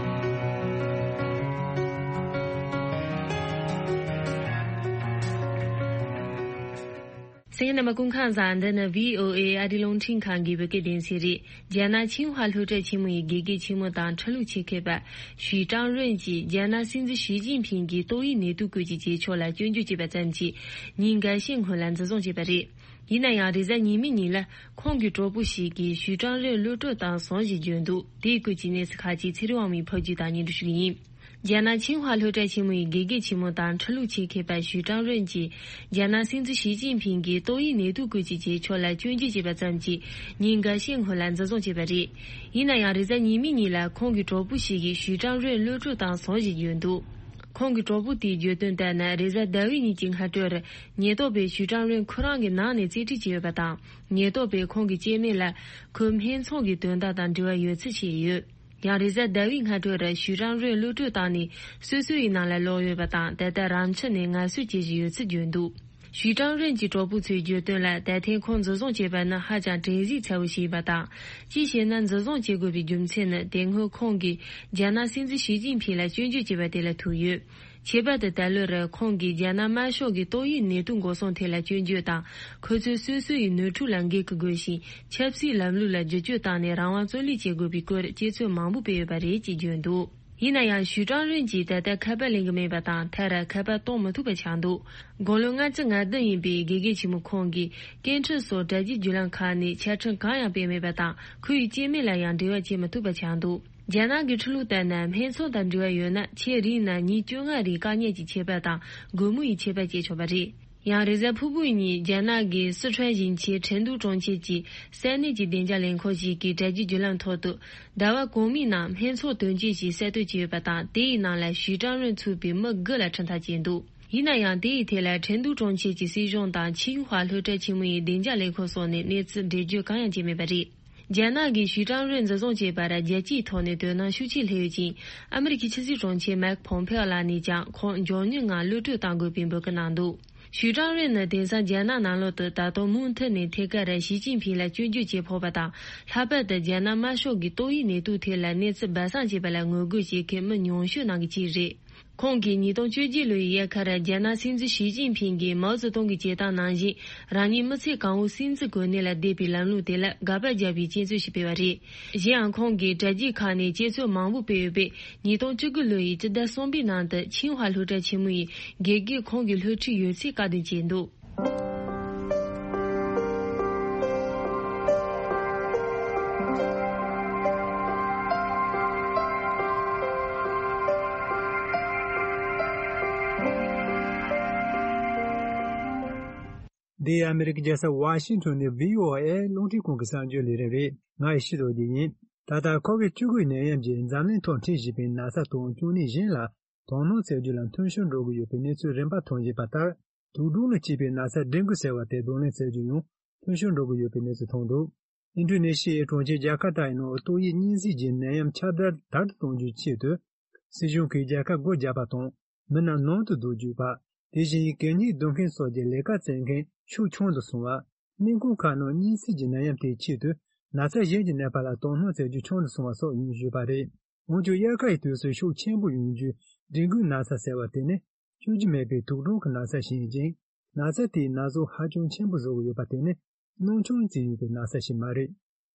རྣམ་པ་སྐུ་ཁམས་བཟང་། འདི་ནི་བྷི་ཨོ་ཨེ་ཨ་རིའི་རླུང་འཕྲིན་ཁང་གི་བོད་སྐད་སྡེ་ཚན་རེད། རྒྱ་ནག་ཆིང་ཧྭ་སློབ་གྲྭ་ཆེན་མོ་ཡི་དགེ་རྒན་ཆེན་མོ་དང་ཁྲི་ལོ་ཆེ་མཁས་པ་ཞུས་ཀྲང་རོན་གྱིས་རྒྱ་ནག་སྲིད་འཛིན་ཞི་ཅིན་ཕིང་གིས་ཏོག་དབྱིབས་ནད་དུག་སྐོར་གྱི་བྱེད་ཕྱོགས་ལ་སྐྱོན་བརྗོད་བྱས་པ་ཙམ་གྱིས་ཉིན་འགའ་ཤས་སྔོན་ལ་འཛིན་བཟུང་བྱས་པ་རེད། ཡིན་ན་ཡང་། རེས་གཟའ་ཉི་མའི་ཉིན་ལ་ཁོང་གི་གྲོགས་པོ་ཞིག་གིས་ཞུས་ཀྲང་རོན་གློད་བཀྲོལ་བཏང་སོང་ཞེས་བརྗོད་འདུག་དེའི་སྐོར་གྱི་གནས་ཚུལ་ཁག་ཅིག་ཚེ་རིང་དབང་མོས་ཕབ་སྒྱུར་དང་སྙན་སྒྲོན་ཞུ་གི་ཡིན། རྒྱ་ནག་ཆིང་ཧྭ་སློབ་གྲྭ་ཆེན་མོ་ཡི་དགེ་རྒན་ཆེན་མོ་དང་ཁྲི་ལོ་ཆེ་མཁས་པ་ཞུས་ཀྲང་རོན་གྱིས་རྒྱ་ནག་སྲིད་འཛིན་ཞི་ཅིན་ཕིང་གིས་ཏོག་དབྱིབས་ནད་དུག་སྐོར་གྱི་བྱེད་ཕྱོགས་ལ་སྐྱོན་བརྗོད་བྱས་པ་ཙམ་གྱིས་ཉིན་འགའ་ཤས་སྔོན་ལ་འཛིན་བཟུང་བྱས་པ་རེད། ཡིན་ན་ཡང་། རེས་གཟའ་ཉི་མའི་ཉིན་ལ་ཁོང་གི་གྲོགས་པོ་ཞིག་གིས་ཞུས་ཀྲང་རོན་གློད་བཀྲོལ་བཏང་སོང་ཞེས་བརྗོད་འདུག་ཁོང་གི་གྲོགས་པོ་དེས་བརྗོད་དོན་ལྟར་ན། རེས་གཟའ་ཟླ་བའི་ཉིན་གྱི་སྔ་དྲོར་ཉེན་རྟོག་པས་ཞུས་ཀྲང་རོན་ཁོ་རང་གི་ནང་ནས་རྩིས་སྤྲོད་བྱས་ཡོད་པ་དང་། ཉེན་རྟོག་པས་ཁོང་གི་སྐྱེ་དམན་ལ་ཁོའི་སྨད་འཚོང་གི་དོན་དག་དང་འབྲེལ་བ་ཡོད་ཚུལ་བཤད་ཡོད། ཡང་རེས་གཟའ་ཟླ་བའི་སྔ་དྲོ་རུ་ཞུས་ཀྲང་རུན་གློད་གྲོལ་བཏང་ནས་སོ་སོ་ཡི་ནང་ལ་ལོག་ཡོད་པ་དང་། ད་ལྟ་རང་ཕྱི་ནས་ངལ་གསོ་བྱེད་བཞིན་ཡོད་ཚུལ་བརྗོད་འདུག་ཞུས་ཀྲང་རུན་གྱི་གྲོགས་པོ་ཚོས་བརྗོད་དོན་ལ། ད་ཐེངས་ཁོང་འཛིན་བཟུང་བྱས་པ་ནི་ཧ་ཅང་དྲན་གསོ་ཚ་བོ་ཞིག་ཡིན་པ་དང་། གཅིག་བྱས་ན་འཛིན་བཟུང་བྱེད་དགོས་པའི་རྒྱུ་མཚན་ནི། དེ་སྔོན་ཁོང་གིས་རྒྱ་ནག་སྲིད་འཛིན་ཞི་ཅིན་ཕིང་ལ་སྐྱོན་བརྗོད་བྱས་པ་དེ་ལ་ཐུག་ཡོད། ཁྱད་པར་དུ་ད་ལོ་རུ་ཁོང་གིས་རྒྱ་ནག་དམར་ཤོག་གི་ཏོག་དབྱིབས་ནད་དུག་འགོག་སྲུང་ཐད་ལ་སྐྱོན་བརྗོད་དང་། ཁོ་ཚོས་སོ་སོ་ཡི་ནོར་འཁྲུལ་ལ་འགན་འཁུར་དགོས་ཤིང་། ཆབ་སྲིད་ལམ་ལུགས་ལ་བསྒྱུར་བཅོས་བཏང་ནས་རང་དབང་བརྩོན་ལེན་བྱེད་དགོས་པའི་སྐོར་དཔྱད་ཚོད་མང་པོ་སྤེལ་ཡོད་པ་རེད་ཅེས་བརྗོད་འདུག་ཡིན་ན་ཡང་ཞུས་ཀྲང་རུན་གྱིས་ད་ལྟ་ཁ་པར་ལེན་གྱི་མེད་པ་དང་། མཐར་ཁ་པར་གཏོང་མི་ཐུབ་པ་ཆགས་འདུག་དགུང་ལོ་ལྔ་བཅུ་ང་བདུན་ཡིན་པའི་དགེ་རྒན་ཆེན་མོ་ཁོང་གིས་སྐད་འཕྲིན་སོགས་དྲ་རྒྱའི་བརྒྱུད་ལམ་ཁག་ནས་ཆ་འཕྲིན་གང་ཡང་སྤེལ་མེད་པ་དང་། ཁོ་ཡི་སྐྱེ་དམན་ལ་ཡང་འབྲེལ་བ་བྱེད་མི་ཐུབ་པ་ཆགས་འདུག་རྒྱ་ནག་གི་ཁྲིམས་ལུགས་ལྟར་ན། སྨད་འཚོང་དང་འབྲེལ་བ་ཡོད་ན། ཆེས་རིང་ན་ཉིན་བཅོ་ལྔ་རིང་བཀག་ཉར་གྱི་ཆད་པ་དང་། སྒོར་མོ་ཡི་ཆད་པ་བཅད་ཆོག་པ་རེད། ཡང་རེས་གཟའ་ཕུར་བུ་ཉིན་རྒྱ་ནག་གི་སི་ཁྲོན་ཞིང་ཆེན་ཁྲེང་ཏུའུ་གྲོང་ཁྱེར་གྱི་ས་གནས་ཀྱི་བདེ་འཇགས་ལས་ཁུངས་ཤིག་གིས་དྲ་རྒྱའི་བརྒྱུད་ལམ་ཐོག་ཏུ། ཟླ་བ་གོང་མའི་ནང་སྨད་འཚོང་དོན་རྐྱེན་ཞིག་གསར་གཏོད་བྱས་ཡོད་པ་དང་། དེའི་ནང་ལ་ཞུས་ཀྲང་རུན་ཚུད་པའི་མི་དགུ་ལ་ཁྲིམས་ཐག་བཅད་འདུག་ཡིན་ན་ཡང་། དེའི་ཐད་ལ་ཁྲེང་ཏུའུ་གྲོང་ཁྱེར་གྱི་སྲིད་གཞུང་དང་ཆིང་ཧྭ་སློབ་གྲྭ་ཆེན་མོ་ཡི་བདེ་འཇགས་ལས་ཁུངས་སོགས་ནས་གནས་ཚུལ་འགྲེལ་བརྗོད་གང་ཡང་བྱས་མེད་པ་རེད། རྒྱ་ནག་གིས་ཞུས་ཀྲང་རུན་འཛིན་བཟུང་བྱས་པར་རྒྱལ་སྤྱིའི་ཐོག་ནས་དོ་སྣང་ཤུགས་ཆེ་སླེབས་ཡོད་ཅིང་། ཨ་མི་རི་ཀའི་ཕྱི་སྲིད་དྲུང་ཆེ་མའིག་ཕོམ་ཕེའོ་ལགས་ནས་ཀྱང་ཁོང་མགྱོགས་མྱུར་ངང་གློད་གྲོལ་གཏང་དགོས་པའི་འབོད་སྐུལ་གནང་འདུག་ཞུས་ཀྲང་རུན་ནི་དེང་སང་རྒྱ་ནག་ནང་ལོགས་སུ་ད་དུང་མུ་མཐུད་ནས་ཐད་ཀར་ཞི་ཅིན་ཕིང་ལ་སྐྱོན་བརྗོད་བྱེད་ཕོད་པ་དང་། ལྷག་པར་དུ་རྒྱ་ནག་དམར་ཤོག་གི་ཏོག་དབྱིབས་ནད་དུག་ཐད་ལ་གནས་ཚུལ་སྦ་གསང་བྱས་པ་ལ་ངོ་རྒོལ་བྱེད་མཁན་མི་ཉུང་ཤོས་ནང་གི་གཅིག་རེད། ཁོང་གིས་ཉིས་སྟོང་བཅོ་བརྒྱད་ལོའི་དབྱར་ཁར་རྒྱ་ནག་སྲིད་འཛིན་ཞི་ཅིན་ཕིང་གིས་མའོ་ཙེ་ཏུང་གི་བྱེད་སྟངས་ནང་བཞིན་རང་ཉིད་མི་ཚེ་གང་བོ་སྲིད་འཛིན་གོ་གནས་ལ་བསྡད་པའི་ལམ་ལུགས་དེ་ལ་དགག་པ་བརྒྱབ་པའི་དཔྱད་རྩོད་ཞིག་སྤེལ་བ་རེད། གཞན་ཡང་ཁོང་གིས་དྲ་རྒྱའི་ཁག་ནས་དཔྱད་རྩོད་མང་པོ་སྤེལ་ཡོད་པས། ཉིས་སྟོང་བཅུ་དགུ་ལོ་ཡི་སྤྱི་ཟླ་གསུམ་པའི་ནང་དུ་ཆིང་ཧྭ་སློབ་གྲྭ་ཆེན་མོ་ཡི་དགེ་རྒན་ཁོང་གི་སློབ་ཁྲིད་ཡོད་ཚུལ་བཀག་སྡོམ་བྱས་འདུག་འདི་ཨ་མི་རི་ཀའི་རྒྱལ་ས་ཝ་ཤིང་ཊོན་ནས་བྷི་ཨོ་ཨེ་རླུང་འཕྲིན་ཁང་གི་གསར་འགྱུར་ལས་རིམ་རེད། ང་ཡེ་ཤེས་རྡོ་རྗེ་ཡིན། ད་ལྟ་ཁོ་བིད་བཅུ་དགུ་ནད་ཡམས་ཀྱིས་འཛམ་གླིང་ཐོག་འཁྲུག་བཞིན་པའི་ན་ཚ་དང་བཅོས་ནད་གཞན་ལ་དོ་སྣང་བྱེད་རྒྱུ་ལ་འཐུས་ཤོར་འགྲོ་གི་ཡོད་པའི་གནས་ཚུལ་རིམ་པར་ཐོན་བཞིན་པ་ལྟར། དུག་སྦྲང་ལ་སྐྱེས་པའི་ན་ཚ་ཌེང་གུ་ཟེར་བ་དེ་གདོང་ལེན་བྱེད་རྒྱུ་ཡང་འཐུས་ཤོར་འགྲོ་གི་ཡོད་པའི་གནས་ཚུལ་ཐོན་འདུག་ཨིན་ཌོ་ནེ་ཤི་ཡའི་གྲོང་ཁྱེར་ཇ་ཀར་ཏའི་ནང་ཏོག་དབྱིབས་གཉན་སྲིན་གྱི་ནད་ཡམས་ཁྱབ་གདལ་དལ་དུ་གཏོང་རྒྱུའི་ཆེད་དུ། སྲིད་གཞུང་གིས་རྒྱལ་ཁབ་སྒོ་བརྒྱབ་པ་དང་། མི་རྣམས་ནང་དུ་སྡོད་རྒྱུ་པ། དེ་བཞིན་གད་སྙིགས་བསྡུ་མཁན་སོགས་ཀྱི་ལས་ཀ་བྱེད་མཁན་ཤུགས་ཆུང་དུ་སོང་བ། སྨན་ཁང་ཁག་ནང་གཉན་སྲིན་གྱི་ནད་ཡམས་དེའི་ཆེད་དུ་ན་ཚ་གཞན་གྱི་ནད་པ་ལ་དོ་སྣང་བྱེད་རྒྱུ་ཆུང་དུ་སོང་བ་སོགས་ཡིན་ཞུས་པ་རེད། འོན་ཀྱང་དབྱར་ཁ་ཡི་དུས་སུ་ཤུགས་ཆེན་པོ་ཡོང་རྒྱུའི་ཌེང་གུའི་ན་ཚ་ཟེར་བ་དེ་ནི་བཅོས་རྒྱུ་མེད་པའི་དུག་སྦྲང་གི་ན་ཚ་ཞིག་ཡིན་ཅིང་། ན་ཚ་དེས་ན་ཟུག་ཧ་ཅང་ཆེན་པོ་བཟོ་གི་ཡོད་པ་དེ་ནི་སྣང་ཆུང་བྱེད་ཡོད་པའི་ན་ཚ་ཞིག་མ་རེད།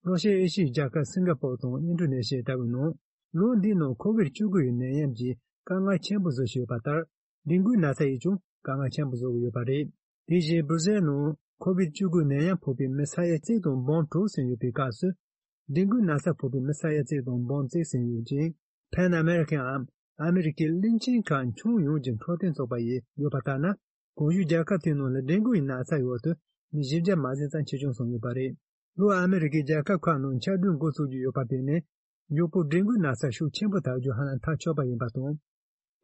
རོ་ཤར་ཨེ་ཤི་ཡའི་རྒྱལ་ཁབ་སིང་ག་པོར་དང་ཨིན་ཌོ་ནེ་ཤི་ཡ་ལྟ་བུའི་ནང་། ལོ་འདིའི་ནང་ཁོ་བིད་བཅུ་དགུ་ཡི་ནད་ཡམས་ཀྱིས་དཀའ་ངལ་ཆེན་པོ་བཟོ་བཞིན་ཡོད་པ་ལྟར། ཌེང་གུའི་ན་ཚ་ཡིས་ཀྱང་དཀའ་ངལ་ཆེན་པོ་བཟོ་གི་ཡོད་པ་རེད། དེ་བཞིན་སྦུར་ཟེར་ནང་ཁོ་བིད་བཅུ་དགུ་ནད་ཡམས་ཕོག་པའི་མི་ས་ཡ་གཅིག་དང་འབུམ་དྲུག་ཟིན་ཡོད་པའི་སྐབས་སུ། ཌེང་གུའི་ན་ཚ་ཕོག་པའི་མི་ས་ཡ་གཅིག་དང་འབུམ་གཅིག་ཟིན་ཡོད་ཅིང་། ཕན་ཨ་མེ་རི་ཁན་འམ་ཨ་མེ་རི་ཁའི་གླིང་ཆེན་ཁག་ཁྱོན་ཡོངས་ཀྱི་འཕྲོད་བསྟེན་ཚོགས་པ་ཡིས་བརྗོད་པ་ལྟར་ན། གོང་ཞུས་རྒྱལ་ཁབ་དེའི་ནང་ལ་ཌེང་གུའི་ན་ཚ་འོག་ཏུ་མི་བཞི་བརྒྱ་མ་ཟིན་ཙམ་ཆེ་ཆུང་སོང་ཡོད་པ་རེད། ལྷོ་ཨ་མེ་རི་ཁའི་རྒྱལ་ཁབ་ཁག་ནང་ཆར་སྒྲོན་འགོ་ཚུགས་ཀྱི་ཡོད་པ་དེ་ནི། མགྱོགས་པོ་ཌེང་གུའི་ན་ཚ་ཤུགས་ཆེན་པོ་དར་རྒྱུ་ཧ་ལམ་ཐག་ཆོད་པ་ཡིན་པ་དང་།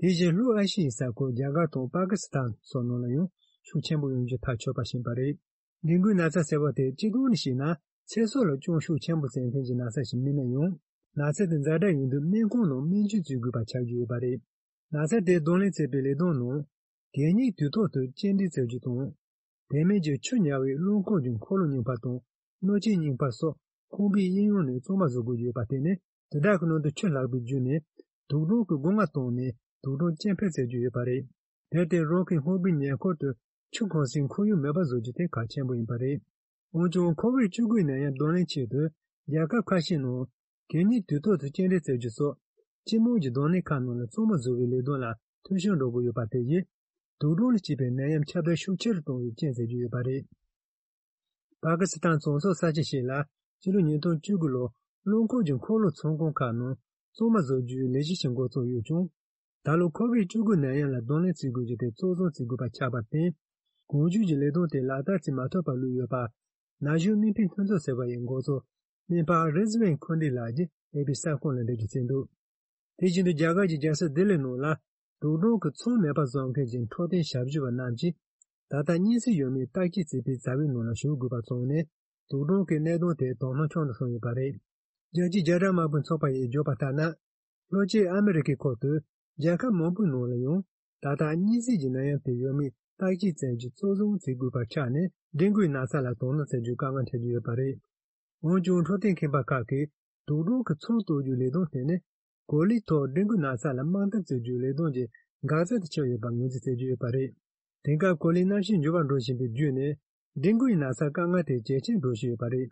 དེ་བཞིན་ལྷོ་ཨེ་ཤི་ཡའི་ས་ཁུལ་རྒྱ་གར་དང་པ་ཀི་སི་ཐན་སོགས་ནང་ལ་ཡང་ཤུགས་ཆེན་པོ་ཡོང་རྒྱུ་ཐག་ཆོད་པ་ཞིག་ཡིན་པ་རེད། ཌེང་གུའི་ན་ཚ་ཟེར་བ་དེ་སྤྱི་བཏང་ནས་བཤད་ན་ཚེ་སྲོག་ལ་སྐྱོན་ཤུགས་ཆེན་པོ་བྱེད་མཁན་གྱི་ན་ཚ་ཞིག་མིན་ན་ཡང་། ན་ཚ་དེ་ཛ་དྲག་ཡོང་དུས་སྨན་ཁང་ནང་སྨན་བཅོས་བྱེད་དགོས་པ་ཆགས་ཀྱི་ཡོད་པ་རེད། ན་ཚ་དེ་གདོང་ལེན་བྱེད་པའི་ལས་དོན་ནང་། གད་སྙིགས་དུས་ཐོག་ཏུ་སྐྱེལ་འདྲེན་བྱེད་རྒྱུ་དང་། དེ་མིན་གྱི་ཆུ་ཉར་བའི་རླངས་འཁོར་གྱི་འཁོར་ལོ་རྙིང་པ་དང་། སྣོད་ཆས་རྙིང་པ་སོགས་ཁང་པའི་གཡས་གཡོན་ནས་གཙང་མ་བཟོ་དགོས་ཀྱི་ཡོད་པ་དེ་ནི། དེ་དག་གི་ནང་དུ་ཆུ་ལྷག་པའི་བརྒྱུད་ནས་དུག་སྦྲང་གི་སྒོ་ང་བཏང་ནས་དུག་སྦྲང་སྐྱེ་འཕེལ་བྱེད་ཀྱི་ཡོད་པ་རེད། དེར་བརྟེན་རང་གི་ཧོ་པིའི་ཉེ་འཁོར་དུ་ཆུ་གང་སའི་ཁོར་ཡུག་མེད་པ་བཟོ་རྒྱུ་དེ་གལ་ཆེན་པོ་ཡིན་པ་རེད། འོན་ཀྱང་ཁོ་བིད་བཅུ་དགུ་ནད་ཡམས་གདོང་ལེན་ཆེད་དུ་རྒྱལ་ཁབ་ཁ་ཤས་ནང་གད་སྙིགས་དུས་ཐོག་ཏུ་སྐྱེལ་འདྲེན་བྱེད་རྒྱུ་སོགས་སྤྱི་དམངས་ཀྱི་གདོང་ལེན་ཁང་ནང་ལ་གཙང་མ་བཟོ་བའི་ལས་དོན་ལ་འཐུས་ཤོར་འགྲོ་གི་ཡོད་པ་དེ་ཡིས་དུག་སྦྲང་ལ་སྐྱེས་པའི་ནད་ཡམས་ཁྱབ་གདལ་ཤུགས་ཆེ་རུ་གཏོང་བའི་རྐྱེན་བྱེད་ཀྱི་ཡོད་པ་རེད། པ་ཀི་སི་ཐན་གཙང་གསུམ་ས་ཆ་ཞིག་ལ་སྤྱི་ལོ་ཉིས་སྟོང་བཅུ་དགུ་ལོར་རླངས་འཁོར་གྱི་འཁོར་ལོ་ཚོང་ཁང་ཁག་ནང་གཙང་མ་བཟོ་རྒྱུའི་ལས་གཞི་ཞིག་འགོ་བཙུགས་ཡོད་ཀྱང་། ད་ལོ་ཁོ་བིད་བཅུ་དགུ་ནད་ཡམས་ལ་གདོང་ལེན་བྱེད་དགོས་རྒྱུ་དེ་གཙོ་བཟུང་བྱེད་དགོས་པ་ཆགས་པར་བརྟེན། གོང་ཞུས་ཀྱི་ལས་དོན་དེ་ལག་བསྟར་བྱེད་མ་ཐུབ་པར་ལུས་ཡོད་པ། ན་གཞོན་སྨན་པའི་མཐུན་ཚོགས་ཟེར་བ་ཡི་འགོ་གཙོ་སྨན་པ་རི་ཛི་ཝན་ཁུན་ཏི་ལགས་ཀྱིས་ཨེ་པི་གསར་ཁང་ལ་འགྲེལ་བརྗོད་བྱས་འདུག་དེ་བཞིན་དུ་རྒྱ་གར་གྱི་རྒྱལ་ས་ལྡི་ལི་ནང་ལ་དུག་སྦྲང་གི་ཚང་མེད་པར་བཟོ་མཁན་གྱི་འཕྲོད་བསྟེན་ཞབས་ཞུ་བ་རྣམས་ཀྱིས་ད་ལྟ་གཉན་སྲིན་ཡོད་མེད་བརྟག་དཔྱད་བྱེད་པའི་བྱ་བའི་ནང་ལ་ཞུགས་དགོས་པ་བྱུང་ནས། དུག་སྦྲང་གི་གནད་དོན་དེ་དོ་སྣང་ཆུང་དུ་སོང་ཡོད་པ་རེད། རྒྱལ་སྤྱིའི་རྒྱ་གྲམ་དམག་དཔུང་ཚོགས་པ་ཡིས་བརྗོད་པ་ལྟར་ན། ལྷོ་སྤྱི་ཨ་མི་རི་ཀའི་ཁུལ་དུ་རྒྱལ་ཁབ་མང་པོའི་ནང་ལ་ཡང་ད་ལྟ་གཉན་སྲིན་གྱི་ནད་ཡམས་དེ་ཡོད་མེད་བརྟག་དཔྱད་བྱས་རྗེས་གཙོ་བཟུང་བྱེད་དགོས་པ་ཆགས་ནས་ཌེང་གུའི་ན་ཚ་ལ་དོ་སྣང་བྱེད་རྒྱུའི་དཀའ་ངལ་འཕྲད་ཀྱི་ཡོད་པ་རེད། འོན་ཀྱང་འཕྲོད་བསྟེན་མཁས་པ་ཁག་གིས་དུག་སྦྲང་གི་ཚོང་གཏོར་རྒྱུའི་ལས་དོན་དེ་ནི་གོ་ལའི་ཐོག་ཌེང་གུའི་ན་ཚ་ལ་དམག་འཐབ་བྱེད་རྒྱུའི་ལས་དོན་གྱི་འགག་རྩ་དེ་ཆགས་ཡོད་པ་ངོས་འཛིན་བྱེད་ཀྱི་ཡོད་པ་རེད། དེང་སྐབས་གོ་ལའི་གནམ་གཤིས་འགྱུར་བ་འགྲོ་བཞིན་པའི་བརྒྱུད་ནས་ཌེང་གུའི་ན་ཚ་དཀའ་ངལ་དེ་ཇེ་ཆེར་འགྲོ་བཞིན་ཡོད་པ་རེད།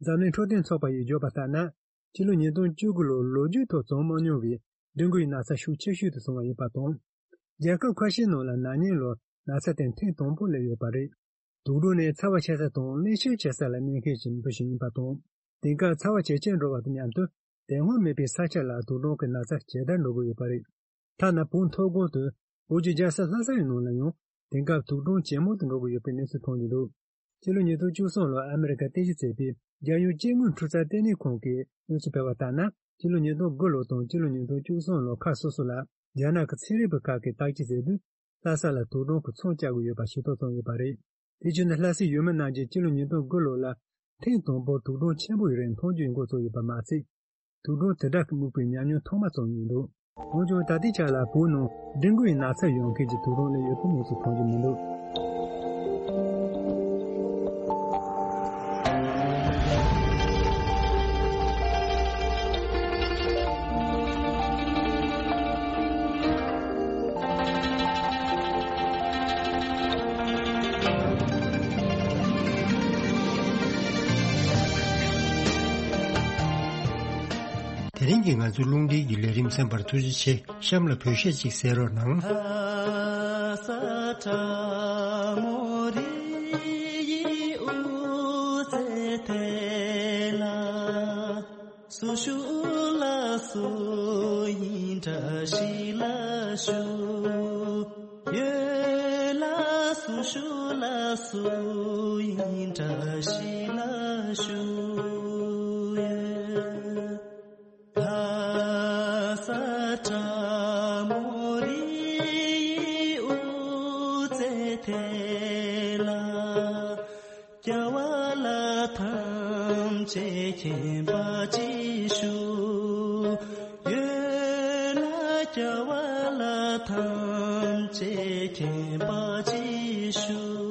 འཛམ་གླིང་འཕྲོད་བསྟེན་ཚོགས་པ་ཡིས་བརྗོད་པ་ལྟར་ན། ཕྱི་ལོ་ཉིས་སྟོང་བཅུ་དགུ་ལོར་ལོ་རྒྱུས་ཐོག་བྱུང་མ་མྱོང་བའི་ཌེང་གུའི་ན་ཚ་ཤུགས་ཆེ་ཤོས་དེ་བྱུང་བ་ཡིན་པ་དང་། རྒྱལ་ཁབ་ཁ་ཤས་ནང་ལ་ན་ནིང་ལོར་ན་ཚ་དེ་ཐེངས་དང་པོ་སླེབས་ཡོད་པ་རེད། དུག་སྦྲང་ནི་ཚ་བ་ཆེ་ས་དང་རླུང་ཤུགས་ཆེ་ས་ལ་གནས་མཁན་གྱི་འབུ་ཞིག་ཡིན་པ་དང་། དེང་སྐབས་ཚ་བ་ཇེ་ཆེར་འགྲོ་བ་དང་མཉམ་དུ་དེ་སྔོན་མེད་པའི་ས་ཆ་ལ་དུག་སྦྲང་གི་ན་ཚ་ཇེ་དར་འགྲོ་གི་ཡོད་པ་རེད། ཐ་ན་བོད་མཐོ་སྒང་དུ་བོད་ཀྱི་རྒྱལ་ས་ལྷ་ས་ཡི་ནང་ལ་ཡང་དེང་སྐབས་དུག་སྦྲང་ཇེ་མང་དུ་འགྲོ་གི་ཡོད་པའི་གནས་ཚུལ་ཐོན་གྱི་འདུག་ཕྱི་ལོ་ཉིས་སྟོང་བཅུ་གསུམ་ལོར་ཨ་མི་རི་ཀ་རྟེན་གཞི་བྱས་པའི་རྒྱལ་ཡོངས་སྐྱེ་དངོས་འཕྲུལ་རྩལ་ལྟེ་གནས་ཁང་གིས་གནས་ཚུལ་སྤེལ་བ་ལྟར་ན། ཕྱི་ལོ་ཉིས་སྟོང་དགུ་ལོ་དང་ཕྱི་ལོ་ཉིས་སྟོང་བཅུ་གསུམ་ལོ་ཁག་སོ་སོ་ལ་རྒྱ་ནག་གི་ཚན་རིག་པ་ཁག་གིས་བརྟག་དཔྱད་བྱས་དུས། ལྷ་ས་ལ་དུག་སྦྲང་གི་ཚོང་བཅག་གི་ཡོད་པ་ཤེས་རྟོགས་བྱུང་ཡོད་པ་རེད། དེ་བཞིན་ལྷ་སའི་ཡུལ་མི་རྣམས་ཀྱིས་ཕྱི་ལོ་ཉིས་སྟོང་དགུ་ལོ་ལ་ཐེངས་དང་པོར་དུག་སྦྲང་ཆེན་པོ་ཡི་རིགས་མཐོང་རྒྱུའི་འགོ་བཙུགས་ཡོད་པ་མ་ཟད། དུག་སྦྲང་དེ་འདྲ་གི་རྨུགས་པའི་ཉམས་མྱོང་ཐོག་མ་ཙམ་ཡིན་འདུག་འོན་ཀྱང་ད་ལྟའི་ཆར་ལ་བོད་ནང་ཌེང་གུའི་ན་ཚ་ཡོང་མཁན་གྱི་དུག་སྦྲང་སླེབས་ཡོད་པའི་གནས་ཚུལ་མཐོང་རྒྱུ་མི་འདུག་དེ་རིང་གི་ང་ཚོའི་རླུང་འཕྲིན་གྱི་ལས་རིམ་གསན་པར་ཐུགས་རྗེ་ཆེ། གཤམ་ལ་བོད་གཞས་ཅིག་གསན་རོགས་གནང་། སུ་ཞུ་ལ་སུ་ཡིན་འདྲ་ཞིག་ལ་ཞུ། ཡོད་ལ་སུ་ཞུ་ལ་སུ་ཡིན་འདྲ་ཞིག་ལ་ཞུ། ཡོད་ལ་ས་ཁྲ་མོ་རི་ཡི་དབུ་རྩེ་དེ་ལ། རྒྱལ་བ་ལ་ཐམས་ཅད་མཁྱེན་པ་ཅིག་ཞུ། ཡོད་ལ་རྒྱལ་བ་ལ་ཐམས་ཅད་མཁྱེན་པ་ཅིག་ཞུ།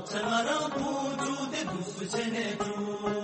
ཚེ་ང་རང་ཁོང་ཚོ་དེ་འདུག་སུ་བྱས་ནས་བྱུང་།